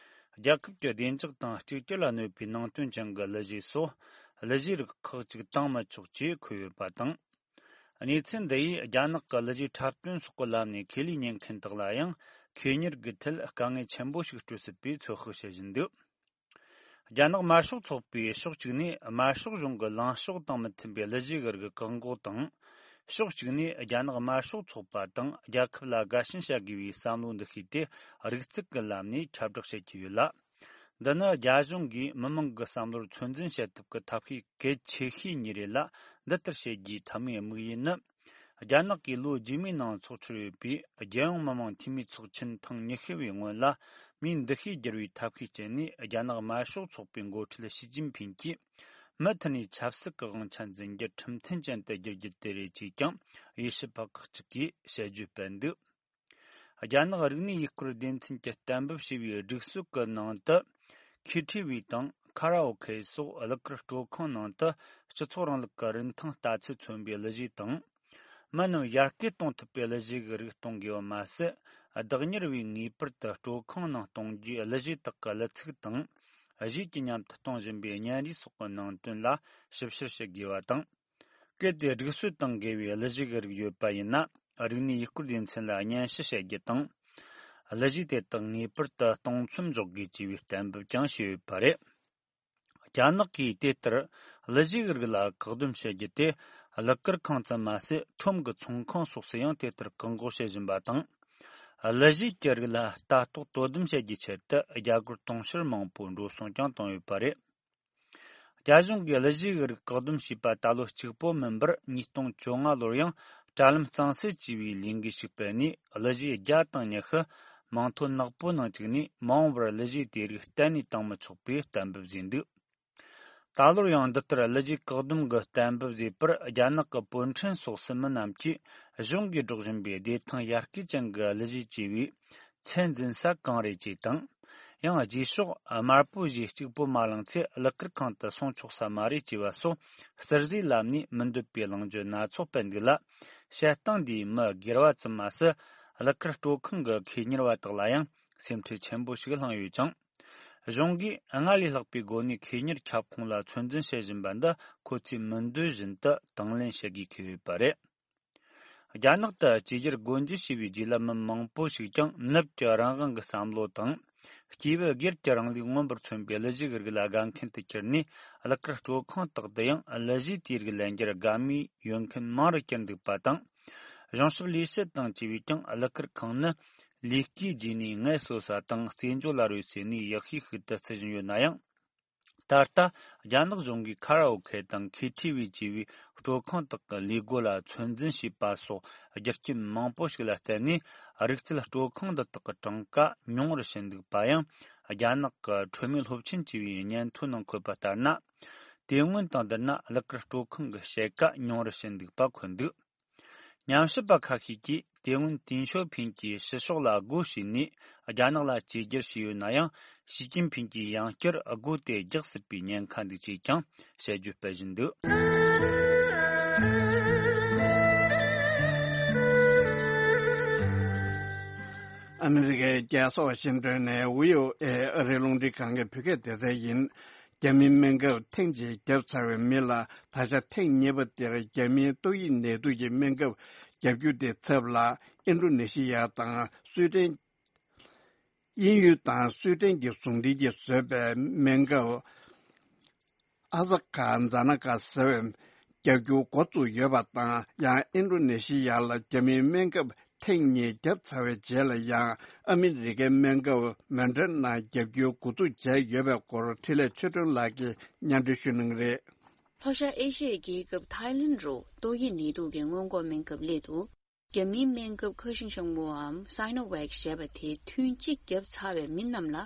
རྒྱལ་ཁབ་ཀྱི་བདེ་འཇགས་དང་གཅིག་གྱུར་ལ་གནོད་པའི་ནང་དོན་ཅན་གྱི་གླུ་གཞས་སོགས་གླུ་གཞས་རིགས་ཁག་ཅིག་བཏང་མི་ཆོག་ཅེས་འཁོད་ཡོད་པ་དང་། གནས་ཚུལ་འདི་ཡིས་རྒྱ་ནག་གི་གླུ་གཞས་འཁྲབ་སྟོན་སོགས་ཀྱི་ལམ་ནས་ཁེ་ལས་གཉེར་མཁན་དག་ལ་ཡང་ཁེ་གཉེར་གྱི་ཐད་དཀའ་ངལ་ཆེན་པོ་ཞིག་སྤྲོད་སྲིད་པའི་ཚོད་དཔག་བྱེད་བཞིན་འདུག་རྒྱ་ནག་དམར་ཤོག་ཚོགས་པས་ཕྱོགས་གཅིག་ནས་དམར་ཤོག་གཞུང་གི་ལངས་ཕྱོགས་དང་མི་མཐུན་པའི་གླུ་གཞས་ཀྱི་རིགས་བཀག་འགོག་དང་། ཕྱོགས་གཅིག་ནས་རྒྱ་ནག་དམར་ཤོག་ཚོགས་པ་དང་རྒྱལ་ཁབ་ལ་དགའ་ཞེན་བྱ་དགོས་པའི་བསམ་བློ་འདུ་ཤེས་དེ་རིགས་གཅིག་གི་ལམ་ནས་ཁྱབ་བསྒྲགས་བྱེད་ཀྱི་ཡོད་ལ། འདི་ནི་རྒྱ་གཞུང་གིས་མི་མང་གི་བསམ་བློར་ཚོད་འཛིན་བྱེད་ཐབས་ཀྱི་ཐབས་ཤེས་གལ་ཆེ་ཤོས་གཉིས་རེད་ལ། འདི་ལྟར་བྱེད་རྒྱུའི་ཐབས་མེད་དམིགས་ཡུལ་ནི། རྒྱ་ནག་གིས་ལོ་རྗེས་མའི་ནང་ཚོགས་འཆར་ཡོད་པའི་རྒྱལ་ཡོངས་མི་དམངས་འཐུས་མིའི་ཚོགས་ཆེན་ཐེངས་ཉི་ཤུ་བའི་སྔོན་ལ། མིའི་འདུ་ཤེས་བསྒྱུར་བའི་ཐབས་ཤེས་སྤྱད་ནས་རྒྱ་ནག་དམར་ཤོག་ཚོགས་པའི་འགོ་ཁྲིད་ཞི་ཅིན་ཕིང་གིས་མུ་མཐུད་ནས་ཆབ་སྲིད་ཀྱི་དབང་ཆ་འཛིན་རྒྱུ་ཁྲིམས་མཐུན་ཅན་དུ་བསྒྱུར་རྒྱུ་དེ་རེད་ཅེས་ཀྱང་དབྱེ་ཞིབ་པ་ཁག་ཅིག་གིས་དཔྱད་བརྗོད་སྤེལ་འདུག་རྒྱ་ནག་རིག་གནས་ཡུལ་སྐོར་སྡེ་ཚན་གྱིས་གཏན་འབེབས་བྱས་པའི་སྒྲིག་སྲོལ་གྱི་ནང་དུ། ཁེ་ཊི་ཝི་དང་ཁ་ར་ཨོ་ཁེ་སོགས་གླུ་གར་སྤྲོ་ཁང་ནང་དུ་སྤྱི་ཚོགས་རིང་ལུགས་ཀྱི་རིན་ཐང་ལྟ་ཚུལ་མཚོན་པའི་གླུ་གཞས་དང་། མི་རྣམས་ཡར་སྐུལ་གཏོང་ཐུབ་པའི་གླུ་གཞས་ཀྱི་རིགས་གཏོང་དགོས་པ་མ་ཟད། བདག་གཉེར་བས་ངེས་པར་དུ་སྤྲོ་ཁང་ནང་གཏོང་རྒྱུའི་གླུ་གཞས་དག་གི་གླུ་ཚིག་དང་། གཞས་ཀྱི་མཉམ་དུ་གཏོང་བཞིན་པའི་བརྙན་རིས་སོགས་ཀྱི་ནང་དོན་ལ་ཞིབ་བཤེར་བྱེད་དགོས་པ་དང་། གལ་ཏེ་སྒྲིག་སྲོལ་དང་འགལ་བའི་གླུ་གཞས་ཀྱི་རིགས་ཡོད་པ་ཡིན་ན། རིག་གནས་ཡུལ་སྐོར་སྡེ་ཚན་ལ་སྙན་ཞུ་བྱེད་རྒྱུ་དང་། གླུ་གཞས་དེ་དག་ངེས་པར་དུ་གཏོང་མཚམས་འཇོག་དགོས་ཅེས་པའི་གཏན་འབེབས་ཀྱང་བྱས་ཡོད་པ་རེད། རྒྱ་ནག་གིས་དེ་ལྟར་གླུ་གཞས་ཀྱི་རིགས་ལ་བཀག་སྡོམ་བྱེད་རྒྱུ་དེ། གླུ་གར་ཁང་ཙམ་མ་ཟད། ཁྲོམ་གྱི་ཚོང་ཁང་སོགས་སུ་ཡང་དེ་ལྟར་བཀག་འགོག་བྱེད་བཞིན་པ་དང་། གླུ་གཞས་ཀྱི་རིགས་ལ་ལྟ་རྟོག་དོ་དམ་བྱེད་རྒྱུའི་ཆེད་དུ་རྒྱ་སྒོར་དུང་ཕྱུར་མང་པོ་འགྲོ་སོང་ཀྱང་བཏང་ཡོད་པ་རེད། རྒྱ་གཞུང་གིས་གླུ་གཞས་ཀྱི་རིགས་བཀག་སྡོམ་བྱས་པ་ད་ལོ་གཅིག་པོ་མིན་པར་ཉིས་སྟོང་བཅོ་ལྔ་ལོར་ཡང་དྲ་ལམ་གཙང་སེལ་བྱས་པའི་ལས་འགུལ་ཞིག་སྤེལ་ནས། གླུ་གཞས་བརྒྱ་དང་ཉི་ཤུ་མིང་ཐོ་ནག་པོའི་ནང་བཅུག་ནས། མ་འོངས་པར་གླུ་གཞས་དེ་རིགས་གཏན་ནས་བཏང་མི་ཆོག་པའི་གཏན་འབེབས་བཟོས་འདུག་ད་ལོར་ཡང་འདི་ལྟར་གླུ་གཞས་བཀག་སྡོམ་གྱི་གཏན་འབེབས་བཟོས་པར། རྒྱ་ནག་གི་པོད་ཕྲན་སོགས་སུ་མི་རྣམས་ཀྱིས་གཞུང་གིས་སྒྲོག་བཞིན་པའི་བདེ་ཐང་ཡར་སྐུལ་ཅན་གྱི་གླུ་གཞས་ཅེས་པའི་ཚད་འཛིན་ས་གང་རེད་ཅེས་དང་། ཡང་རྗེས་ཕྱོགས་དམར་པོའི་གཞས་གཅིག་པོ་མ་བླངས་ཚེ་གླུ་གར་ཁང་དུ་སོང་ཆོག་ས་མ་རེད་ཅེས་པ་སོགས་གསར་བཟོའི་ལམ་ནས་མི་འདོད་པའི་གླེང་བརྗོད་སྣ་ཚོགས་སྤེལ་འདུག་ལ། བཤད་སྟངས་འདིས་མི་སྒེར་བ་ཙམ་མ་ཟད། གླུ་གར་སྤྲོ་ཁང་གི་ཁེ་གཉེར་བ་དག་ལ་ཡང་སེམས་ཁྲལ་ཆེན་པོ་ཞིག་བསླངས་ཡོད་ཅིང་། གཞུང་གིས་སྔར་ལས་ལྷག་པའི་སྒོ་ནས་ཁེ་གཉེར་ཁྱབ་ཁོངས་ལ་ཚོད་འཛིན་བྱེད་བཞིན་པ་འདི་ཁོ་ཚོས་མི་འདོད་བཞིན་དུ་དང་ལེན་བྱེད་དགོས་ཀྱི་ཡོད་པ་རེད། རྒྱ་ནག་ཏུ་བཅོས་བསྒྱུར་སྒོ་འབྱེད་བྱས་པའི་རྗེས་ལ། མི་མང་པོ་ཞིག་ཀྱང་ནུབ་ཀྱི་རང་དབང་གི་བསམ་བློ་དང་། སྐྱེས་བུ་སྒེར་གྱི་རིང་ལུགས་མངོན་པར་མཚོན་པའི་གླུ་གཞས་ཀྱི་རིགས་ལ་དགའ་མཁན་དུ་གྱུར་ནས། གླུ་གར་སྤྲོ་ཁང་དག་ཏུ་ཡང་གླུ་གཞས་དེའི་རིགས་ལེན་རྒྱུར་དགའ་མོས་ཡོད་མཁན་མང་རུ་གྱུར་འདུག་པ་དང་། གཞུང་ཞབས་ལས་བྱེད་དང་བཅས་པས་ཀྱང་གླུ་གར་ཁང་ནི་ལས་ཀའི་རྗེས་ནས་ངལ་གསོ་ས་དང་རྩེད་འཇོ་ལ་རོལ་སའི་གནས་ཡག་ཤོས་ཤིག་ཏུ་བརྩི་བཞིན་ཡོད་ན་ཡང་། ད་ལྟ་རྒྱ་ནག་གཞུང་གིས་ཁ་ར་ཨོ་ཁེ་དང་ཁེ་ཐི་ཝི་བཅས་པའི་སྤྲོ་ཁང་དག་གི་ལས་སྒོ་ལ་ཚོད་འཛིན་བྱས་པ་སོགས་རྒྱུ་རྐྱེན་མང་པོ་ཞིག་ལ་བརྟེན་ནས། རིག་རྩལ་སྤྲོ་ཁང་འདི་དག་གི་གྲངས་ཀ་ཉུང་རུ་ཕྱིན་འདུག་པ་ཡང་། རྒྱ་ནག་གི་འཕྲོད་མེད་སློབ་ཆེན་བཅས་པའི་སྙན་ཐོའི་ནང་འཁོད་པ་ལྟར་ན། དེ་སྔོན་དང་བསྡུར་ན་གླུ་གར་སྤྲོ་ཁང་གི་ཕྱེད་ཀ་ཉུང་རུ་ཕྱིན་འདུག་པ་འཁོད་འདུག། ཉམས་ཞིབ་པ་ཁ་ཤས་ཀྱིས་དེ་སྔོན་ཏིན་ཞོ་ཕིན་གྱིས་ཕྱི་ཕྱོགས་ལ་སྒོ་ཕྱེས་ནས་རྒྱ་ནག་ལ་བཅོས་བསྒྱུར་བྱས་ཡོད་ན་ཡང་། ཞི་ཅིན་ཕིན་གྱིས་ཡང་བསྐྱར་སྒོ་དེ་རྒྱག་སྲིད་པའི་ཉེན་ཁ་འདུག་ཅེས་ཀྱང་དཔྱད་བརྗོད་སྤེལ་བཞིན་འདུག། ཨ་མི་རི་ཀའི་རྒྱལ་ས་ཝ་ཤིང་ཏོན་ནས་བྷི་ཨོ་ཨེ་ཨ་རིའི་རླུང་འཕྲིན་ཁང་གི་བོད་སྐད་སྡེ་ཚན་ཡིན། རྒྱ་མིའི་སྨན་ཁབ་ཐེངས་གཅིག་བརྒྱབ་ཚར་བའི་མི་ལ་ད་ཆ་ཐེངས་གཉིས་པ་དེར་རྒྱ་མིའི་ཏོག་དབྱིབས་ནད་དུག་གི་སྨན་ཁབ་བརྒྱབ་རྒྱུ་དེའི་ཚབ་ལ་ཨིན་ཌོ་ནེ་ཤི་ཡ་དང་སུའེ་ཏེན། དབྱིན་ཡུལ་དང་སུའེ་ཏེན་གྱི་ཟུང་འབྲེལ་གྱིས་བཟོས་པའི་སྨན་ཁབ་ཨ་ཟ་ཀ་ཛ་ན་ཀ་ཟེར་བའི་བརྒྱབ་རྒྱུ་འགོ་བཙུགས་ཡོད་པ་དང་། ཡང་ཨིན་ཌོ་ནེ་ཤི་ཡ་ལ་རྒྱ་མིའི་སྨན་ཁབ་ཐེངས་གཉིས་བརྒྱབ་ཚར་བའི་རྗེས་ལ་ཡང་ཨ་མི་རི་ཀའི་སྨན་ཁབ་མོ་ཌེར་ན་བརྒྱབ་རྒྱུའི་འགོ་འཛུགས་བྱས་ཡོད་པའི་སྐོར་འཕྲིན་ལས་ཆོས་སྒྲོན་ལགས་ཀྱིས་སྙན་སྒྲོན་ཞུ་གནང་གི་རེད། ལྷོ་ཤར་ཨེ་ཤི་ཡའི་རྒྱལ་ཁབ་ཐའི་ལེན་རུ་ཏོག་དབྱིབས་ནད་དུག་གི་སྔོན་འགོག་སྨན་ཁབ་སླད་དུ། རྒྱ་མིའི་སྨན་ཁབ་ཁ་ཤིང་ཤང་བུའམ་སའི་ནོ་ཝེག་ཞེས་པ་དེ་ཐུན་གཅིག་བརྒྱབ་ཚར་བའི་མི་རྣམས་ལ།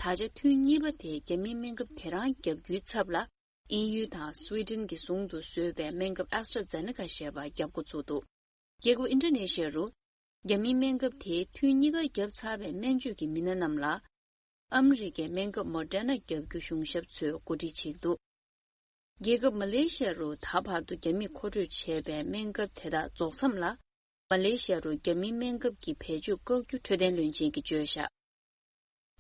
ད་ཆ་ཐུན་གཉིས་པ་དེ་རྒྱ་མིའི་སྨན་ཁབ་དེ་རང་བརྒྱབ་རྒྱུའི་ཚབ་ལ། དབྱིན་ཡུལ་དང་སུའེ་ཏེན་གྱི་ཟུང་དུ་བཟོས་པའི་སྨན་ཁབ་ཨེ་སི་ཊ་ཛེ་ནེ་ཀ་ཞེས་པ་བརྒྱབ་འགོ་ཚུགས་འདུག། རྒྱལ་ཁབ་ཨིན་ཌོ་ནེ་ཤི་ཡ་རུ། རྒྱ་མིའི་སྨན་ཁབ་དེ་ཐུན་གཉིས་ཀ་བརྒྱབ་ཚར་བའི་སྨན་བཅོས་ཀྱི་མི་སྣ་རྣམས་ལ། ཨ་མི་རི་ཀའི་སྨན་ཁབ་མོ་ཌེར་ན་བརྒྱབ་རྒྱུ་གཞུང་ཞབས་ཚོས་གོ་སྒྲིག་བྱེད་ཀྱི་འདུག། རྒྱལ་ཁབ་མ་ལེ་ཤི་ཡ་རུ་ད་བར་དུ་རྒྱ་མིས་མཁོ་སྤྲོད་བྱས་པའི་སྨན་ཁབ་དེ་དག་རྫོགས་མཚམས་ལ། མ་ལེ་ཤི་ཡ་རུ་རྒྱ་མིའི་སྨན་ཁབ་ཀྱི་བེད་སྤྱོད་བཀག་རྒྱུ་འཕྲོད་བསྟེན་བློན་ཆེན་གྱིས་བརྗོད་བཞག།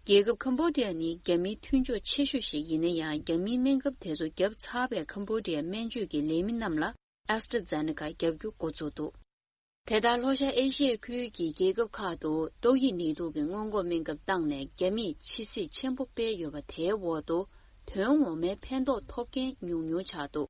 རྒྱལ་ཁབ་ཁམ་བྷོ་ཌི་ཡ་ནི་རྒྱ་མིའི་མཐུན་ཕྱོགས་ཆེ་ཤོས་ཤིག་ཡིན་ན་ཡང་། རྒྱ་མིའི་སྨན་ཁབ་དེ་ཚོ་བརྒྱབ་ཚར་བའི་ཁམ་བྷོ་ཌི་ཡའི་སྨན་བཅོས་ཀྱི་ལས་མི་རྣམས་ལ་ཨེ་སི་ཊ་ཛེ་ནེ་ཀ་བརྒྱབ་རྒྱུ་འགོ་བཙུགས་འདུག། དེ་ལྟར་ལྷོ་ཤར་ཨེ་ཤི་ཡའི་ཁུལ་གྱི་རྒྱལ་ཁབ་ཁག་ཏུ་ཏོག་དབྱིབས་ནད་དུག་གི་སྔོན་འགོག་སྨན་ཁབ་བཏང་ནས་རྒྱ་མིས་ཕྱི་བསྲེགས་ཆེན་པོ་སྤེལ་ཡོད་པ་དེའི་འོག་ཏུ། དོན་ངོ་མའི་ཕན་ཐོགས་ཐོབ་མཁན་ཉུང་ཉུང་ཆགས་འདུག།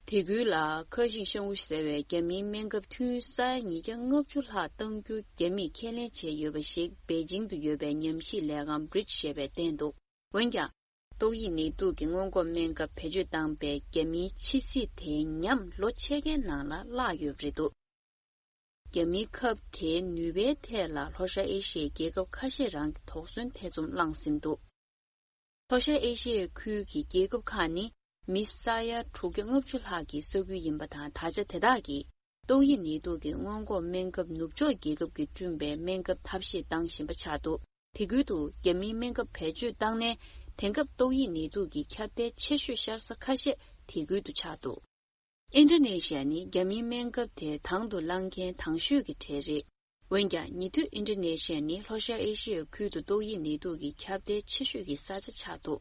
དེ་ཁུལ་ལ་ཁ་ཤིང་ཤང་ཝུ་ཟེར་བའི་རྒྱ་མིའི་སྨན་ཁབ་ཐུན་ས་ཡ་ཉིས་བརྒྱ་ལྔ་བཅུ་ལྷག་གཏང་རྒྱུ་རྒྱ་མིས་ཁས་ལེན་བྱས་ཡོད་པ་ཞིག་པེ་ཅིང་དུ་ཡོད་པའི་ཉམས་ཞིབ་ལས་ཁང་བྷི་རིཇ་ཞེས་པས་བསྟན་འདུག། འོན་ཀྱང་། ཏོག་དབྱིབས་ནད་དུག་གི་སྔོན་འགོག་སྨན་ཁབ་བེད་སྤྱོད་བཏང་པའི་རྒྱ་མིའི་ཕྱི་བསྲེགས་དེ་ཉམས་ལོ་ཕྱེད་ཀའི་ནང་ལ་བརླག་ཡོད་པ་རེད་འདུག། རྒྱ་མིའི་ཁབ་དེའི་ནུས་པའི་ཐད་ལ་ལྷོ་ཤར་ཨེ་ཤི་ཡའི་རྒྱལ་ཁབ་ཁ་ཤས་རང་གིས་དོགས་ཟོན་ཐེ་ཚོམ་བསླངས་ཟིན་འདུག། ལྷོ་ཤར་ཨེ་ཤི་ཡའི་ཁུལ་གྱི་རྒྱལ་ཁབ་ཁག་ནི་མི་ས་ཡ་དྲུག་བརྒྱ་ལྔ་བཅུ་ལྷག་གི་ས་ཁུལ་ཡིན་པ་དང་། ད་ཆ་དེ་དག་གིས་ཏོག་དབྱིབས་ནད་དུག་གི་སྔོན་འགོག་སྨན་ཁབ་ནུབ་ཕྱོགས་རྒྱལ་ཁབ་ཀྱིས་བསྐྲུན་པའི་སྨན་ཁབ་ཐབས་ཤེས་བཏང་བཞིན་པ་ཆགས་འདུག། དེ་ཁུལ་དུ་རྒྱ་མིའི་སྨན་ཁབ་བེད་སྤྱོད་བཏང་ནས། དེང་སྐབས་ཏོག་དབྱིབས་ནད་དུག་གི་ཁྱབ་གདལ་ཆེ་ཤོས་ཤར་ས་ཁ་ཤས་དེ་ཁུལ་དུ་ཆགས་འདུག། ཨིན་ཌོ་ནེ་ཤི་ཡ་ནི་རྒྱ་མིའི་སྨན་ཁབ་དེ་དང་དུ་བླངས་མཁན་དང་ཤོས་ཀྱི་གྲས་རེད། འོན་ཀྱང་། ཉེ་དུས་ཨིན་ཌོ་ནེ་ཤི་ཡ་ནི་ལྷོ་ཤར་ཨེ་ཤི་ཡའི་ཁུལ་དུ་ཏོག་དབྱིབས་ནད་དུག་གི་ཁྱབ་གདལ་ཆེ་ཤོས་ཀྱི་ས་ཆ་ཆགས་འདུག།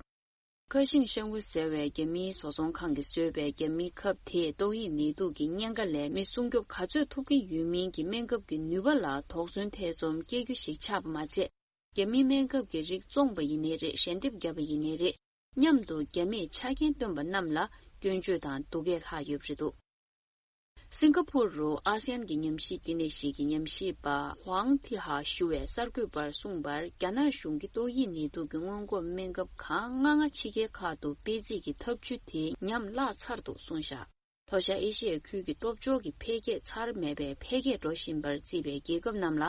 ཁ་ཤིང་ཤང་ཝུ་ཟེར་བའི་རྒྱ་མིའི་བཟོ་ཚོང་ཁང་གིས་བཟོས་པའི་རྒྱ་མིའི་ཁབ་དེས་ཏོག་དབྱིབས་ནད་དུག་གི་གཉན་ཁ་ལས་མི་སྲུང་སྐྱོབ་ག་ཚོད་ཐུབ་ཀྱི་ཡོད་མིན་གྱི་སྨན་ཁབ་ཀྱི་ནུས་པ་ལ་དོགས་ཟོན་ཐེ་ཚོམ་སྐྱེ་རྒྱུ་ཞིག་ཆགས་པ་མ་ཚད། རྒྱ་མིའི་སྨན་ཁབ་ཀྱི་རིགས་བཙོངས་པ་ཡིན་ནའི་རེད། ཞལ་འདེབས་བརྒྱབ་པ་ཡིན་ནའི་རེད། མཉམ་དུ་རྒྱ་མིས་ཆ་རྐྱེན་བཏོན་པ་རྣམས་ལ་སྐྱོན་བརྗོད་དང་སྡུག་སྐད་ལྷག་ཡོད་པ་རེད་འདུག། སིང་ག་པུར་རུ་ཨ་སི་ཡན་གྱི་ཉམས་ཞིབ་ལྟེ་གནས་ཤིག་གི་ཉམས་ཞིབ་པ་ཧུའང་ཐི་ཧ་ཞུ་བས་གསར་འགོད་པར་གསུངས་པར། རྒྱ་ནག་གཞུང་གིས་ཏོག་དབྱིབས་ནད་དུག་གི་སྔོན་འགོག་སྨན་ཁབ་གང་མང་མང་ཕྱི་རྒྱལ་ཁག་ཏུ་སྤེལ་རྩིས་ཀྱི་ཐབས་ཇུས་དེ་ཉམས་བརླག་ཚར་འདུག་གསུངས་བཞག། ལྷོ་ཤར་ཨེ་ཤི་ཡའི་ཁུལ་གྱི་སྟོབས་འབྱོར་གྱི་འཕེལ་རྒྱས་ཚར་མེད་པའི་འཕེལ་རྒྱས་འགྲོ་བཞིན་པར་བརྩིས་པའི་རྒྱལ་ཁབ་རྣམས་ལ།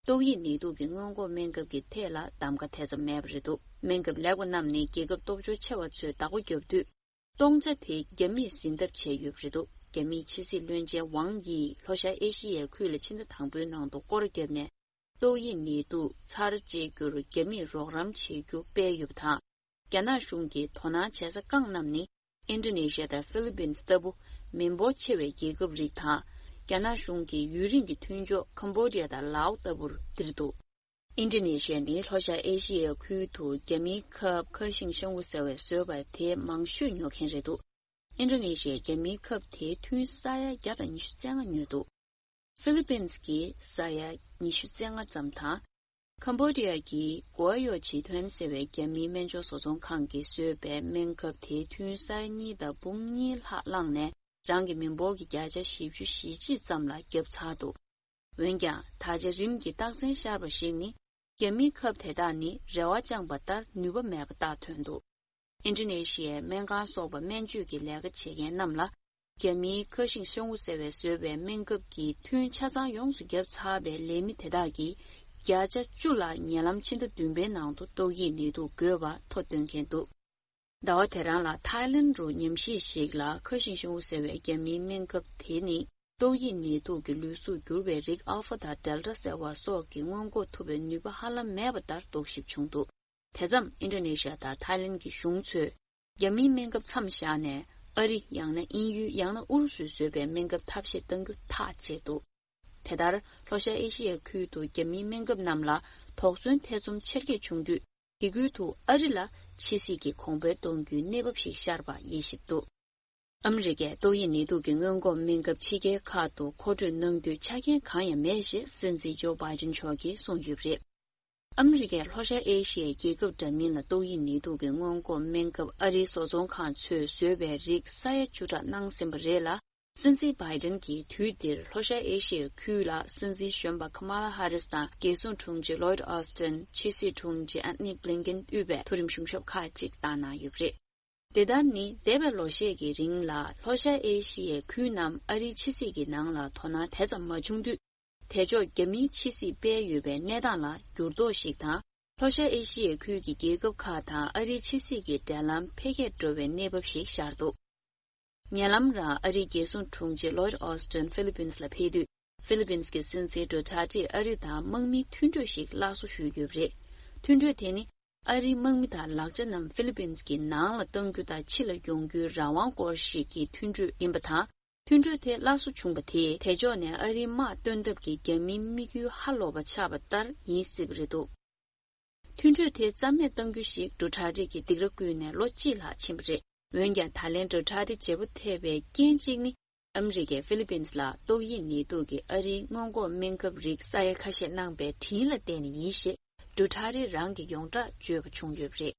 ཏོག་དབྱིབས་ནད་དུག་གི་སྔོན་འགོག་སྨན་ཁབ་ཀྱི་ཐད་ལ་གདམ་ག་དེ་ཙམ་མེད་པ་རེད་འདུག། སྨན་ཁབ་ལེགས་པ་རྣམས་ནི་རྒྱལ་ཁབ་སྟོབས་འབྱོར་ཆེ་བ་ཚོས་བདག་པོ་བརྒྱབ་དུས། སྟོང་ཆ་དེ་རྒྱ་མིས་ཟིན་ཐབས་བྱས་ཡོད་པ་རེད་འདུག། རྒྱ་མིའི་ཕྱི་སྲིད་བློན་ཆེན་ཝང་ཡིས་ལྷོ་ཤར་ཨེ་ཤི་ཡའི་ཁུལ་ལ་ཕྱི་ཟླ་དང་པོའི་ནང་དུ་སྐོར་བརྒྱབ་ནས། ཏོག་དབྱིབས་ནད་དུག་ཚར་བཅད་རྒྱུར་རྒྱ་མིས་རོགས་རམ་བྱེད་རྒྱུ་སྤེལ་ཡོད་པ་དང་། རྒྱ་ནག་གཞུང་གིས་དོ་སྣང་བྱེད་ས་རྐང་རྣམས་ནི། ཨིན་ཌོ་ནེ་ཤི་ཡ་དང་ཧྥི་ལི་པིན་ལྟ་བུ་མི་འབོར་ཆེ་བའི་རྒྱལ་ཁབ་རིགས་དང་། རྒྱ་ནག་གཞུང་གིས་ཡུན་རིང་གི་མཐུན་ཕྱོགས་ཁམ་བྷོ་ཌི་ཡ་དང་ལའོ་ལྟ་བུར་བསྒྱུར་འདུག་ཨིན་ཌོ་ནེ་ཤི་ཡ་ནི་ལྷོ་ཤར་ཨེ་ཤི་ཡའི་ཁུལ་དུ་རྒྱ་མིའི་ཁབ་ཁ་ཤིང་ཤང་བུ་ཟེར་བས་བཟོས་པ་དེ་མང་ཤོས་ཉོ་མཁན་རེད་འདུག་ཨིན་ཌོ་ནེ་ཤི་ཡས་རྒྱ་མིའི་ཁབ་དེའི་ཐུན་ས་ཡ་བརྒྱ་དང་ཉི་ཤུ་རྩ་ལྔ་ཉོས་འདུག་ཧྥི་ལི་པིན་གྱིས་ས་ཡ་ཉི་ཤུ་རྩ་ལྔ་ཙམ་དང་། ཁམ་བྷོ་ཌི་ཡ་གི་གོ་ཡོ་ཇི་ཐོན་ཟེར་བའི་རྒྱ་མིའི་སྨན་བཅོས་བཟོ་ཚོང་ཁང་གིས་བཟོས་པའི་སྨན་ཁབ་དེའི་ཐུན་ས་ཡ་གཉིས་དང་འབུམ་གཉིས་ལྷག་བླངས་ནས། རང་གི་མི་འབོར་གྱི་བརྒྱ་ཆ་བཞི་བཅུ་ཞེ་གཅིག་ཙམ་ལ་བརྒྱབ་ཚར་འདུག་འོན་ཀྱང་། ད་ཆ་རིམ་གྱིས་རྟགས་མཚན་ཤར་བ་ཞིག་ནི། རྒྱ་མིའི་ཁབ་དེ་དག་ནི་རེ་བ་བཅངས་པ་ལྟར་ནུས་པ་མེད་པ་རྟགས་ཐོན་འདུག་ཨིན་ཌོ་ནེ་ཤི་ཡའི་སྨན་ཁང་སོགས་པ་སྨན་བཅོས་ཀྱི་ལས་ཀ་བྱེད་མཁན་རྣམས་ལ། རྒྱ་མིའི་ཁ་ཤིང་ཤང་བུ་ཟེར་བས་བཟོས་པའི་སྨན་ཁབ་ཀྱི་ཐུན་ཆ་ཚང་ཡོངས་སུ་བརྒྱབ་ཚར་བའི་ལས་མི་དེ་དག་གིས་བརྒྱ་ཆ་བཅུ་ལ་ཉེ་ལམ་ཕྱི་ཟླ་བདུན་པའི་ནང་དུ་ཏོག་དབྱིབས་ནད་དུག་འགོས་པ་ཐོ་འདོན་མཁན་འདུག་ཟླ་བ་དེ་རང་ལ་ཐའི་ལེན་རུ་ཉམས་ཞིབ་ཞིག་ལ་ཁ་ཤིང་ཤང་བུ་ཟེར་བའི་རྒྱ་མིའི་སྨན་ཁབ་དེ་ནི་ཏོག་དབྱིབས་ནད་དུག་གི་ལུས་གཟུགས་འགྱུར་བའི་རིགས་ཨལ་ཕ་དང་ཌེལ་ཊ་ཟེར་བ་སོགས་ཀྱིས་སྔོན་འགོག་ཐུབ་པའི་ནུས་པ་ཧ་ལམ་མེད་པ་ལྟར་རྟོག་ཞིབ་བྱུང་འདུག་དེ་མཚམས་ཨིན་ཌོ་ནེ་ཤི་ཡ་དང་ཐའི་ལེན་གྱི་གཞུང་ཚོས་རྒྱ་མིའི་སྨན་ཁབ་མཚམས་བཞག་ནས་ཨ་རི་ཡང་ན་དབྱིན་ཡུལ་ཡང་ན་ཨུ་རུ་སུས་བཟོས་པའི་སྨན་ཁབ་ཐབས་ཤེས་གཏང་རྒྱུ་ཐག་བཅད་འདུག་དེ་ལྟར་ལྷོ་ཤར་ཨེ་ཤི་ཡའི་ཁུལ་དུ་རྒྱ་མིའི་སྨན་ཁབ་རྣམས་ལ་དོགས་ཟོན་ཐེ་ཚོམ་ཆེར་སྐྱེད་བྱུང་དུས། དེ་ཁུལ་དུ་ཨ་རི་ལ་ཕྱི་སྲིད་ཀྱི་གོང་འཕེལ་གཏོང་རྒྱུའི་གནས་བབ་ཞིག་ཤར་བ་དབྱེ་ཞིབ་འདུག་ཨ་མི་རི་ཀས་ཏོག་དབྱིབས་ནད་དུག་གི་སྔོན་འགོག་སྨན་ཁབ་ཕྱི་རྒྱལ་ཁག་ཏུ་མཁོ་སྤྲོད་གནང་དུས་ཆ་རྐྱེན་གང་ཡང་མེད་ཞེས་སྲིད་འཛིན་ཇོ་བྷའི་ཌེན་མཆོག་གིས་གསུངས་ཡོད་པ་རེད། ཨ་མི་རི་ཀས་ལྷོ་ཤར་ཨེ་ཤི་ཡའི་རྒྱལ་ཁབ་འདྲ་མིན་ལ་ཏོག་དབྱིབས་ནད་དུག་གི་སྔོན་འགོག་སྨན་ཁབ་ཨ་རིའི་བཟོ་ཚོང་ཁང་ཚོས་བཟོས་པའི་རིགས་ས་ཡ་བཅུ་ཕྲག་གནང་ཟིན་པ་རེད་ལ། སྲིད་འཛིན་བྷའི་ཌེན་གྱིས་དུས་འདིར་ལྷོ་ཤར་ཨེ་ཤི་ཡའི་ཁུལ་ལ་སྲིད་འཛིན་གཞོན་པ་ཁ་མ་ལ་ཧ་རིས་དང་རྒྱལ་སྲུང་དྲུང་ཆེ་ལོའིད་ཨོ་སི་ཏན། ཕྱི་སྲིད་དྲུང་ཆེ་ཨན་ནི་བྷི་ལིན་ཀེན་དབུས་པའི་མཐོ་རིམ་གཞུང་ཞབས་ཁག་ཅིག་བཏང་གནང་ཡོད་པ་རེད། དེ་ལྟར་ནི་འདས་པའི་ལོ་ཤས་ཀྱི་རིང་ལ་ལྷོ་ཤར་ཨེ་ཤི་ཡའི་ཁུལ་རྣམས་ཨ་རིའི་ཕྱི་སྲིད་ཀྱི་ནང་ལ་དོ་སྣང་དེ་ཙམ་མ་བྱུང་དུས། དེ་ཕྱོགས་རྒྱ་མིའི་ཕྱི་སྲིད་སྤེལ་ཡོད་པའི་གནས་སྟངས་ལ་འགྱུར་ལྡོག་ཞིག་དང་། ལྷོ་ཤར་ཨེ་ཤི་ཡའི་ཁུལ་གྱི་རྒྱལ་ཁབ་ཁག་དང་ཨ་རིའི་ཕྱི་སྲིད་ཀྱི་འབྲེལ་ལམ་འཕེལ་རྒྱས་འགྲོ་བའི་གནས་བབ་ཞིག་ཤར་འདུག་ཉེ་ལམ་རང་ཨ་རིའི་རྒྱལ་སྲུང་དྲུང་ཆེ་ལོའིད་ཨོ་སི་ཏན་ཧྥི་ལི་པིན་ལ་ཕེབས་དུས། ཧྥི་ལི་པིན་གྱི་སྲིད་འཛིན་ཌུ་ཐར་ཏེས་ཨ་རི་དང་དམག་མིའི་མཐུན་གྲོས་ཤིག་སླར་གསོ་ཞུས་ཡོད་པ་རེད། མཐུན་གྲོས་དེ་ནི། ཨ་རིའི་དམག་མི་དང་ལག་ཆ་རྣམས་ཧྥི་ལི་པིན་གྱི་ནང་ལ་གཏང་རྒྱུ་དང་ཕྱི་ལ་ཡོང་རྒྱུའི་རང་དབང་སྐོར་ཞིག་གི་མཐུན་གྲོས་ཡིན་པ་དང་། མཐུན་གྲོས་དེ་སླར་གསོ་བྱུང་བ་དེས་དེ་ཕྱོགས་ནས་ཨ་རིའི་དམག་སྟོན་ཐབས་ཀྱི་རྒྱ་མིའི་དམིགས་ཡུལ་ཧ་ལོག་པ་ཆགས་པ་ལྟར་ཡིན་སྲིད་པ་རེད་འདུག་མཐུན་གྲོས་དེ་རྩ་མེད་གཏང་རྒྱུ་ཞིག་ཌུ་ཐར་ཏེ་གིས་སྡིགས་ར་བསྐུལ་ནས་ལོ་གཅིག་ལྷག་ཕྱིན་པ་རེད། འོན་ཀྱང་ད་ལན་ཌུ་ཐར་ཏེ་བརྗེ་པོ་ཐེབས་པའི་རྐྱེན་གཅིག་ནི། ཨ་མི་རི་ཀས་ཧྥི་ལི་པིན་ལ་ཏོག་དབྱིབས་ནད་དུག་གི་ཨ་རིའི་སྔོན་འགོག་སྨན་ཁབ་རིགས་ས་ཡ་ཁ་ཤས་གནང་པའི་དྲིན་ལ་བརྟེན་ནས་ཡིན་ཞེས་ཌུ་ཐར་ཏེ་རང་གིས་ཡོངས་གྲགས་བརྗོད་པ་བྱུང་ཡོད་པ་རེད།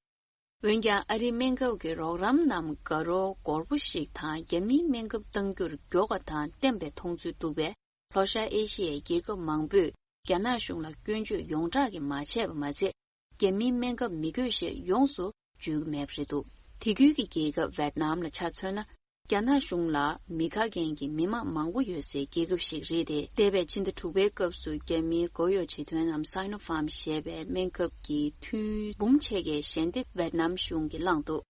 འོན་ཀྱང་ཨ་རིའི་སྨན་ཁབ་ཀྱི་རོགས་རམ་རྣམས་དགའ་རབ་སྒོར་པོ་ཞིག་དང་རྒྱ་མིའི་སྨན་ཁབ་གཏང་རྒྱུར་མགྱོགས་པ་དང་བརྟན་པའི་མཐོང་ཚུལ་འདུག་པས། ལྷོ་ཤར་ཨེ་ཤི་ཡའི་རྒྱལ་ཁབ་མང་པོས་རྒྱ་ནག་གཞུང་ལ་སྐྱོན་བརྗོད་ཡོངས་གྲགས་ཀྱིས་མ་བྱས་པ་མ་ཟད། རྒྱ་མིའི་སྨན་ཁབ་མི་དགོས་ཞེས་ཡོངས་སུ་བརྗོད་ཀྱི་མེད་པ་རེད་འདུག་དེ་ཁུལ་གྱི་རྒྱལ་ཁབ་ཝེད་ནམ་ལ་ཆ་མཚོན་ན། རྒྱ་ནག་གཞུང་ལ་མི་ཁ་མཁན་གྱི་མི་མང་མང་པོ་ཡོད་སའི་རྒྱལ་ཁབ་ཞིག་རེད་དེ། འདས་པའི་ཕྱི་ཟླ་དྲུག་པའི་སྐབས་སུ་རྒྱ་མིའི་གོ་ཡོ་ཇི་ཐོན་ནམ་སའི་ནོ་ཕཱམ་ཞེས་པའི་སྨན་ཁབ་ཀྱི་ཐུན་འབུམ་ཕྱེད་ཀའི་ཞལ་འདེབས་ཝེད་ནམ་གཞུང་གིས་བླངས་འདུག་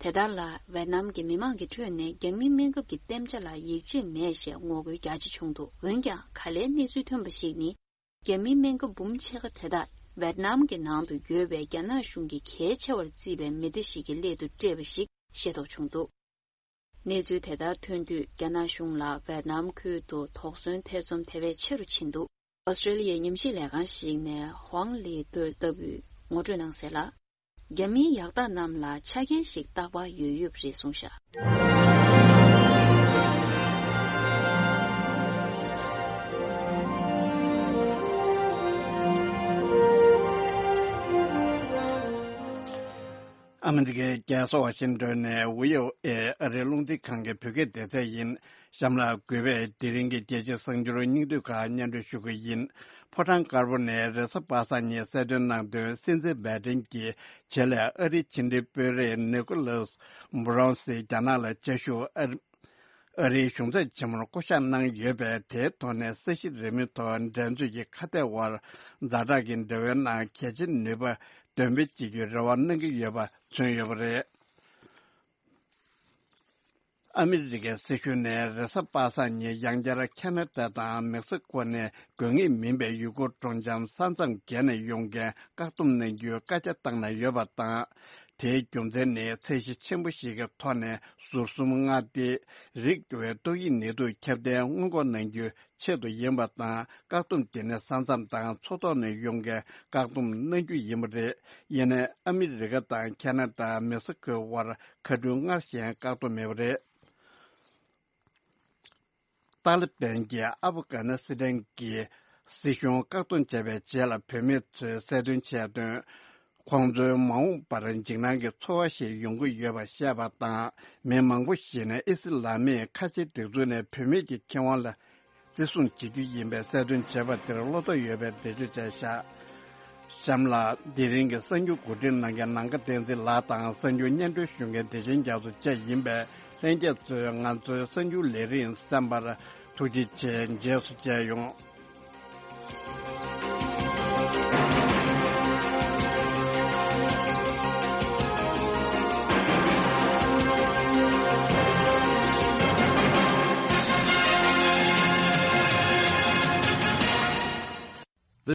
དེ་ལྟར་ལ་ཝེད་ནམ་གྱི་མི་མང་གི་ཁྲོད་ནས་རྒྱ་མིའི་སྨན་ཁབ་ཀྱི་བསྟན་བྱ་ལ་ཡིད་ཆེས་མེད་ཞེས་ངོ་རྒོལ་རྒྱ་ཆེ་བྱུང་འདུག་འོན་ཀྱང་། ག་ལའི་གནས་ཚུལ་ཐོན་པ་ཞིག་ནི། རྒྱ་མིའི་སྨན་ཁབ་འབུམ་ཕྱེད་ཀ་དེ་དག་ཝེད་ནམ་གྱི་ནང་དུ་ཡོད་པའི་རྒྱ་ནག་གཞུང་གིས་གལ་ཆེ་བར་བརྩིས་པའི་མི་སྡེ་ཞིག་གི་སླད་དུ་སྤྲད་པ་ཞིག་ཤེས་རྟོགས་བྱུང་འདུག་གནས་ཚུལ་དེ་ལྟར་ཐོན་དུས། རྒྱ་ནག་གཞུང་ལ་ཝེད་ནམ་ཁུལ་དུ་དོགས་ཟོན་ཐེ་ཚོམ་དེ་བས་ཆེ་རུ་ཕྱིན་འདུག་ཨོ་སི་ཀྲེ་ལི་ཡའི་ཉམས་ཞིབ་ལས་ཁང་ཞིག་ནས་ཧུང་ལི་ཏོས་ལྟ་བུས་ངོ་སྤྲོད་གནང་གསལ་ལ། རྒྱ་མིའི་ཡག་རྟགས་རྣམས་ལ་ཆ་རྐྱེན་ཞིག་རྟག་པར་ཡོད་ཡོད་པ་རེད་གསུངས་བཞག་ཨ་མི་རི་ཀའི་རྒྱལ་ས་ཝ་ཤིང་ཏོན་ནས་ཝི་ཨོ་ཨེ་ཨ་རིའི་རླུང་འཕྲིན་ཁང་གི་བོད་སྐད་སྡེ་ཚན་ཡིན། གཤམ་ལ་གུས་པས་དེ་རིང་གི་རྒྱལ་སྤྱིའི་གསར་འགྱུར་སྙིང་བསྡུས་ཁག་སྙན་སྒྲོན་ཞུ་གི་ཡིན། ཕོ་བྲང་དཀར་པོ་ནས་རེས་གཟའ་པ་སངས་ཉིན་གསལ་སྟོན་གནང་དོན། སྲིད་འཛིན་བྷའི་ཏིན་གྱིས་ཆེད་ལས་ཨ་རིའི་ཕྱི་འབྲེལ་དཔོན་རིགས་ནི་ཀོ་ལཱས་འབུ་རོན་སི་རྒྱ་ནག་ལ་བཅའ་བཞུགས། ཨ་ཨ་རིའི་གཞུང་ཚབ་ཆེན་མོར་བསྐོ་གཞག་གནང་ཡོད་པས། དེའི་ཐོག་ནས་ས་གཞི་རི་མོའི་ཐོག་འགྲན་རྩོད་ཀྱི་ཁ་གཏད་དབར་ཛ་དྲག་གི་འབྲེལ་བའི་ནང་གལ་ཆེའི་ནུས་པ་འདོན་སྤེལ་བྱེད་རྒྱུའི་རེ་བ་གནང་གི་ཡོད་པ་མཚོན་ཡོད་པ་རེད། ཨ་མི་རི་ཀའི་སྲིད་གཞུང་ནས་རེས་གཟའ་པ་སངས་ཉིན་ཡང་བསྐྱར་ཁ་ན་ཌ་དང་མེག་སི་ཀོ་ནས་དགོས་ངེས་མིན་པའི་ཡུལ་སྐོར་སྤྲོ་འཆམ་ས་མཚམས་བརྒལ་ནས་ཡོང་མཁན་བཀག་སྡོམ་གནང་རྒྱུའི་བཀའ་རྒྱ་བཏང་གནང་ཡོད་པ་དང་། དེའི་རྒྱུ་མཚན་ནི་ཚད་གཞི་ཆེན་པོ་ཞིག་གི་ཐོག་ནས་ཟུར་གསུམ་མངའ་སྡེའི་རིགས་ཀྱི་ཏོག་དབྱིབས་ནད་དུག་ཁྱབ་གདལ་སྔོན་འགོག་གནང་རྒྱུའི་ཆེད་དུ་ཡིན་པ་དང་། བཀག་སྡོམ་དེ་ནི་ས་མཚམས་དང་མཚོ་ཐོག་ནས་ཡོང་མཁན་བཀག་སྡོམ་གནང་རྒྱུ་ཡིན་པ་རེད། ཡིན་ནའི་ཨ་མི་རི་ཀ་དང་ཁ་ན་ཌ། མེག་སི་ཀོའི་དབར་མཁའ་འགྲུལ་སྔར་བཞིན་བཀག་སྡོམ་མེད་པ་རེད། ཏཱ་ལི་བན་གྱིས་ཨབ་གྷ་ནི་སི་ཐན་གྱི་སྲིད་གཞུང་བཀག་སྡོམ་བྱས་པའི་རྗེས་ལ། བུད་མེད་ཚོས་གསལ་སྟོན་བྱས་དོན། ཁོང་ཚོའི་མ་འོངས་པར་འཇིགས་སྣང་གི་ཚོར་བ་ཞིག་ཡོང་གི་ཡོད་པ་བཤད་པ་དང་། མི་མང་པོ་ཞིག་ནས་ཨི་སི་ལ་མིའི་ཁ་ཆེ་སྒྲིག་འཛུགས་ནས་བུད་མེད་ཀྱི་ཁེ་དབང་ལ་བརྩི་སྲུང་བྱེད་རྒྱུ་ཡིན་པའི་གསལ་སྟོན་བྱས་པ་དེར་བློ་དོགས་ཡོད་པའི་འགྲེལ་བརྗོད་བྱས་བཞག་གཤམ་ལ། དེ་རིང་གི་གསར་འགྱུར་གོ་སྒྲིག་གནང་མཁན་ནམ་མཁའ་བསྟན་འཛིན་ལགས་དང་། གསར་འགྱུར་སྙན་སྒྲོན་ཞུ་མཁན་བདེ་ཆེན་རྒྱ་མཚོ་བཅས་ཡིན་པས། ལྷན་རྒྱས་ཚོས་ང་ཚོའི་གསར་འགྱུར་ལས་རིམ་གསན་པར་ཐུགས་རྗེ་ཆེ། རྗེས་སུ་མཇལ་ཡོང་།